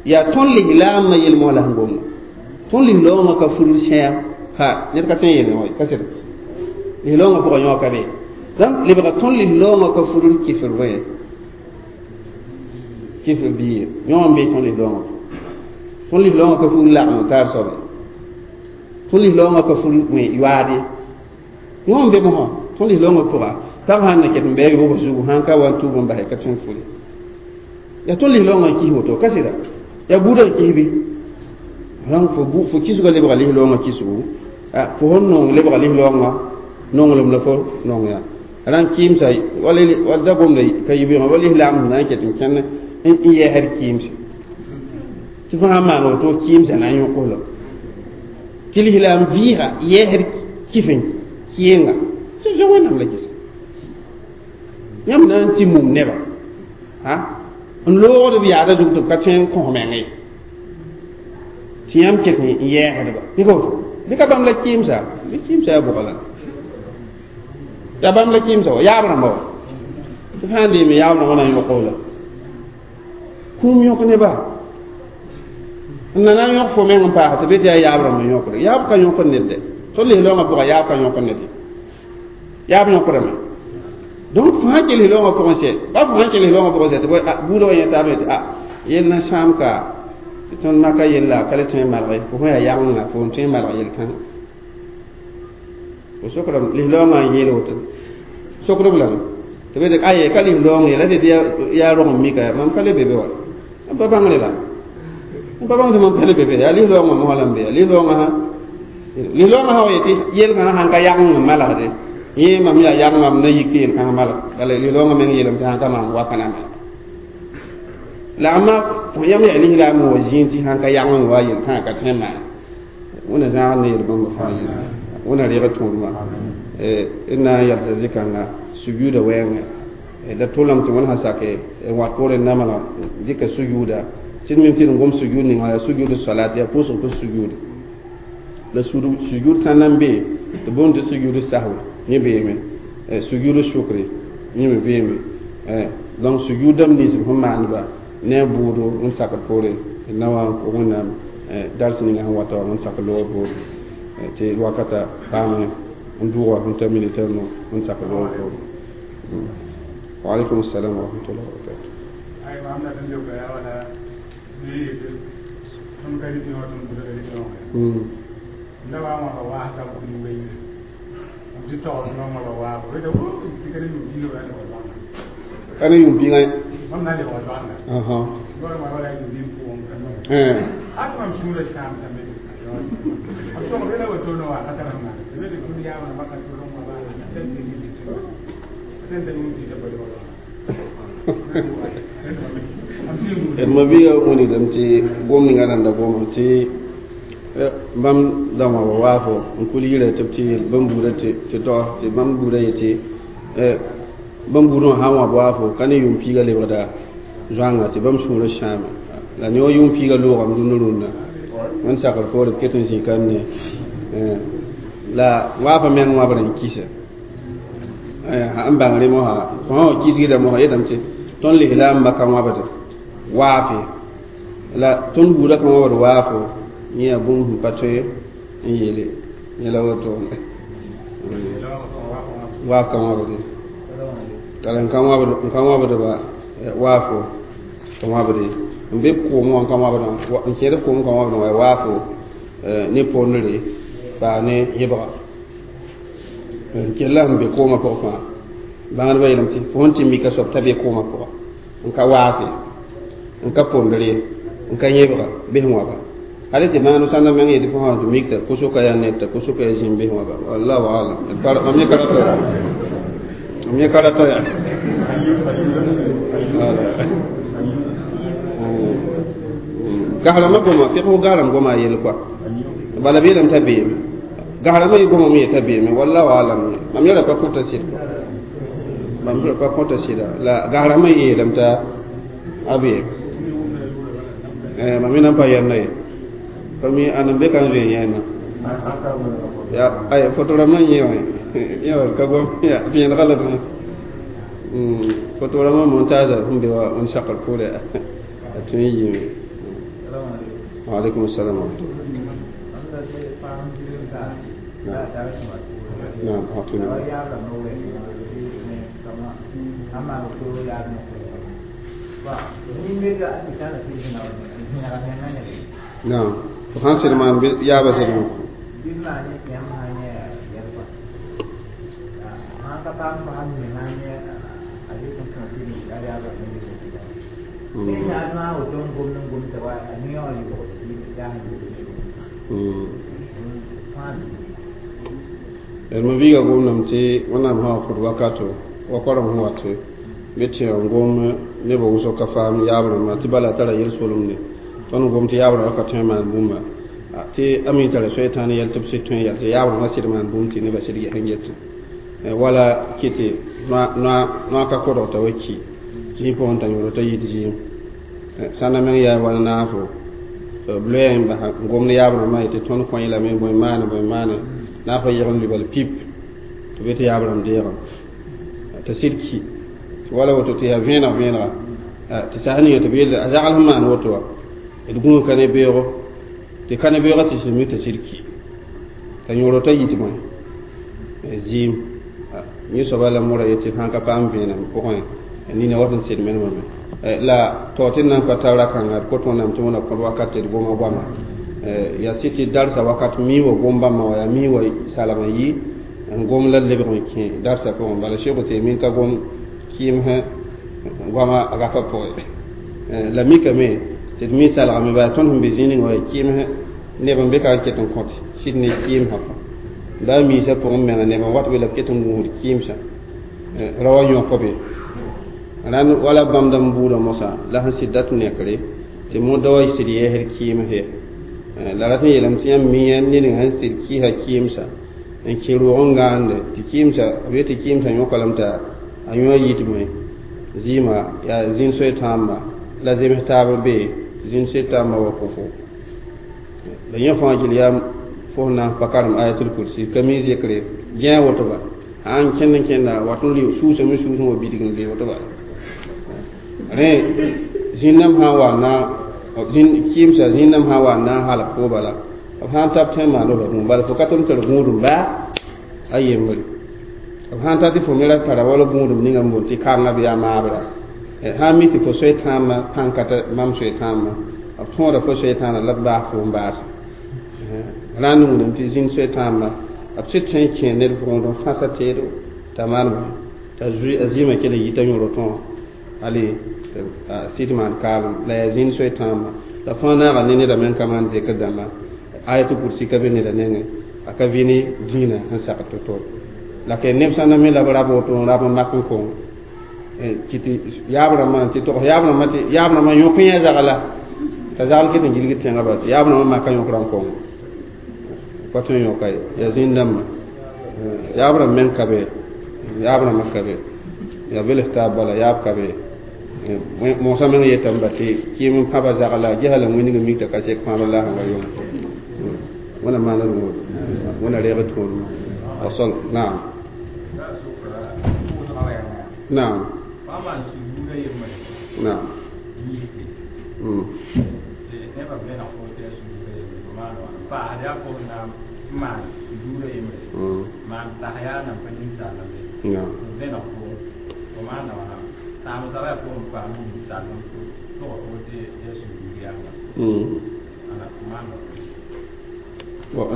A: yaa tõnd lislaamã yel-mosã la sẽn gomda tõnd lislaoongã ka fugl sã ha ned ka tõe n yel wã ka sɩda lislaoongã pʋga yõ ka be donc lebga tõnd lislaoongã ka fugl kifr bõe kifr biir yõ n be tõnd lislaoongã tõnd lislaoongã ka fugl lagm taar soabe tõnd lislaoongã ka fugl yoaade yõ n be mosã tõnd lislaoongã pʋga pag sãn na ket n bɛɛg bʋg zugu sãn ka wa n tuub n basɛ ka tõe n fule yaa tõnd lislaoongã n kis woto ka sɩda yaa buudã n kis bɩ rãng fo bu fo kisga lebga lis-loongã kisgu fo sẽn nong lebga lis-loongã nonglem la fo nong ya rãng kɩɩmsa wala da gomda ka yibeoogã wa lislaam sẽn na n ket n kẽnd n yɛɛsd kɩɩmse tɩ fo sã n maan woto kɩɩmsã na n yõk la tɩ lislaam vɩɩga yɛɛsd kɩf n kɩɩnga tɩ zoe wẽnnaam la kɩsa yãmb na n tɩ mum neba n loogd b yaada zug tɩ b ka tõe n kõs meng ye tɩ yãmb ket n yɛɛsdba bɩ ka woto bɩ ka bãmb la kɩɩmsa bɩ kɩɩmsa yaa bʋga la yaa bãmb la kɩɩmsa wa yaab rãmba wa tɩ fãa n deeme yaab rãmbã na n yõk la kũum yõk neba n na na n yõk fo meng n paas tɩ be tɩ yaa yaab rãmb n yõkde yaab ka yõkd ned dɛ tõnd lis-loongã pʋga yaab ka yõkd ned ye yaab yõkdame donc fo sã kell lis-loongã pʋgẽ sɛ ba fo sã kell lis-loongã pʋgẽ sɛ tɩ buudã wa yẽ taab tɩ a yell na sãam ka tɩ tõnd maka yella ka le tõe n malge fo sẽn yaa yagenga fo n tõe n malg yel-kãngã fo sokdame lis-loongã n yeel woto sokdb lame tɩ be tɩ aye ka lis-loong ye la tɩ yaa rong n mika mam ka le be be wa m pa bãngre la m pa bãng tɩ mam pa le be be yaa lis-loongã mosã la n be yaa lis-loongã sã lis-loongã sã wa yetɩ yel-kãngã sãn ka yageng n malgde yẽ mam yaa yagengã m na yik tɩ yel-kãngã malg bala lis-loongã meng yeelame tɩ sãn ka maan waka na malg la amma yãmb yaa lislaam wa zĩig tɩ sãn ka yageng wa yel-kãngã ka tõe n maan wẽnna zãag ne yel bãmba fãa yel wẽnna reeg tõodmã d na n yalsa zĩ-kãnga sujuuda wɛɛngã la tʋlame tɩ wẽnd sã sake n wat poorẽ namga dɩka sujuuda tɩ d mim tɩ d gom sujuud ninga yaa sujuud salat yaa pʋʋsg pʋs sujuud la sujuud sã n na n be tɩ boond tɩ sujuud sahwi yẽ beeme sujuud sukri yẽ me beeme donc sujuudame nins b sẽn maandba ne a buudo n sakd poore d na wa n kʋ wẽnnaam dars ninga sẽn wata wa n sak loogã poore tɩ wakata paame n dʋʋga n ta minita nu n sak loogã poore wa alaikum assalam wa rahmatullahi wa barakatuh ane yʋm bĩŋa ma biiga wilgdame tɩ gom ninga rãnda goma tɩ bãmb dãmbã wa waafo n kul yira tɩ b tɩ yeel bãmb buudã tɩ tog tɩ bãmb buudã yetɩ bãmb buudã wã sã n wãb waafo ka ne yʋʋm piiga lebgda zoãnga tɩ bãmb sũurã sãame la ne wa yʋʋm piiga loogame rũndã rũndã wẽnd sakr poore b ket n zĩ kam ne la waafã meng wãbr n kisa n bãng rẽ mosã fo sã wa kisgda mosã yetame tɩ tõnd lislaam ba ka wãbd waafe la tõnd buudã ka wãbd waafo yẽ yaa bũmb sẽn pa tõe n yeele yẽ la woto waaf ka wãbde tara n ka wãbd n ka wãbdba waafo ka wãbde n be koom wã n ka wãbdã n kẽed koom ka wãbdã wa waafo ne pondre paa ne yẽbga n kella sẽn be koomã pʋgẽ fãa bãngdbã yeelame tɩ fo sẽn tɩ mika soab t'a be koomã pʋga n ka waafe n ka pondre n ka yẽbga bes wãba hal tɩ bãngd sãnda meng yetɩ fo sã tɩ mikta kosoka yaa ned t'a kosoka yaa zĩm bes wãba wallahu alam mam yẽ ka rata ya mam yẽ ka rata ya gasrãmbã goma figsg gasrãmb goma a yell koa bala b yeelame t'a beeme gasrãmbã yɩ gomame ye t'a beeme wallahu alam mam yɛla pa kõta sɩd mam pa kõta sɩda la gasrãmbã yeelame t'a a beeme mam yẽ na n pa yɛnda ye pa mi ãn n be ka n zoe yẽna ya ay foto rãmbã n yẽ wã yẽ wa ka gom vẽenega la foto rãmbã montage sẽn be wa n sakr poore a tõe n yiime وعليكم السلام ورحمة الله. نعم أعطينا. نعم وخان سلمان يا بسلمان. Ma biiga gomdame tɩ wẽnnaam sã wa kõt wakato wa koarem sẽn wat bɩ tɩ n gom nebã wʋsg ka faam yaab rãmbã tɩ bala tara yel-solemde tõnd gom tɩ yaab rãmbã ka tõe n maan bũmba tɩ a mi tara soetãan yɛl tɩ b sɩd tõe n yɛl tɩ yaab rãmbã sɩd maan bũmb tɩ nebã sɩd ges n getẽ wala kɩtɩ noa ka kodg t'a wa ki zĩig pʋgẽ t'a yõod t'a yit zĩim sã na meng yaa wala naafo b loeea n basa n gomd yaab rãmbã yetɩ tõnd kõ lame bõe maane bõe maane naafa yeg n libal pip tɩ be tɩ yaab rãmb deegã t'a sɩd ki wala woto tɩ yaa vẽeneg vẽenega tɩ sas ninga tɩ b yelle a zagl sẽn maan woto wã d gũus ka ne beoogo tɩ ka ne beoogã tɩ sẽn mi t'a sɩd ki t'a yõor t'a yit bõe zɩɩm yẽ soaba la mora yetɩ sãn ka paam vẽenem pʋgẽ nina wat n sed menemame la tao tɩ d na n pa tar ra-kãnga d kot wẽnnaam tɩ wẽna kõt wakat tɩ d goma goama yaa sɩd tɩ darsa wakat mi wa gom bãmba wa yaa mi wa salem n yi n gom la lebg n kẽ darsa pʋgẽ bala Cheikh Utemin ka gom kɩɩmsẽ goama rafa pʋgẽ la mikame tɩ d mi salgame baa tõnd sẽn be zĩig ninga wa yaa kɩɩmsẽ neb n be ka n ket n kõt sɩd ne kɩɩmsã baa miisã pʋgẽ menga neb n wat be la b ket n gũusd kɩɩmsã ra wa yõk be rãnd wala bãmb dãmb buudã mosã la sẽn sɩd dat nekre tɩ moda wa sɩd yɛɛsd kɩɩms la rat n yeelame tɩ yãmb mi ned ninga sẽn sɩd kɩɩsa kɩɩmsã n kẽ roog n gãande tɩ kɩɩmsã b yetɩ kɩɩmsã yõka lame t'a a yõ a yitme zɩɩmã yaa zĩn soe tãamba la zems taab be zĩn soe tãamba wa kofo la yẽ fãa gil yaa fo sẽn na n pa karem ayatul kursi ka mi zekre gẽ woto ba sãn kẽnd n kẽnda wat n rɩ suusame suusẽ wa bidg n le woto ba rẽ zĩn-dãmb sã n wa na kɩɩmsã zĩn-dãmb sã n wa n na n halg fo bala b sã n tab tõe n maand b bũmb bala fo ka tʋm tar gũudum baa a yembre b sã n ta tɩ fo me ra tara wala gũudum ninga n boond tɩ kãngã bɩ yaa maabra sã n mi tɩ fo soe tãambã pãn-kata mam soe tãambã b tõoda fo soe tãana la b baas fo n baase rãnd wilame tɩ zĩn soe tãambã b sɩd tõe n kẽ ned pʋgẽ n fãsa teedo t'a maan bõe t'a a zɩɩmã kell n yita yõor tõe ale sɩd maan kaalem la yaa zĩn soe tãambã la fãa naaga ne neda meng ka maan zekr dãmba ayatul kursi ka be neda nengẽ a ka vɩ ne dĩinã sẽn sagd to-to la ke neb sã na me la b rab woto n rab n mak n kõng tɩ yaab rãmbã tɩ togs yaab rãmbã tɩ yaab rãmbã yõk yẽ zagla t'a zagl ket n gilgd tẽngã bala tɩ yaab rãmbã maka yõkrã n kõng pa tõe n yõka ye yaa zĩn dãmbã yaab rãmb meng ka be yaab rãmbã ka be yaa bels taab bala yaab ka be mosã meng yetame ba tɩ kɩɩm n pãba zagla gesa la wĩndg n mik t'a ka sek pãabr la sẽn wa yõng wẽna maana d wʋʋd wẽna reeg tõodmã wasal naam naam naam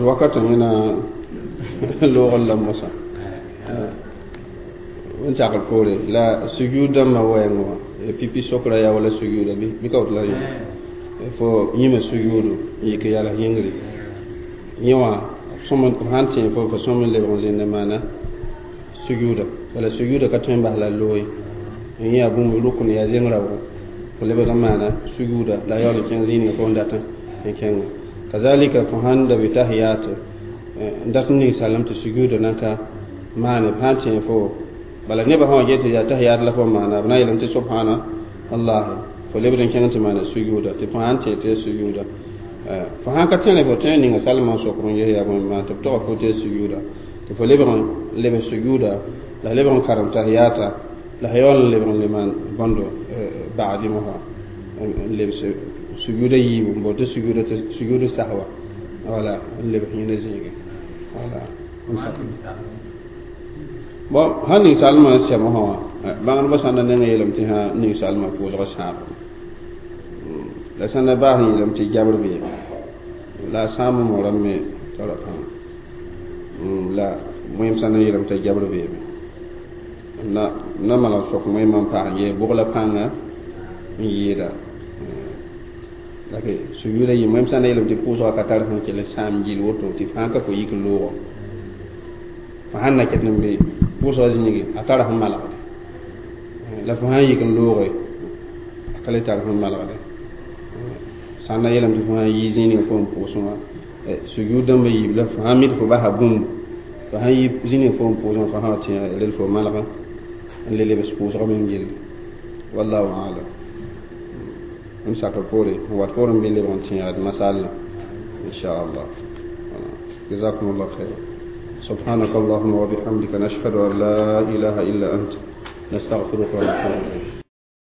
A: wakat yẽna loogr la mosã n sakr poore la sujud dãmbã wɛɛng wã pipi sokra yaa wala sujuda bɩ ka woto la yõ fo yĩma sujuudu n yik yals yĩngre yẽ wã sõm b sãn tẽ fo fo sõm n lebg n zẽnd n maana sujuuda wala sujuuda ka tõe n bas la looe n yẽ yaa bũmb rʋkn yaa zeng raoogo fo lebg n maana sujuuda la yaool n kẽng zĩig fo n dat n kẽnga kazalika fo sãn da be tahiyat n dat n ning salem tɩ sujuuda nan ka maane b sãn tẽ fo bala nebã sã wa get tɩ yaa tahiyat la fo maana b na n yeelame tɩ subhana allah fo lebd n kẽng tɩ maana sujuuda tɩ fo sãn tẽ tɩ ya sujuuda fo sãn ka tẽne fo tõe n ninga salmã n sokr n ges yaa bõe maan tɩ b togã fo tɩ ya sujuuda tɩ fo lebg n lebs sujuuda la lebg n karem tahiyata la f yaool n lebg n le maan bõndo bagdɩ mosã n lebs sujuuda yiibu n boond tɩ sujuuda tɩ sujuudu sahwa wala n lebs yẽnda zĩige wala bon sãn ning salmã n sɛ mosã wã bãngdbã sãn na nengã yeelame tɩ sã ning salmã pʋʋsg sãabo la sãn na baas n yeelame tɩ jabr bee la a sãam mo rãmb me tara pãnga la wẽem sãn na yeelame t'a jabr beeme na na malg sok wẽem n paas n yee bʋg la pãnga N yɩɩda la sujuuda yĩm wẽm sã n na yeelame tɩ pʋʋsgã ka tar sẽn kell n sãam gill woto tɩ fãa ka fo yik n loogɔ fo sãn na ket n be pʋʋsgã zĩigi a tara sẽn malgde la fo sãn yik n looge a ka le tar sẽn malgde sã n na yeelame tɩ fo sãn yi zĩig ning fo n pʋʋsẽ wã sujuud dãmbã yiib la fo sãn mi tɩ fo basa bũmb fo sãn yi zĩig ning fo n pʋʋsẽ fo sã wa tẽ rel fo malga n le lebs pʋʋsgã meng gilli wallahu alam m sakr poore n wat poorẽ bɩ lebg n tẽegd masal inchallah جزاكم الله خيرا سبحانك اللهم وبحمدك نشهد أن لا إله إلا أنت نستغفرك ونتوب إليك.